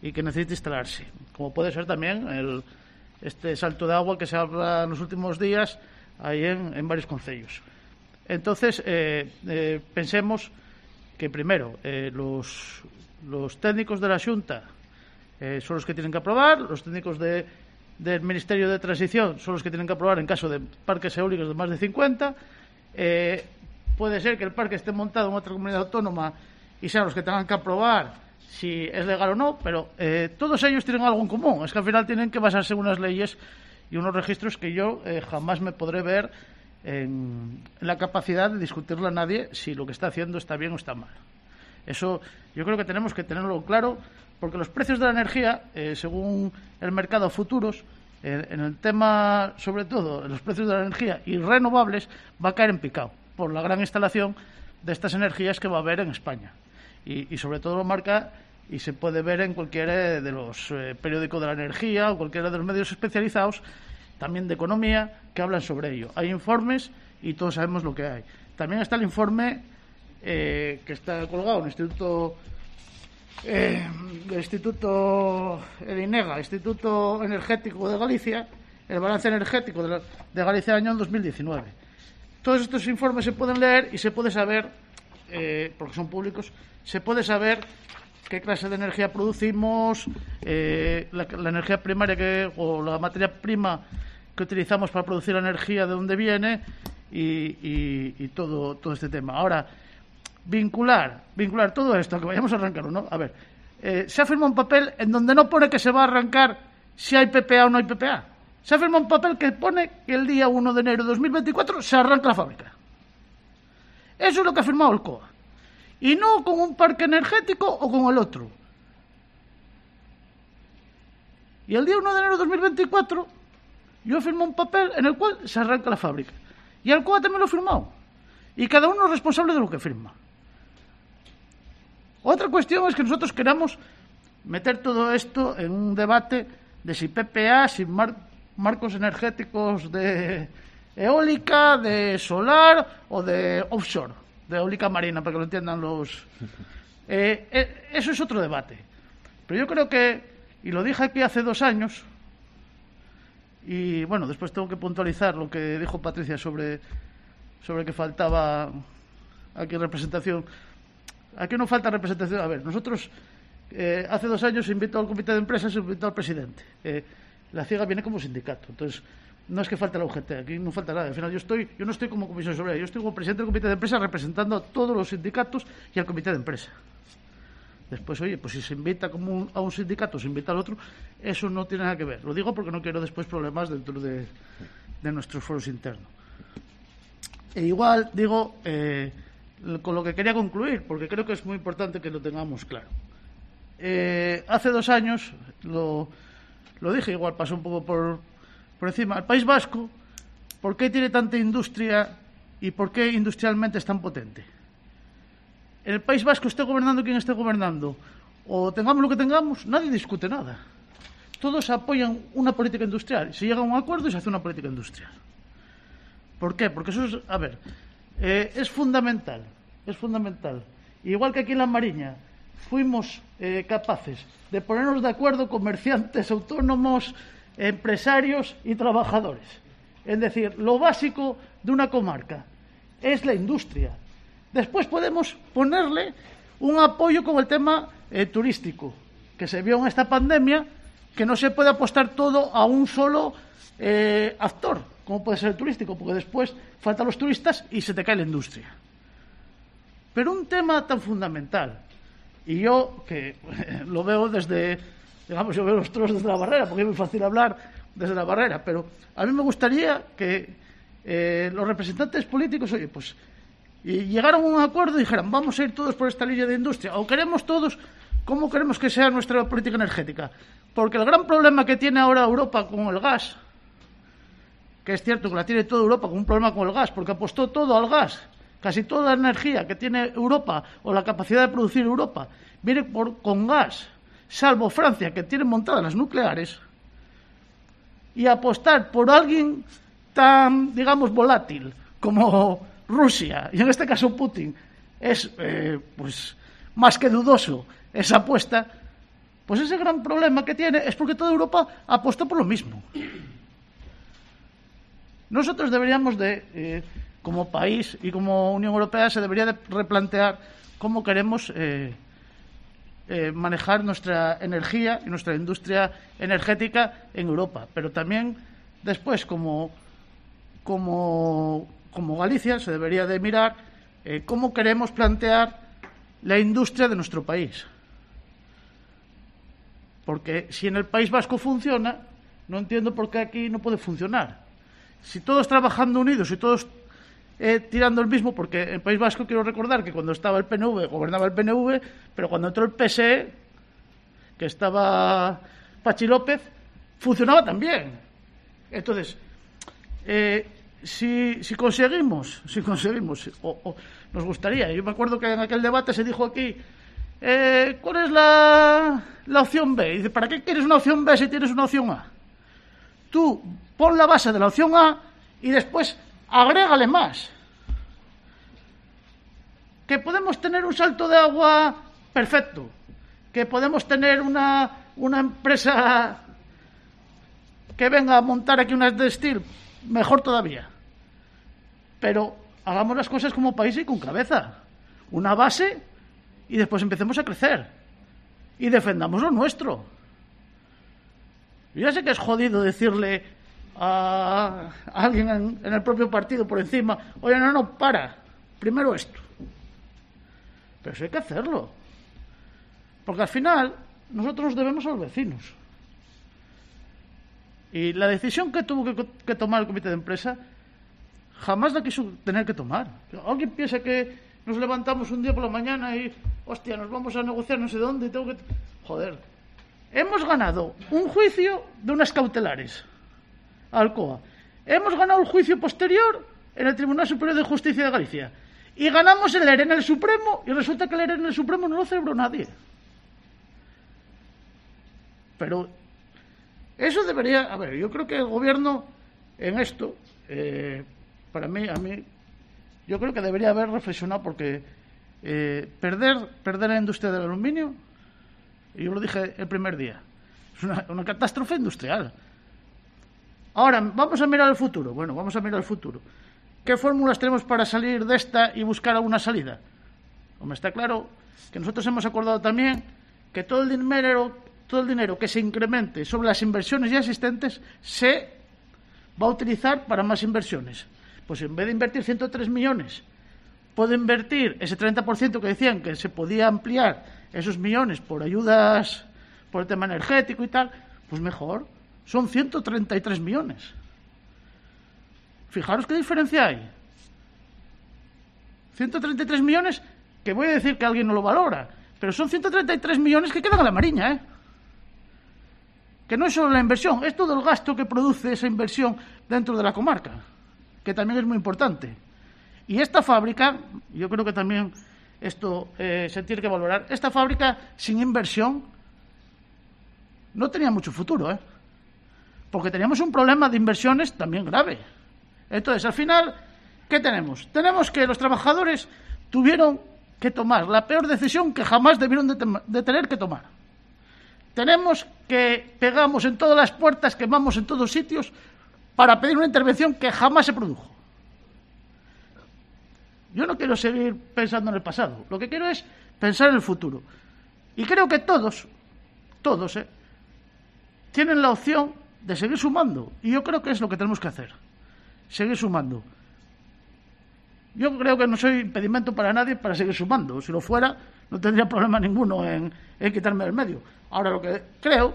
y que necesite instalarse, como puede ser también este salto de agua que se habla en los últimos días ahí en varios concellos. Entonces, pensemos que primero los técnicos de la Xunta son los que tienen que aprobar, los técnicos del Ministerio de Transición son los que tienen que aprobar en caso de parques eólicos de más de 50. Puede ser que el parque esté montado en otra comunidad autónoma y sean los que tengan que aprobar si es legal o no, pero todos ellos tienen algo en común, es que al final tienen que basarse en unas leyes y unos registros que yo jamás me podré ver en la capacidad de discutirle a nadie si lo que está haciendo está bien o está mal. Eso yo creo que tenemos que tenerlo claro, porque los precios de la energía, según el mercado futuros, en el tema, sobre todo, en los precios de la energía y renovables, va a caer en picado por la gran instalación de estas energías que va a haber en España. Y sobre todo lo marca y se puede ver en cualquiera de los periódicos de la energía o cualquiera de los medios especializados, también de economía, que hablan sobre ello. Hay informes y todos sabemos lo que hay. También está el informe que está colgado en el Instituto el INEGA, Instituto Energético de Galicia, el balance energético de Galicia del año 2019. Todos estos informes se pueden leer y se puede saber, porque son públicos, se puede saber qué clase de energía producimos, la energía primaria o la materia prima que utilizamos para producir la energía, de dónde viene y todo este tema. Ahora, vincular todo esto, que vayamos a arrancarlo, ¿no? A ver, se ha firmado un papel en donde no pone que se va a arrancar si hay PPA o no hay PPA. Se ha firmado un papel que pone que el día 1 de enero de 2024 se arranca la fábrica. Eso es lo que ha firmado el COA. Y no con un parque energético o con el otro. Y el día 1 de enero de 2024 yo firmo un papel en el cual se arranca la fábrica. Y el COA también lo ha firmado. Y cada uno es responsable de lo que firma. Otra cuestión es que nosotros queramos meter todo esto en un debate de si PPA, si marcos energéticos de eólica, de solar o de offshore, de eólica marina, para que lo entiendan los... eso es otro debate. Pero yo creo que, y lo dije aquí hace 2 años, y bueno, después tengo que puntualizar lo que dijo Patricia sobre que faltaba aquí representación. Aquí no falta representación. A ver, nosotros hace 2 años se invitó al comité de empresa, se invitó al presidente. La CIEGA viene como sindicato, entonces no es que falte la UGT, aquí no falta nada. Al final yo no estoy como comisión obrera, yo estoy como presidente del comité de empresa representando a todos los sindicatos y al comité de empresa. Después, oye, pues si se invita a un sindicato, se invita al otro, eso no tiene nada que ver. Lo digo porque no quiero después problemas dentro de nuestros foros internos. E igual digo, con lo que quería concluir, porque creo que es muy importante que lo tengamos claro. Hace 2 años, lo dije, igual pasó un poco por encima, el País Vasco, ¿por qué tiene tanta industria y por qué industrialmente es tan potente? El País Vasco, esté gobernando quien esté gobernando, o tengamos lo que tengamos, nadie discute nada. Todos apoyan una política industrial. Se llega a un acuerdo y se hace una política industrial. ¿Por qué? Porque eso es, a ver, es fundamental. Es fundamental. Igual que aquí en La Mariña fuimos capaces de ponernos de acuerdo comerciantes, autónomos, empresarios y trabajadores. Es decir, lo básico de una comarca es la industria. Después podemos ponerle un apoyo con el tema turístico, que se vio en esta pandemia, que no se puede apostar todo a un solo actor, como puede ser el turístico, porque después faltan los turistas y se te cae la industria. Pero un tema tan fundamental, y yo que lo veo desde, digamos, yo veo los toros desde la barrera, porque es muy fácil hablar desde la barrera, pero a mí me gustaría que los representantes políticos, oye, pues llegaran a un acuerdo y dijeran, vamos a ir todos por esta línea de industria, o queremos todos, ¿cómo queremos que sea nuestra política energética? Porque el gran problema que tiene ahora Europa con el gas, que es cierto que la tiene toda Europa con un problema con el gas, porque apostó todo al gas, casi toda la energía que tiene Europa o la capacidad de producir Europa viene con gas, salvo Francia, que tiene montadas las nucleares, y apostar por alguien tan, digamos, volátil como Rusia, y en este caso Putin, es pues más que dudoso esa apuesta, pues ese gran problema que tiene es porque toda Europa apostó por lo mismo. Nosotros deberíamos de, como país y como Unión Europea, se debería de replantear cómo queremos manejar nuestra energía y nuestra industria energética en Europa, pero también después como Galicia se debería de mirar cómo queremos plantear la industria de nuestro país. Porque si en el País Vasco funciona, no entiendo por qué aquí no puede funcionar. Si todos trabajando unidos y todos tirando el mismo, porque en el País Vasco quiero recordar que cuando estaba el PNV, gobernaba el PNV, pero cuando entró el PSE, que estaba Pachi López, funcionaba también. Entonces, si conseguimos, o nos gustaría, yo me acuerdo que en aquel debate se dijo aquí, ¿cuál es la opción B? Y dice, ¿para qué quieres una opción B si tienes una opción A? Tú pon la base de la opción A y después agrégale más. Que podemos tener un salto de agua perfecto, que podemos tener una empresa que venga a montar aquí unas de steel, mejor todavía. Pero hagamos las cosas como país y con cabeza. Una base y después empecemos a crecer. y defendamos lo nuestro. Yo ya sé que es jodido decirle a alguien en el propio partido por encima, oye, no, para, primero esto. Pero eso hay que hacerlo. Porque al final nosotros nos debemos a los vecinos. Y la decisión que tuvo que tomar el comité de empresa jamás la quiso tener que tomar. Alguien piensa que nos levantamos un día por la mañana y, hostia, nos vamos a negociar no sé dónde y tengo que... Joder. Hemos ganado un juicio de unas cautelares a Alcoa. Hemos ganado el juicio posterior en el Tribunal Superior de Justicia de Galicia. Y ganamos el ERE en el Supremo y resulta que el ERE en el Supremo no lo celebró nadie. Pero eso debería... A ver, yo creo que el gobierno en esto, para mí, yo creo que debería haber reflexionado porque perder la industria del aluminio, y yo lo dije el primer día, es una catástrofe industrial. Ahora, vamos a mirar al futuro. Bueno, vamos a mirar al futuro. ¿Qué fórmulas tenemos para salir de esta y buscar alguna salida? Hombre, está claro que nosotros hemos acordado también que todo el dinero que se incremente sobre las inversiones ya existentes se va a utilizar para más inversiones. Pues en vez de invertir 103 millones, puedo invertir ese 30% que decían que se podía ampliar esos millones por ayudas, por el tema energético y tal, pues mejor. Son 133 millones. Fijaros qué diferencia hay. 133 millones, que voy a decir que alguien no lo valora, pero son 133 millones que quedan a la Mariña, ¿eh? Que no es solo la inversión, es todo el gasto que produce esa inversión dentro de la comarca, que también es muy importante. Y esta fábrica, yo creo que también esto se tiene que valorar, esta fábrica sin inversión no tenía mucho futuro, ¿eh? Porque teníamos un problema de inversiones también grave. Entonces, al final, ¿qué tenemos? Tenemos que los trabajadores tuvieron que tomar la peor decisión que jamás debieron de tener que tomar. Tenemos que pegamos en todas las puertas, quemamos en todos sitios para pedir una intervención que jamás se produjo. Yo no quiero seguir pensando en el pasado. Lo que quiero es pensar en el futuro. Y creo que todos, tienen la opción de seguir sumando. Y yo creo que es lo que tenemos que hacer. Seguir sumando. Yo creo que no soy impedimento para nadie para seguir sumando. Si lo fuera, no tendría problema ninguno en quitarme del medio. Ahora, lo que creo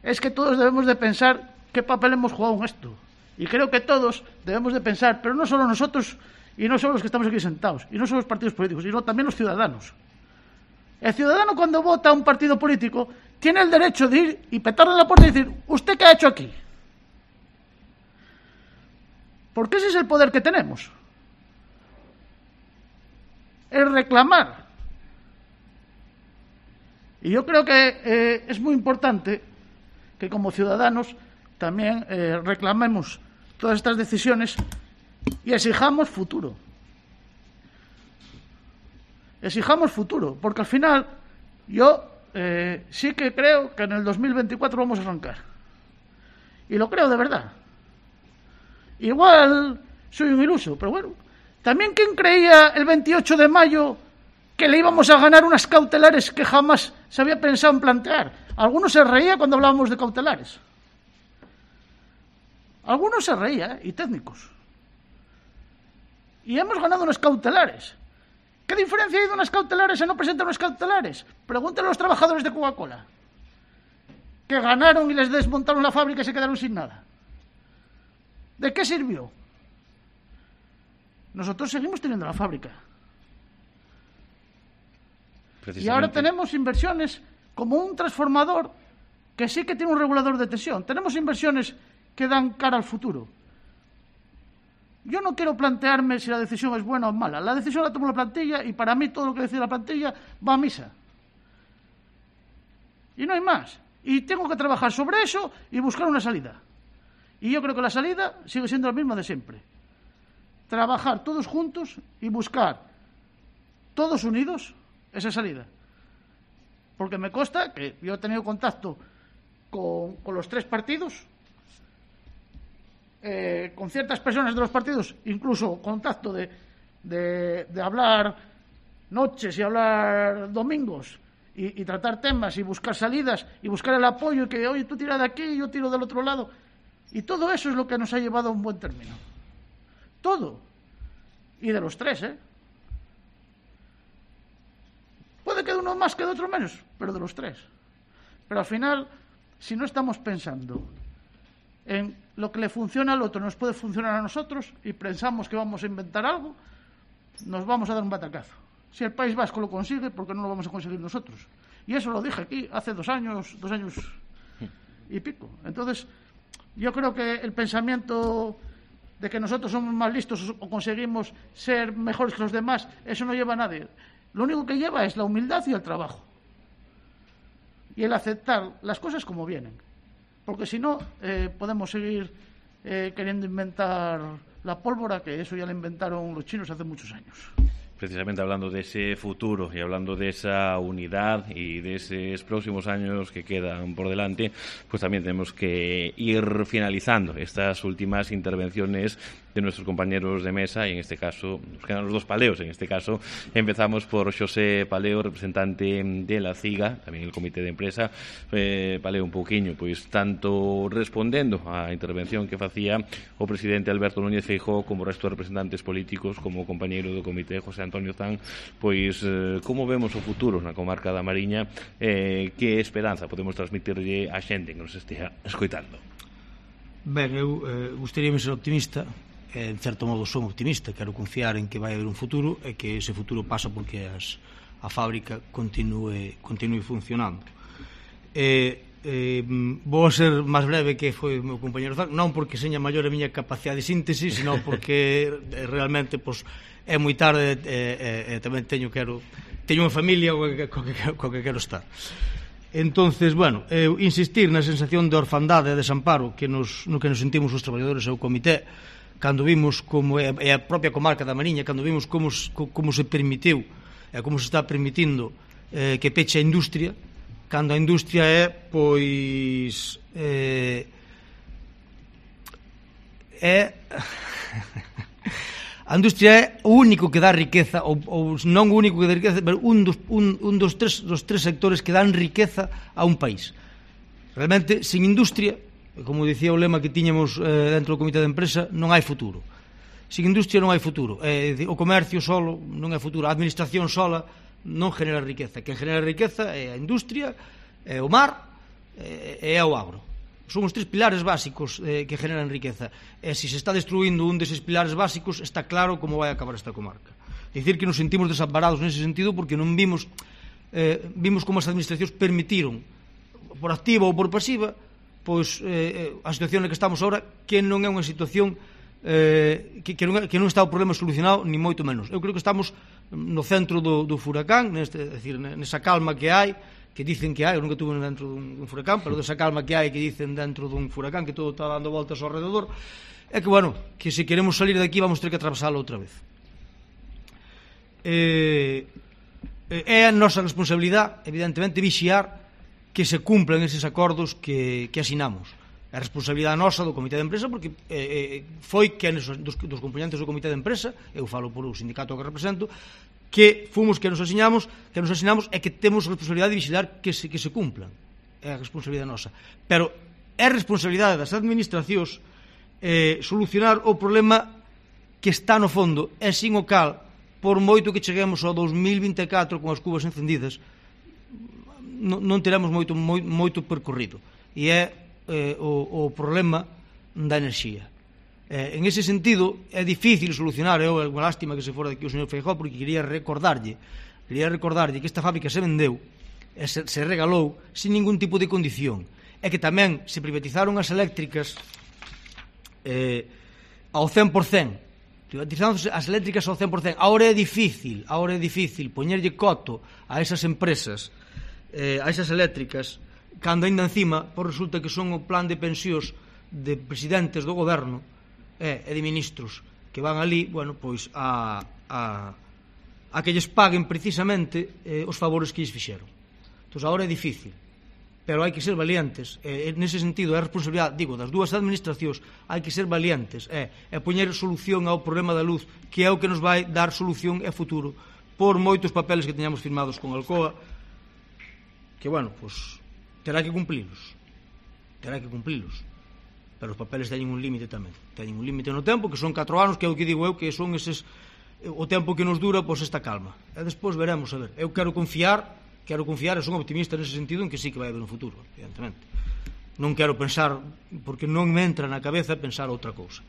es que todos debemos de pensar qué papel hemos jugado en esto. Y creo que todos debemos de pensar, pero no solo nosotros y no solo los que estamos aquí sentados, y no solo los partidos políticos, sino también los ciudadanos. El ciudadano, cuando vota a un partido político, tiene el derecho de ir y petarle en la puerta y decir, ¿usted qué ha hecho aquí? Porque ese es el poder que tenemos. El reclamar. Y yo creo que es muy importante que como ciudadanos también reclamemos todas estas decisiones y exijamos futuro. Exijamos futuro, porque al final yo sí que creo que en el 2024 vamos a arrancar. Y lo creo de verdad. Igual soy un iluso, pero bueno. También, ¿quién creía el 28 de mayo que le íbamos a ganar unas cautelares que jamás se había pensado en plantear? Algunos se reía cuando hablábamos de cautelares. Algunos se reían, y técnicos. Y hemos ganado unas cautelares. ¿Qué diferencia hay de unas cautelares a no presentar unas cautelares? Pregúntenle a los trabajadores de Coca-Cola, que ganaron y les desmontaron la fábrica y se quedaron sin nada. ¿De qué sirvió? Nosotros seguimos teniendo la fábrica. Y ahora tenemos inversiones como un transformador que sí que tiene un regulador de tensión. Tenemos inversiones que dan cara al futuro. Yo no quiero plantearme si la decisión es buena o mala. La decisión la tomó la plantilla y para mí todo lo que decide la plantilla va a misa. Y no hay más. Y tengo que trabajar sobre eso y buscar una salida. Y yo creo que la salida sigue siendo la misma de siempre. Trabajar todos juntos y buscar, todos unidos, esa salida. Porque me consta que yo he tenido contacto con los tres partidos, con ciertas personas de los partidos, incluso contacto de hablar noches y hablar domingos y tratar temas y buscar salidas y buscar el apoyo y que, oye, tú tira de aquí, yo tiro del otro lado. Y todo eso es lo que nos ha llevado a un buen término. Todo. Y de los tres, Puede que de uno más, que de otro menos, pero de los tres. Pero al final, si no estamos pensando en lo que le funciona al otro, nos puede funcionar a nosotros y pensamos que vamos a inventar algo, nos vamos a dar un batacazo. Si el País Vasco lo consigue, ¿por qué no lo vamos a conseguir nosotros? Y eso lo dije aquí hace 2 años y pico. Entonces, yo creo que el pensamiento de que nosotros somos más listos o conseguimos ser mejores que los demás, eso no lleva a nadie. Lo único que lleva es la humildad y el trabajo. Y el aceptar las cosas como vienen. Porque si no, podemos seguir queriendo inventar la pólvora, que eso ya la inventaron los chinos hace muchos años. Precisamente hablando de ese futuro y hablando de esa unidad y de esos próximos años que quedan por delante, pues también tenemos que ir finalizando estas últimas intervenciones de nuestros compañeros de mesa, y en este caso nos quedan los 2 paleos. En este caso empezamos por Xosé Paleo, representante de la CIGA, tamén el comité de empresa. Paleo, un pouquiño, pois tanto respondendo á intervención que facía o presidente Alberto Núñez Feijóo como o resto de representantes políticos, como o compañeiro do comité José Antonio Zan, pois como vemos o futuro na comarca da Mariña, que esperanza podemos transmitirlle á xente que nos estea escoitando. Ben, eu gustaríame ser optimista. En certo modo son optimista, quero confiar en que vai haber un futuro e que ese futuro pasa porque a fábrica continue funcionando. Vou a ser máis breve que foi o meu compañero Zan, non porque seña maior a miña capacidade de síntese, senón porque realmente é moi tarde e tamén teño unha familia coa que quero estar. Entonces, bueno, insistir na sensación de orfandade e desamparo no que nos sentimos os traballadores e o comité cando vimos como é a propia comarca da Mariña, cando vimos como se permitiu e como se está permitindo que peche a industria, cando a industria é, pois, a industria é o único que dá riqueza, ou non o único que dá riqueza, pero un dos tres sectores que dan riqueza a un país. Realmente, sin industria, como dicía o lema que tiñamos dentro do comité de empresa, non hai futuro. Sin industria non hai futuro. O comercio solo non é futuro. A administración sola non genera riqueza. Quen genera riqueza é a industria, é o mar e é o agro. Son os 3 pilares básicos que generan riqueza. E se se está destruindo un deses pilares básicos, está claro como vai acabar esta comarca. Dicir que nos sentimos desamparados nese sentido porque non vimos como as administracións permitiron, por activa ou por pasiva, pois a situación na que estamos agora, que non é unha situación que non está o problema solucionado, ni moito menos. Eu creo que estamos no centro do furacán, nesa calma que hai, que dicen que hai, eu nunca tuve dentro dun furacán, pero desa calma que hai, que dicen dentro dun furacán, que todo está dando voltas ao rededor, é que, bueno, que se queremos salir de aquí vamos ter que atravesalo outra vez. É a nosa responsabilidade, evidentemente, vixiar que se cumplan eses acordos que asinamos. É a responsabilidade nosa do comité de empresa, porque foi que dos componentes do comité de empresa, eu falo por o sindicato que represento, que fomos que nos asinamos e que temos a responsabilidade de vigilar que se cumplan. É a responsabilidade nosa. Pero é a responsabilidade das administracións solucionar o problema que está no fondo, e sin o cal, por moito que cheguemos ao 2024 con as cubas encendidas, non teremos moito percorrido, e é o problema da enerxía. En ese sentido é difícil solucionar. É unha lástima que se fora daqui o señor Feijóo, porque quería recordarlle que esta fábrica se vendeu e se regalou sin ningún tipo de condición, e que tamén se privatizaron as eléctricas ao 100%, privatizándose as eléctricas ao 100%. Ahora é difícil poñerlle coto a esas empresas, a esas eléctricas, cando ainda encima resulta que son o plan de pensións de presidentes do goberno e de ministros que van ali, bueno, pois a que lles paguen precisamente os favores que lles fixeron. Entón, agora é difícil, pero hai que ser valientes. Nese sentido, é a responsabilidade, digo, das dúas administracións, hai que ser valientes e poñer solución ao problema da luz, que é o que nos vai dar solución e futuro, por moitos papeles que teñamos firmados con Alcoa, que, bueno, pues terá que cumplilos. Pero os papeles teñen un límite tamén. Teñen un límite no tempo, que son 4 anos, que é o que digo eu, que son eses o tempo que nos dura, pois, esta calma. E despois veremos, a ver. Eu quero confiar, e son optimista nese sentido, en que sí que vai haber un futuro, evidentemente. Non quero pensar, porque non me entra na cabeza pensar outra cousa.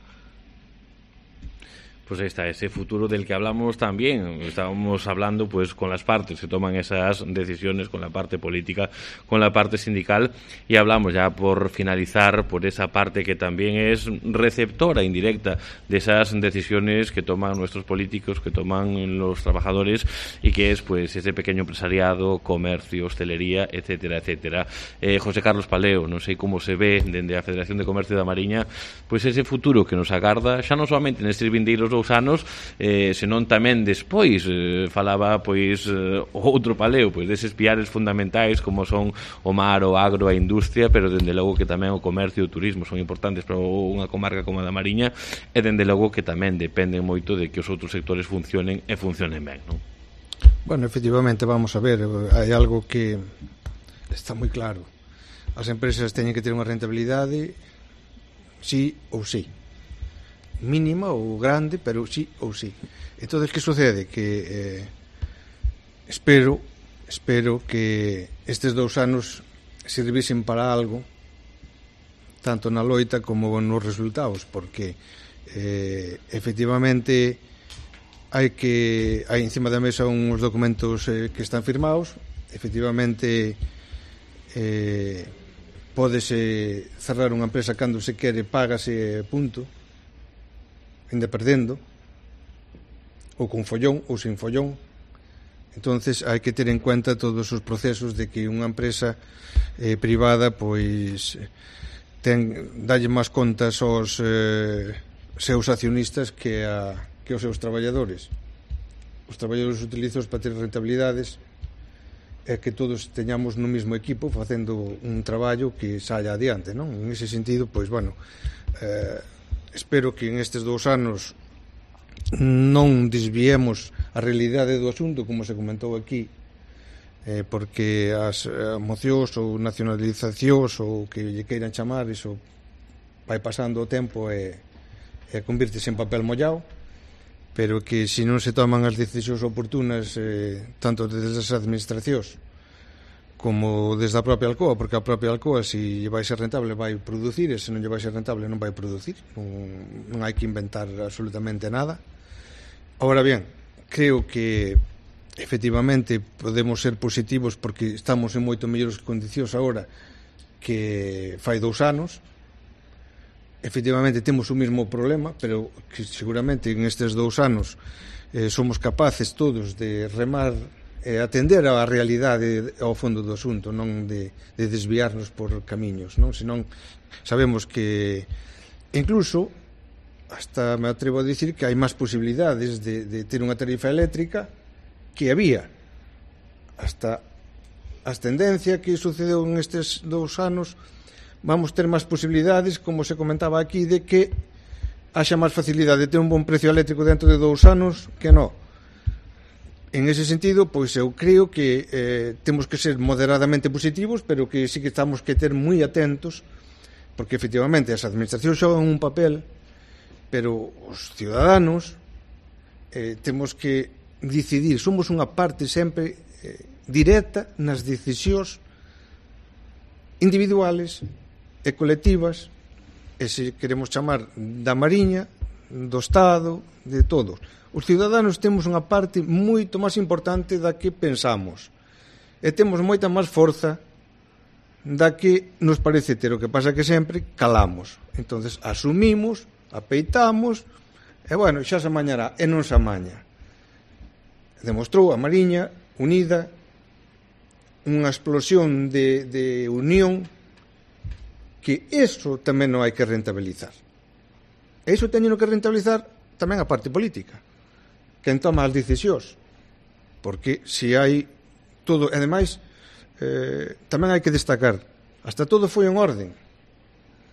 Pues ahí está, ese futuro del que hablamos también. Estábamos hablando pues con las partes que toman esas decisiones, con la parte política, con la parte sindical, y hablamos ya por finalizar por esa parte que también es receptora indirecta de esas decisiones que toman nuestros políticos, que toman los trabajadores, y que es pues ese pequeño empresariado, comercio, hostelería, etcétera, etcétera. José Carlos Paleo, non sei como se ve dende a Federación de Comercio da Mariña pues ese futuro que nos agarda, xa non solamente nestes vindeiros 2 anos, senón tamén despois. Falaba pois outro Paleo, pois deses piares fundamentais como son o mar, o agro, a industria, pero dende logo que tamén o comercio e o turismo son importantes para unha comarca como a da Mariña, e dende logo que tamén dependen moito de que os outros sectores funcionen e funcionen ben, non? Bueno, efectivamente, vamos a ver, hai algo que está moi claro. As empresas teñen que ter unha rentabilidade sí ou sí, mínima ou grande, pero sí ou sí. Entón, que sucede? Que espero que estes 2 anos sirvisen para algo, tanto na loita como nos resultados, porque efectivamente hai encima da mesa uns documentos que están firmados. Efectivamente pódese cerrar unha empresa cando se quere, págase, punto, ainda perdendo, ou con follón ou sin follón. Entonces hai que ter en cuenta todos os procesos de que unha empresa privada pois dalle máis contas aos seus accionistas que aos seus traballadores. Os traballadores utilizan para ter rentabilidades e que todos teñamos no mesmo equipo facendo un traballo que saia adiante, non? En ese sentido, pois, bueno, espero que en estes 2 anos non desviemos a realidade do asunto, como se comentou aquí, porque as mocións ou nacionalizacións ou que lle queiran chamar, iso vai pasando o tempo e convírtese en papel mollado, pero que se non se toman as decisións oportunas, tanto desde as administracións como desde a propia Alcoa, porque a propia Alcoa, se vai ser rentable, vai producir, e se non lle vai ser rentable, non vai producir. Non hai que inventar absolutamente nada. Ahora bien, creo que efectivamente podemos ser positivos porque estamos en moito mellores condicións agora que fai 2 anos. Efectivamente temos o mesmo problema, pero que seguramente en estes 2 anos somos capaces todos de remar e atender á realidade ao fondo do asunto, non de desviarnos por camiños, non? Senón sabemos que incluso hasta me atrevo a dicir que hai máis posibilidades de ter unha tarifa eléctrica que había hasta a ascendencia que sucedeu en estes 2 anos. Vamos ter máis posibilidades, como se comentaba aquí, de que haxa máis facilidade de ter un bon precio eléctrico dentro de 2 anos que non. En ese sentido, pois eu creo que temos que ser moderadamente positivos, pero que sí que estamos que ter moi atentos, porque efectivamente as administracións xogan un papel, pero os ciudadanos temos que decidir, somos unha parte sempre directa nas decisións individuales e colectivas, e se queremos chamar da Mariña, do Estado, de todos. Os ciudadanos temos unha parte moito máis importante da que pensamos e temos moita máis forza da que nos parece ter. O que pasa que sempre calamos, entonces asumimos, apeitamos e bueno, xa se amañará, e non se amaña. Demostrou a Mariña unida unha explosión de unión, que eso tamén non hai que rentabilizar. E iso teñen que rentabilizar tamén a parte política, quen toma as decisións, porque se hai todo, e ademais tamén hai que destacar, hasta todo foi en orden,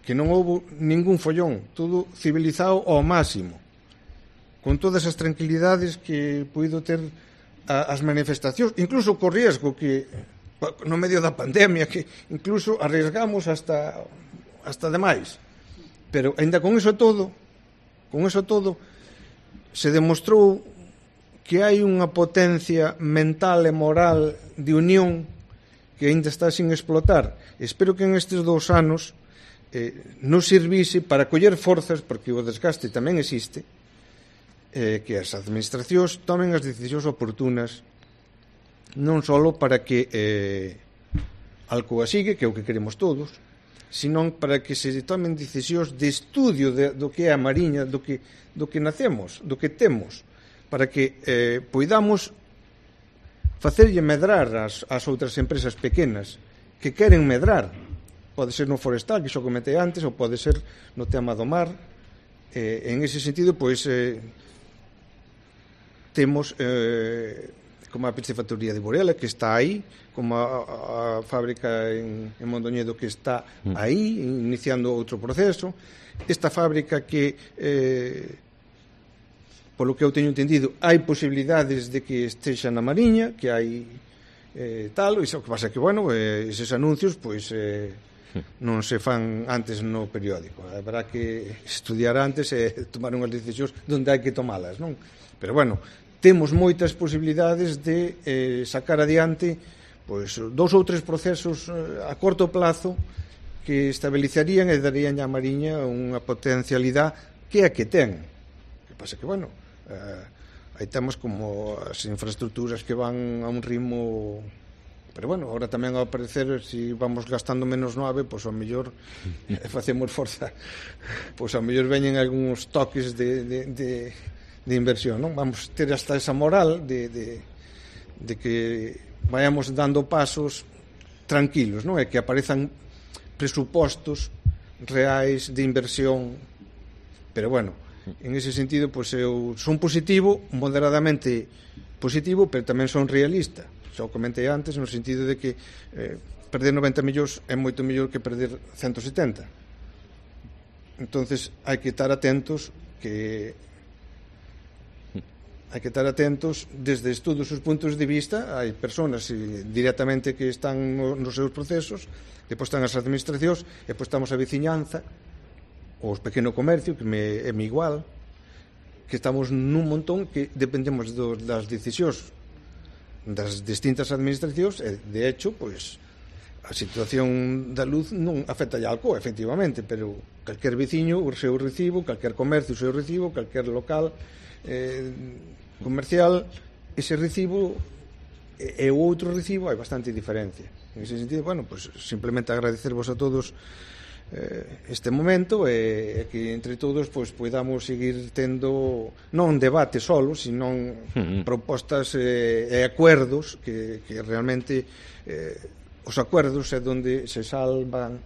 que non houve ningún follón, todo civilizado ao máximo, con todas as tranquilidades que puido ter as manifestacións, incluso co riesgo que no medio da pandemia, que incluso arriesgamos hasta demais. Pero, ainda con eso todo, se demostrou que hai unha potencia mental e moral de unión que ainda está sin explotar. Espero que en estes 2 anos non servise para coller forzas, porque o desgaste tamén existe, que as administracións tomen as decisións oportunas, non só para que Alcoa sigue, que é o que queremos todos, senón para que se tomen decisións de estudio do que é a Mariña, do que nacemos, do que temos, para que poidamos facerlle medrar as outras empresas pequenas que queren medrar. Pode ser no forestal, que xo comentei antes, ou pode ser no tema do mar. En ese sentido, pois, temos como a piscifactoría de Borela, que está aí, como a fábrica en Mondoñedo, que está aí, iniciando outro proceso. Esta fábrica que, polo que eu teño entendido, hai posibilidades de que estexa na Mariña, que hai tal, iso que pasa que, bueno, eses anuncios, pois, non se fan antes no periódico. Habrá que estudiar antes e tomar unhas decisións onde hai que tomalas, non? Pero, bueno, temos moitas posibilidades de sacar adiante pois 2 ou 3 procesos a corto plazo que estabilizarían e darían á Mariña unha potencialidade que é a que ten. O que pasa que, bueno, aí temos como as infraestructuras que van a un ritmo, pero, bueno, ahora tamén ao parecer, se vamos gastando menos 9, pois ao mellor facemos forza, pois ao mellor veñen algúns toques de inversión, non? Vamos ter hasta esa moral de que vayamos dando pasos tranquilos, non? E que aparezan presupostos reais de inversión. Pero, bueno, en ese sentido, pois eu son positivo, moderadamente positivo, pero tamén son realista. Xa o comentei antes, no sentido de que perder 90 millóns é moito mellor que perder 170. Entonces, hai que estar atentos desde todos os puntos de vista. Hai persoas directamente que están nos seus procesos, depois están as administracións, e depois estamos a veciñanza, os pequeno comercio, que é igual, que estamos nun montón que dependemos das decisións das distintas administracións, e, de hecho, pois, a situación da luz non afecta a Alcoa, efectivamente, pero calquer veciño o seu recibo, calquer comercio o seu recibo, calquer local comercial, ese recibo e o outro recibo hai bastante diferencia. En ese sentido, bueno, pues simplemente agradecervos a todos este momento e que entre todos pues podamos seguir tendo non debate solo, sino propostas e acuerdos que realmente os acuerdos é onde se salvan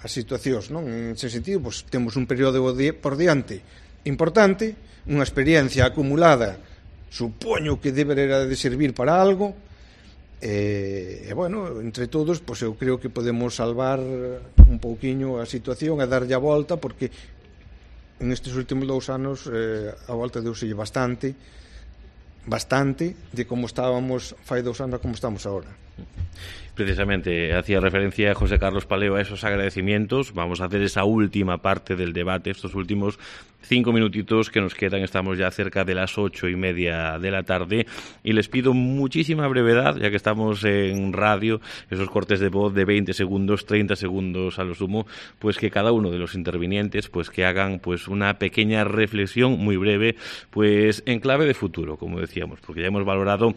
as situacións, non? En ese sentido, pues temos un período por diante importante, unha experiencia acumulada, supoño que deberá de servir para algo, e bueno, entre todos, pois eu creo que podemos salvar un pouquiño a situación e darlle a volta, porque en estes últimos 2 anos a volta deuselle bastante de como estábamos fai 2 anos a como estamos agora. Precisamente hacía referencia a José Carlos Paleo a esos agradecimientos. Vamos a hacer esa última parte del debate, estos últimos 5 minutitos que nos quedan. Estamos ya cerca de las 8:30 de la tarde y les pido muchísima brevedad, ya que estamos en radio, esos cortes de voz de 20 segundos, 30 segundos a lo sumo, pues que cada uno de los intervinientes pues que hagan pues una pequeña reflexión muy breve, pues en clave de futuro, como decíamos, porque ya hemos valorado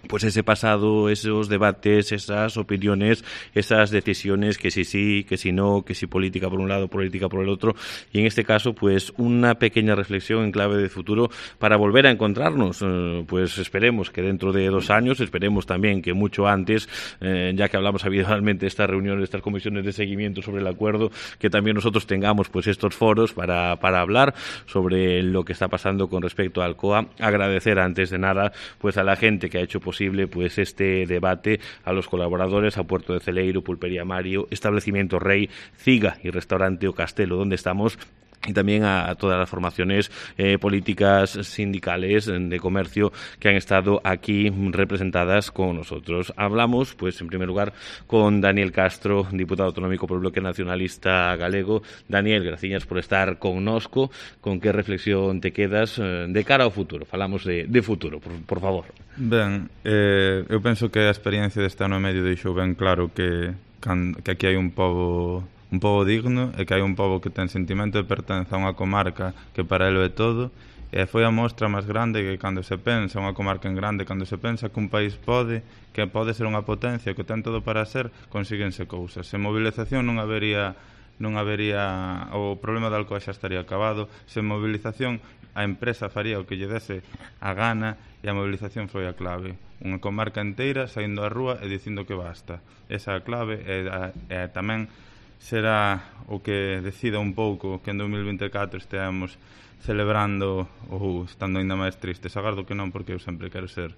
pues ese pasado, esos debates, esas opiniones, esas decisiones, que si sí, que si no, que si política por un lado, política por el otro, y en este caso pues una pequeña reflexión en clave de futuro para volver a encontrarnos, pues esperemos que dentro de 2 años, esperemos también que mucho antes, ya que hablamos habitualmente de estas reuniones, de estas comisiones de seguimiento sobre el acuerdo, que también nosotros tengamos pues estos foros para hablar sobre lo que está pasando con respecto a Alcoa. Agradecer antes de nada pues a la gente que ha hecho posible pues este debate, a los colaboradores, a Puerto de Celeiro, Pulpería Mario, Establecimiento Rey, Ciga y Restaurante O Castelo, donde estamos, y también a todas las formaciones políticas, sindicales, de comercio que han estado aquí representadas con nosotros. Hablamos, pues, en primer lugar, con Daniel Castro, diputado autonómico por el Bloque Nacionalista Galego. Daniel, gracias por estar connosco. Con que reflexión te quedas de cara ao futuro? Falamos de futuro, por favor. Ben, eu penso que a experiencia deste ano e medio deixou ben claro que aquí hai un pobo digno e que hai un pobo que ten sentimento de pertenza a unha comarca que para elo é todo, e foi a mostra máis grande que cando se pensa unha comarca en grande, cando se pensa que un país que pode ser unha potencia, que ten todo para ser, consíguense cousas. Sen movilización non habería o problema da Alcoa xa estaría acabado. Sen movilización a empresa faría o que lle dese a gana, e a movilización foi a clave. Unha comarca inteira saindo á rúa e dicindo que basta. Esa é a clave, e tamén será o que decida un pouco que en 2024 esteamos celebrando ou estando ainda máis tristes. Agardo que non, porque eu sempre quero ser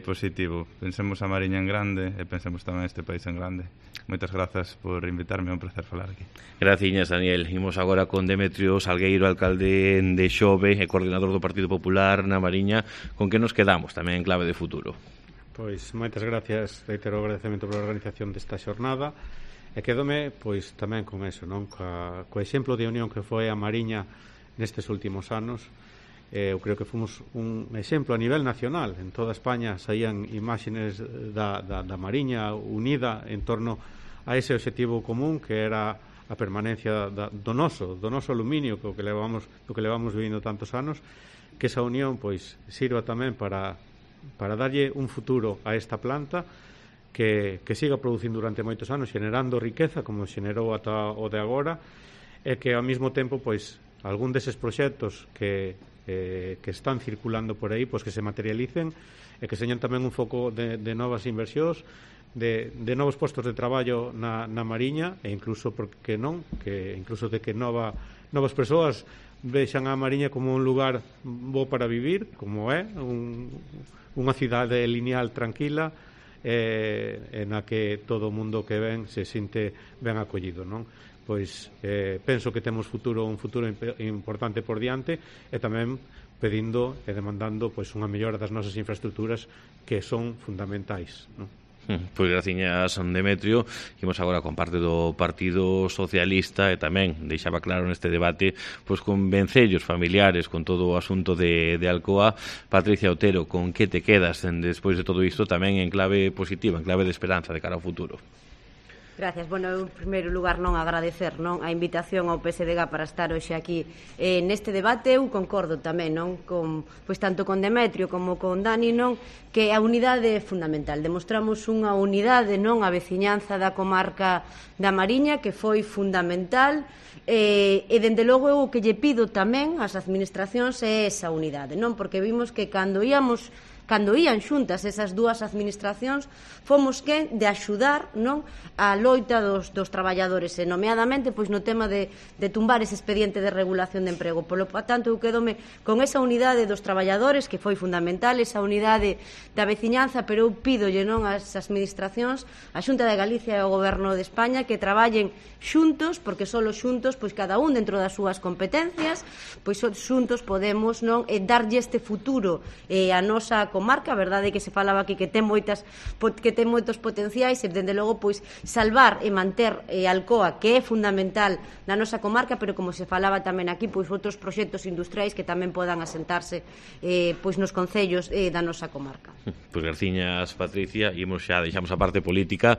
positivo. Pensemos a Mariña en grande e pensemos tamén este país en grande. Moitas grazas por invitarme, é un placer falar aquí. Graciñas, Daniel. Imos agora con Demetrio Salgueiro, alcalde de Xove e coordinador do Partido Popular na Mariña. Con que nos quedamos tamén en clave de futuro? Pois moitas gracias, reitero o agradecemento pola organización desta xornada, e quedome pois tamén con eso, non? Co exemplo de unión que foi a Mariña nestes últimos anos. Eu creo que fomos un exemplo a nivel nacional. En toda España saían imágenes da Mariña unida en torno a ese obxectivo común que era a permanencia do noso aluminio, do que levamos vivindo tantos anos, que esa unión pois sirva tamén para darlle un futuro a esta planta que siga producindo durante moitos anos, xenerando riqueza como xenerou ata o de agora, e que ao mesmo tempo pois algún deses proxectos que están circulando por aí pois que se materialicen e que señan tamén un foco de novas inversións, de novos postos de traballo na Mariña, e incluso, porque non, que incluso de que novas persoas vexan a Mariña como un lugar bo para vivir, como é unha cidade lineal tranquila, na que todo o mundo que ven se sinte ben acollido, non? Pois penso que temos un futuro importante por diante, e tamén pedindo e demandando pois unha mellora das nosas infraestructuras que son fundamentais, non? Pois graciñas, Demetrio. Imos agora con parte do Partido Socialista, e tamén deixaba claro neste debate pois con vencellos familiares con todo o asunto de Alcoa. Patricia Otero, con que te quedas despois de todo isto, tamén en clave positiva, en clave de esperanza de cara ao futuro? Gracias. Bueno, en primeiro lugar non agradecer a invitación ao PSDG para estar hoxe aquí neste debate. Eu concordo tamén pois tanto con Demetrio como con Dani, que a unidade é fundamental. Demostramos unha unidade, a veciñanza da comarca da Mariña, que foi fundamental, e dende logo eu o que lle pido tamén ás administracións é esa unidade, porque vimos que cando ían xuntas esas dúas administracións, fomos de axudar a loita dos traballadores, e nomeadamente pois no tema de tumbar ese expediente de regulación de emprego. Polo tanto, eu quedome con esa unidade dos traballadores, que foi fundamental, esa unidade da veciñanza, pero eu pídolle ás administracións, a Xunta de Galicia e ao Goberno de España, que traballen xuntos, porque só xuntos, pois cada un dentro das súas competencias, pois xuntos podemos darlle este futuro a nosa comarca. A verdade é que se falaba aquí que ten moitos potenciais, e dende logo pois salvar e manter Alcoa, que é fundamental na nosa comarca, pero como se falaba tamén aquí, pois outros proxectos industriais que tamén podan asentarse pois nos concellos da nosa comarca. Pois graciñas, Patricia. Imos xa, deixamos a parte política.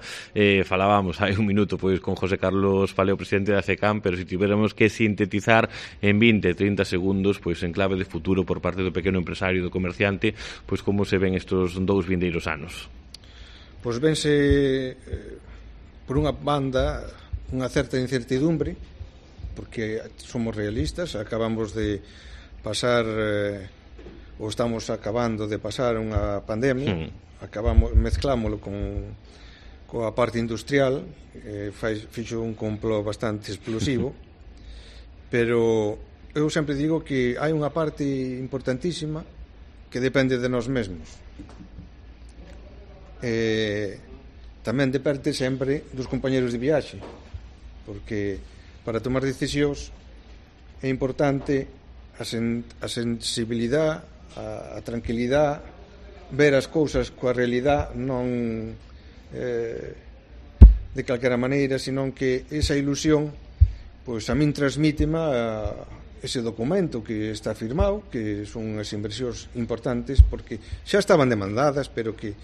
Falábamos hai un minuto pois con José Carlos Paleo, presidente da FECAM, pero se tiveramos que sintetizar en 20-30 segundos, pois en clave de futuro por parte do pequeno empresario, do comerciante, pois como se ven estes dous vindeiros anos? Pois vense por unha banda unha certa incertidumbre, porque somos realistas, acabamos de pasar ou estamos acabando de pasar unha pandemia, mezclámoslo coa parte industrial, fixo un complot bastante explosivo, pero eu sempre digo que hai unha parte importantísima que depende de nós mesmos. Tamén depende sempre dos compañeros de viaxe, porque para tomar decisións é importante a sensibilidade, a tranquilidade, ver as cousas coa realidade, non de calquera maneira, senón que esa ilusión pois a min transmítema ese documento que está firmado, que son as inversións importantes, porque xa estaban demandadas, pero que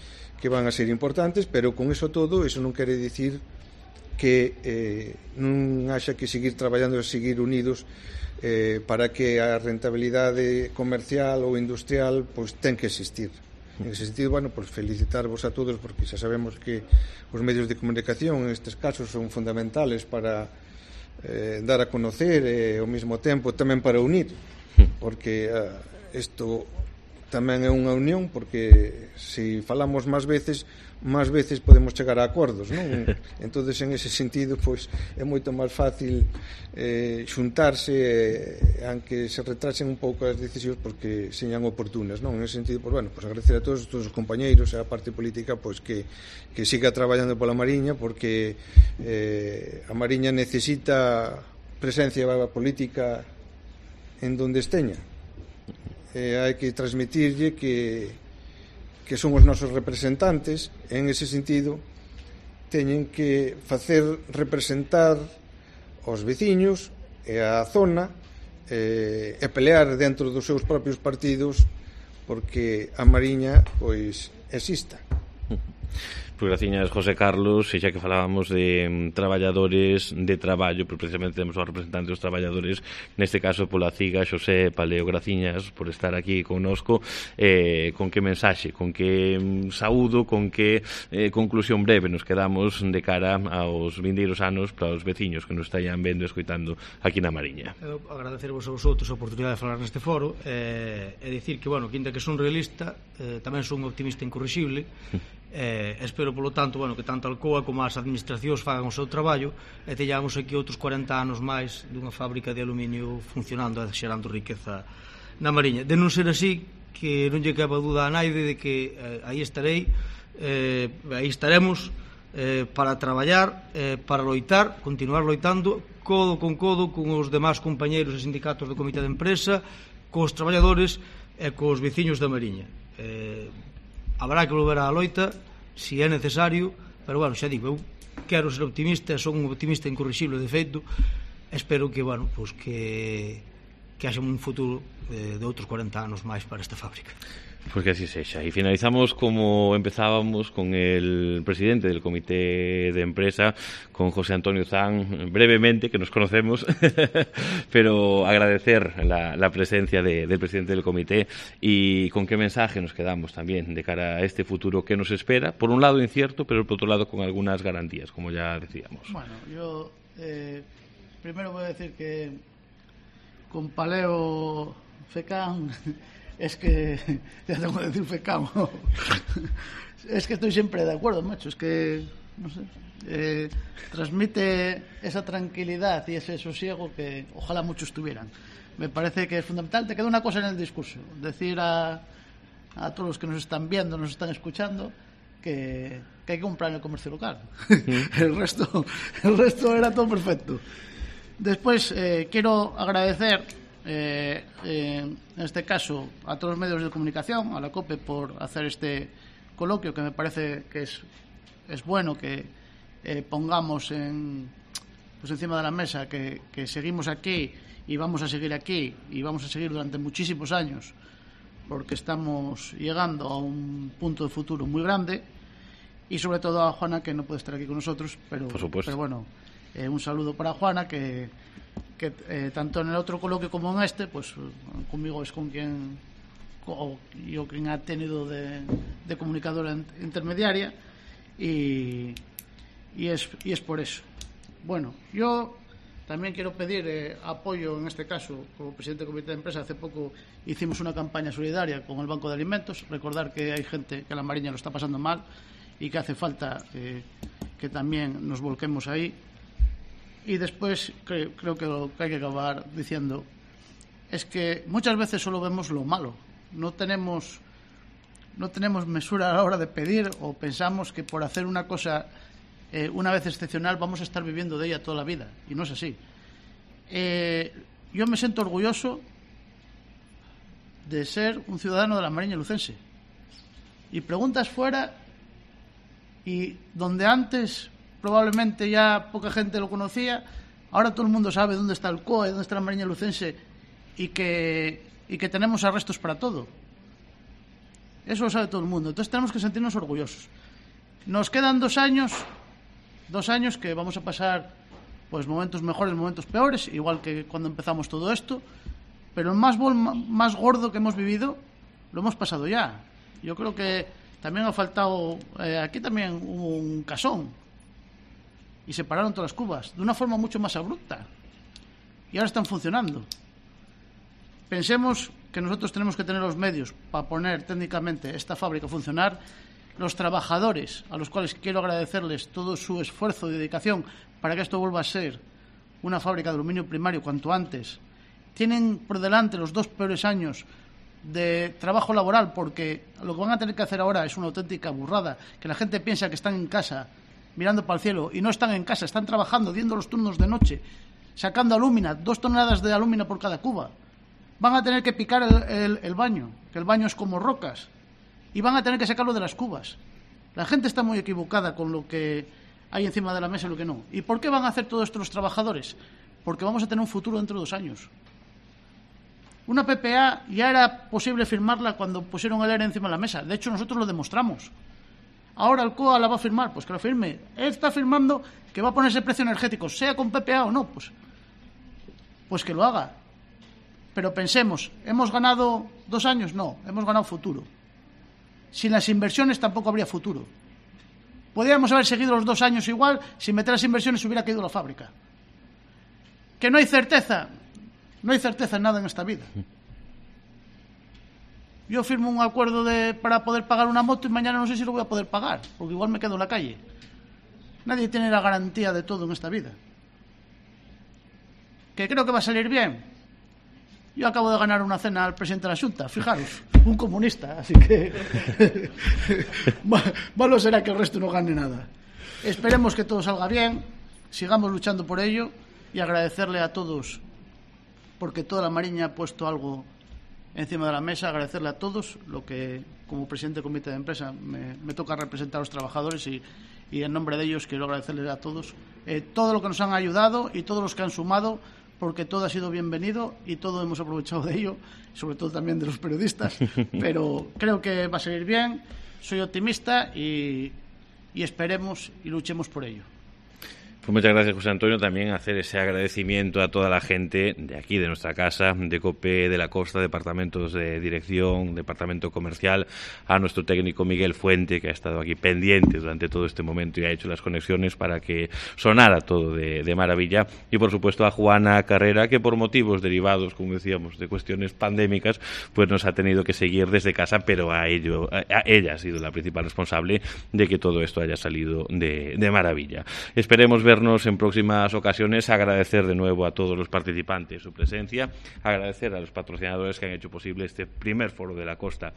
van a ser importantes, pero con eso todo, eso non quere dicir que non haxa que seguir traballando e seguir unidos para que a rentabilidade comercial ou industrial pois ten que existir. En ese sentido, bueno, pues felicitarvos a todos, porque xa sabemos que os medios de comunicación en estes casos son fundamentales para dar a conocer e ao mesmo tempo tamén para unir, porque isto tamén é unha unión, porque se falamos máis veces podemos chegar a acordos, non? Entonces, en ese sentido, pois é moito máis fácil xuntarse, aunque se retrasen un pouco as decisións porque señan oportunas, non? En ese sentido, pois, bueno, pois agradecer a todos os compañeiros e a parte política pois que siga traballando pola Mariña, porque a Mariña necesita presencia política en donde esteña. Hai que transmitirlle que son os nosos representantes, en ese sentido teñen que facer representar os veciños e a zona e pelear dentro dos seus propios partidos porque a Mariña pois exista. Pois graciñas, José Carlos, e xa que falábamos de traballadores de traballo, pois precisamente temos os representantes dos traballadores, neste caso pola CIGA, Xosé Paleo, graciñas por estar aquí connosco. Con que mensaxe, con que saúdo, con que conclusión breve nos quedamos de cara aos vindeiros anos para os veciños que nos estaían vendo e escoitando aquí na Mariña? Eu agradecervos aos outros a oportunidade de falar neste foro e dicir que, bueno, que ainda que son realista, tamén son optimista incorrixible. Espero, polo tanto, bueno, que tanto a Alcoa como as administracións fagan o seu traballo e teñamos aquí outros 40 anos máis dunha fábrica de aluminio funcionando e xerando riqueza na Mariña. De non ser así, que non lle queba dúda a naide de que aí estarei, aí estaremos para traballar, para loitar, continuar loitando codo con os demás compañeiros e sindicatos do Comité de Empresa, cos traballadores e cos veciños da Mariña. Habrá que volver á loita se é necesario, pero, bueno, xa digo, eu quero ser optimista, son un optimista incorrixible de feito, espero que, bueno, pues que haxa un futuro de outros 40 anos máis para esta fábrica. Pues que así sexa. Y finalizamos como empezábamos, con el presidente del comité de empresa, con José Antonio Zan, brevemente, que nos conocemos, pero agradecer la presencia del presidente del comité y con qué mensaje nos quedamos también de cara a este futuro que nos espera, por un lado incierto, pero por otro lado con algunas garantías, como ya decíamos. Bueno, yo primero voy a decir que con Paleo Fecán... Es que, ya tengo que decir fecamo, es que estoy siempre de acuerdo, macho, es que, no sé, transmite esa tranquilidad y ese sosiego que ojalá muchos tuvieran. Me parece que es fundamental. Te queda una cosa en el discurso, decir a todos los que nos están viendo, nos están escuchando, que hay que comprar en el comercio local. El resto era todo perfecto. Después, quiero agradecer en este caso a todos los medios de comunicación, a la COPE, por hacer este coloquio, que me parece que es bueno que pongamos encima de la mesa que seguimos aquí y vamos a seguir aquí y vamos a seguir durante muchísimos años, porque estamos llegando a un punto de futuro muy grande. Y sobre todo a Juana, que no puede estar aquí con nosotros, pero bueno, un saludo para Juana, que tanto en el otro coloquio como en este, pues conmigo es con quien ha tenido de comunicadora intermediaria, y es por eso. Bueno, yo también quiero pedir apoyo, en este caso, como presidente del comité de empresa. Hace poco hicimos una campaña solidaria con el Banco de Alimentos. Recordar que hay gente que en la Mariña lo está pasando mal y que hace falta que también nos volquemos ahí. Y después creo que lo que hay que acabar diciendo es que muchas veces solo vemos lo malo. No tenemos mesura a la hora de pedir, o pensamos que por hacer una cosa una vez excepcional vamos a estar viviendo de ella toda la vida, y no es así. yo me siento orgulloso de ser un ciudadano de la Mariña lucense. Y preguntas fuera, y donde antes probablemente ya poca gente lo conocía, ahora todo el mundo sabe dónde está el COA y dónde está la Mariña lucense, y que tenemos arrestos para todo. Eso lo sabe todo el mundo. Entonces tenemos que sentirnos orgullosos. Nos quedan 2 años que vamos a pasar pues momentos mejores, momentos peores, igual que cuando empezamos todo esto, pero el más gordo que hemos vivido lo hemos pasado ya. Yo creo que también ha faltado, aquí también hubo un casón y se pararon todas las cubas de una forma mucho más abrupta y ahora están funcionando. Pensemos que nosotros tenemos que tener los medios para poner técnicamente esta fábrica a funcionar. Los trabajadores, a los cuales quiero agradecerles todo su esfuerzo y dedicación para que esto vuelva a ser una fábrica de aluminio primario cuanto antes, tienen por delante los 2 peores años de trabajo laboral, porque lo que van a tener que hacer ahora es una auténtica burrada, que la gente piensa que están en casa mirando para el cielo, y no están en casa, están trabajando, diendo los turnos de noche, sacando alúmina, 2 toneladas de alúmina por cada cuba. Van a tener que picar el baño, que el baño es como rocas, y van a tener que sacarlo de las cubas. La gente está muy equivocada con lo que hay encima de la mesa y lo que no. ¿Y por qué van a hacer todo esto los trabajadores? Porque vamos a tener un futuro dentro de 2 años. Una PPA ya era posible firmarla cuando pusieron el ERE encima de la mesa. De hecho, nosotros lo demostramos. Ahora el COA la va a firmar, pues que la firme. Él está firmando que va a ponerse precio energético, sea con PPA o no, pues que lo haga. Pero pensemos, ¿hemos ganado 2 años? No, hemos ganado futuro. Sin las inversiones tampoco habría futuro. Podríamos haber seguido los 2 años igual, sin meter las inversiones hubiera caído la fábrica. ¿Que no hay certeza? No hay certeza en nada en esta vida. Yo firmo un acuerdo para poder pagar una moto y mañana no sé si lo voy a poder pagar, porque igual me quedo en la calle. Nadie tiene la garantía de todo en esta vida. ¿Que creo que va a salir bien? Yo acabo de ganar una cena al presidente de la Xunta, fijaros, un comunista, así que malo será que el resto no gane nada. Esperemos que todo salga bien, sigamos luchando por ello y agradecerle a todos, porque toda la Mariña ha puesto algo encima de la mesa, agradecerle a todos lo que, como presidente del comité de empresa, me toca representar a los trabajadores y en nombre de ellos quiero agradecerles a todos todo lo que nos han ayudado y todos los que han sumado, porque todo ha sido bienvenido y todo hemos aprovechado de ello, sobre todo también de los periodistas, pero creo que va a salir bien, soy optimista y esperemos y luchemos por ello. Pues muchas gracias, José Antonio. También hacer ese agradecimiento a toda la gente de aquí, de nuestra casa, de COPE de la Costa, departamentos de dirección, departamento comercial, a nuestro técnico Miguel Fuente, que ha estado aquí pendiente durante todo este momento y ha hecho las conexiones para que sonara todo de maravilla. Y, por supuesto, a Juana Carrera, que por motivos derivados, como decíamos, de cuestiones pandémicas, pues nos ha tenido que seguir desde casa, pero a ella ha sido la principal responsable de que todo esto haya salido de maravilla. Esperemos vernos en próximas ocasiones, agradecer de nuevo a todos los participantes su presencia, agradecer a los patrocinadores que han hecho posible este primer foro de la costa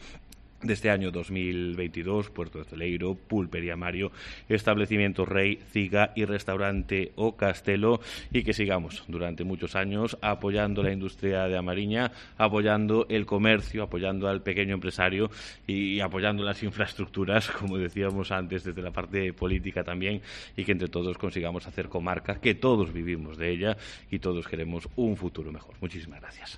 de este año 2022, Puerto de Celeiro, Pulpería Mario, Establecimiento Rey, Ciga y Restaurante O Castelo, y que sigamos durante muchos años apoyando la industria de A Mariña, apoyando el comercio, apoyando al pequeño empresario y apoyando las infraestructuras, como decíamos antes, desde la parte política también, y que entre todos consigamos hacer comarca, que todos vivimos de ella y todos queremos un futuro mejor. Muchísimas gracias.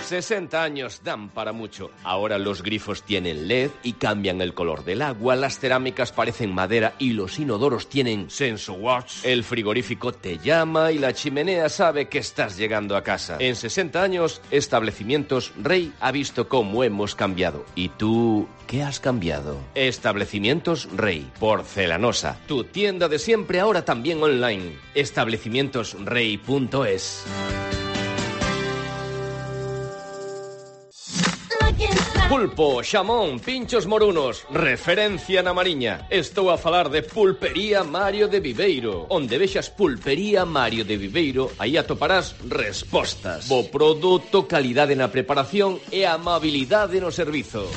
60 años dan para mucho. Ahora los grifos tienen LED y cambian el color del agua, las cerámicas parecen madera y los inodoros tienen SensoWatch. El frigorífico te llama y la chimenea sabe que estás llegando a casa. En 60 años, Establecimientos Rey ha visto cómo hemos cambiado. ¿Y tú qué has cambiado? Establecimientos Rey, porcelanosa. Tu tienda de siempre ahora también online. Establecimientosrey.es. Pulpo, xamón, pinchos morunos, referencia na Mariña. Estou a falar de Pulpería Mario de Viveiro. Onde vexas Pulpería Mario de Viveiro, aí atoparás respostas. Bo produto, calidade na preparación e amabilidade no servizo.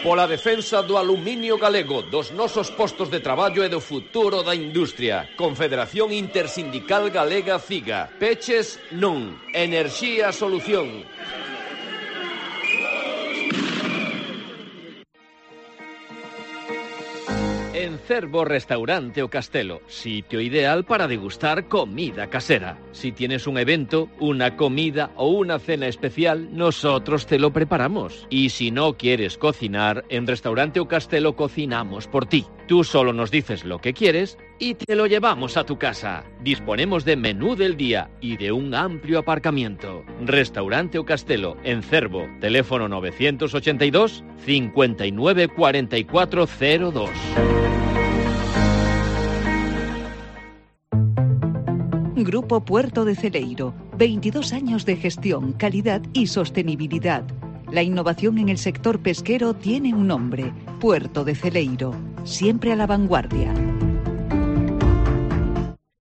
Pola defensa do aluminio galego, dos nosos postos de traballo e do futuro da industria. Confederación Intersindical Galega FIGA. Peches non. Enerxía solución. En Cervo Restaurante O Castelo, sitio ideal para degustar comida casera. Si tienes un evento, una comida o una cena especial, nosotros te lo preparamos. Y si no quieres cocinar, en Restaurante O Castelo cocinamos por ti. Tú solo nos dices lo que quieres y te lo llevamos a tu casa. Disponemos de menú del día y de un amplio aparcamiento. Restaurante O Castelo, en Cervo. Teléfono 982 59 44 02. Grupo Puerto de Celeiro. 22 años de gestión, calidad y sostenibilidad. La innovación en el sector pesquero tiene un nombre: Puerto de Celeiro. Siempre a la vanguardia.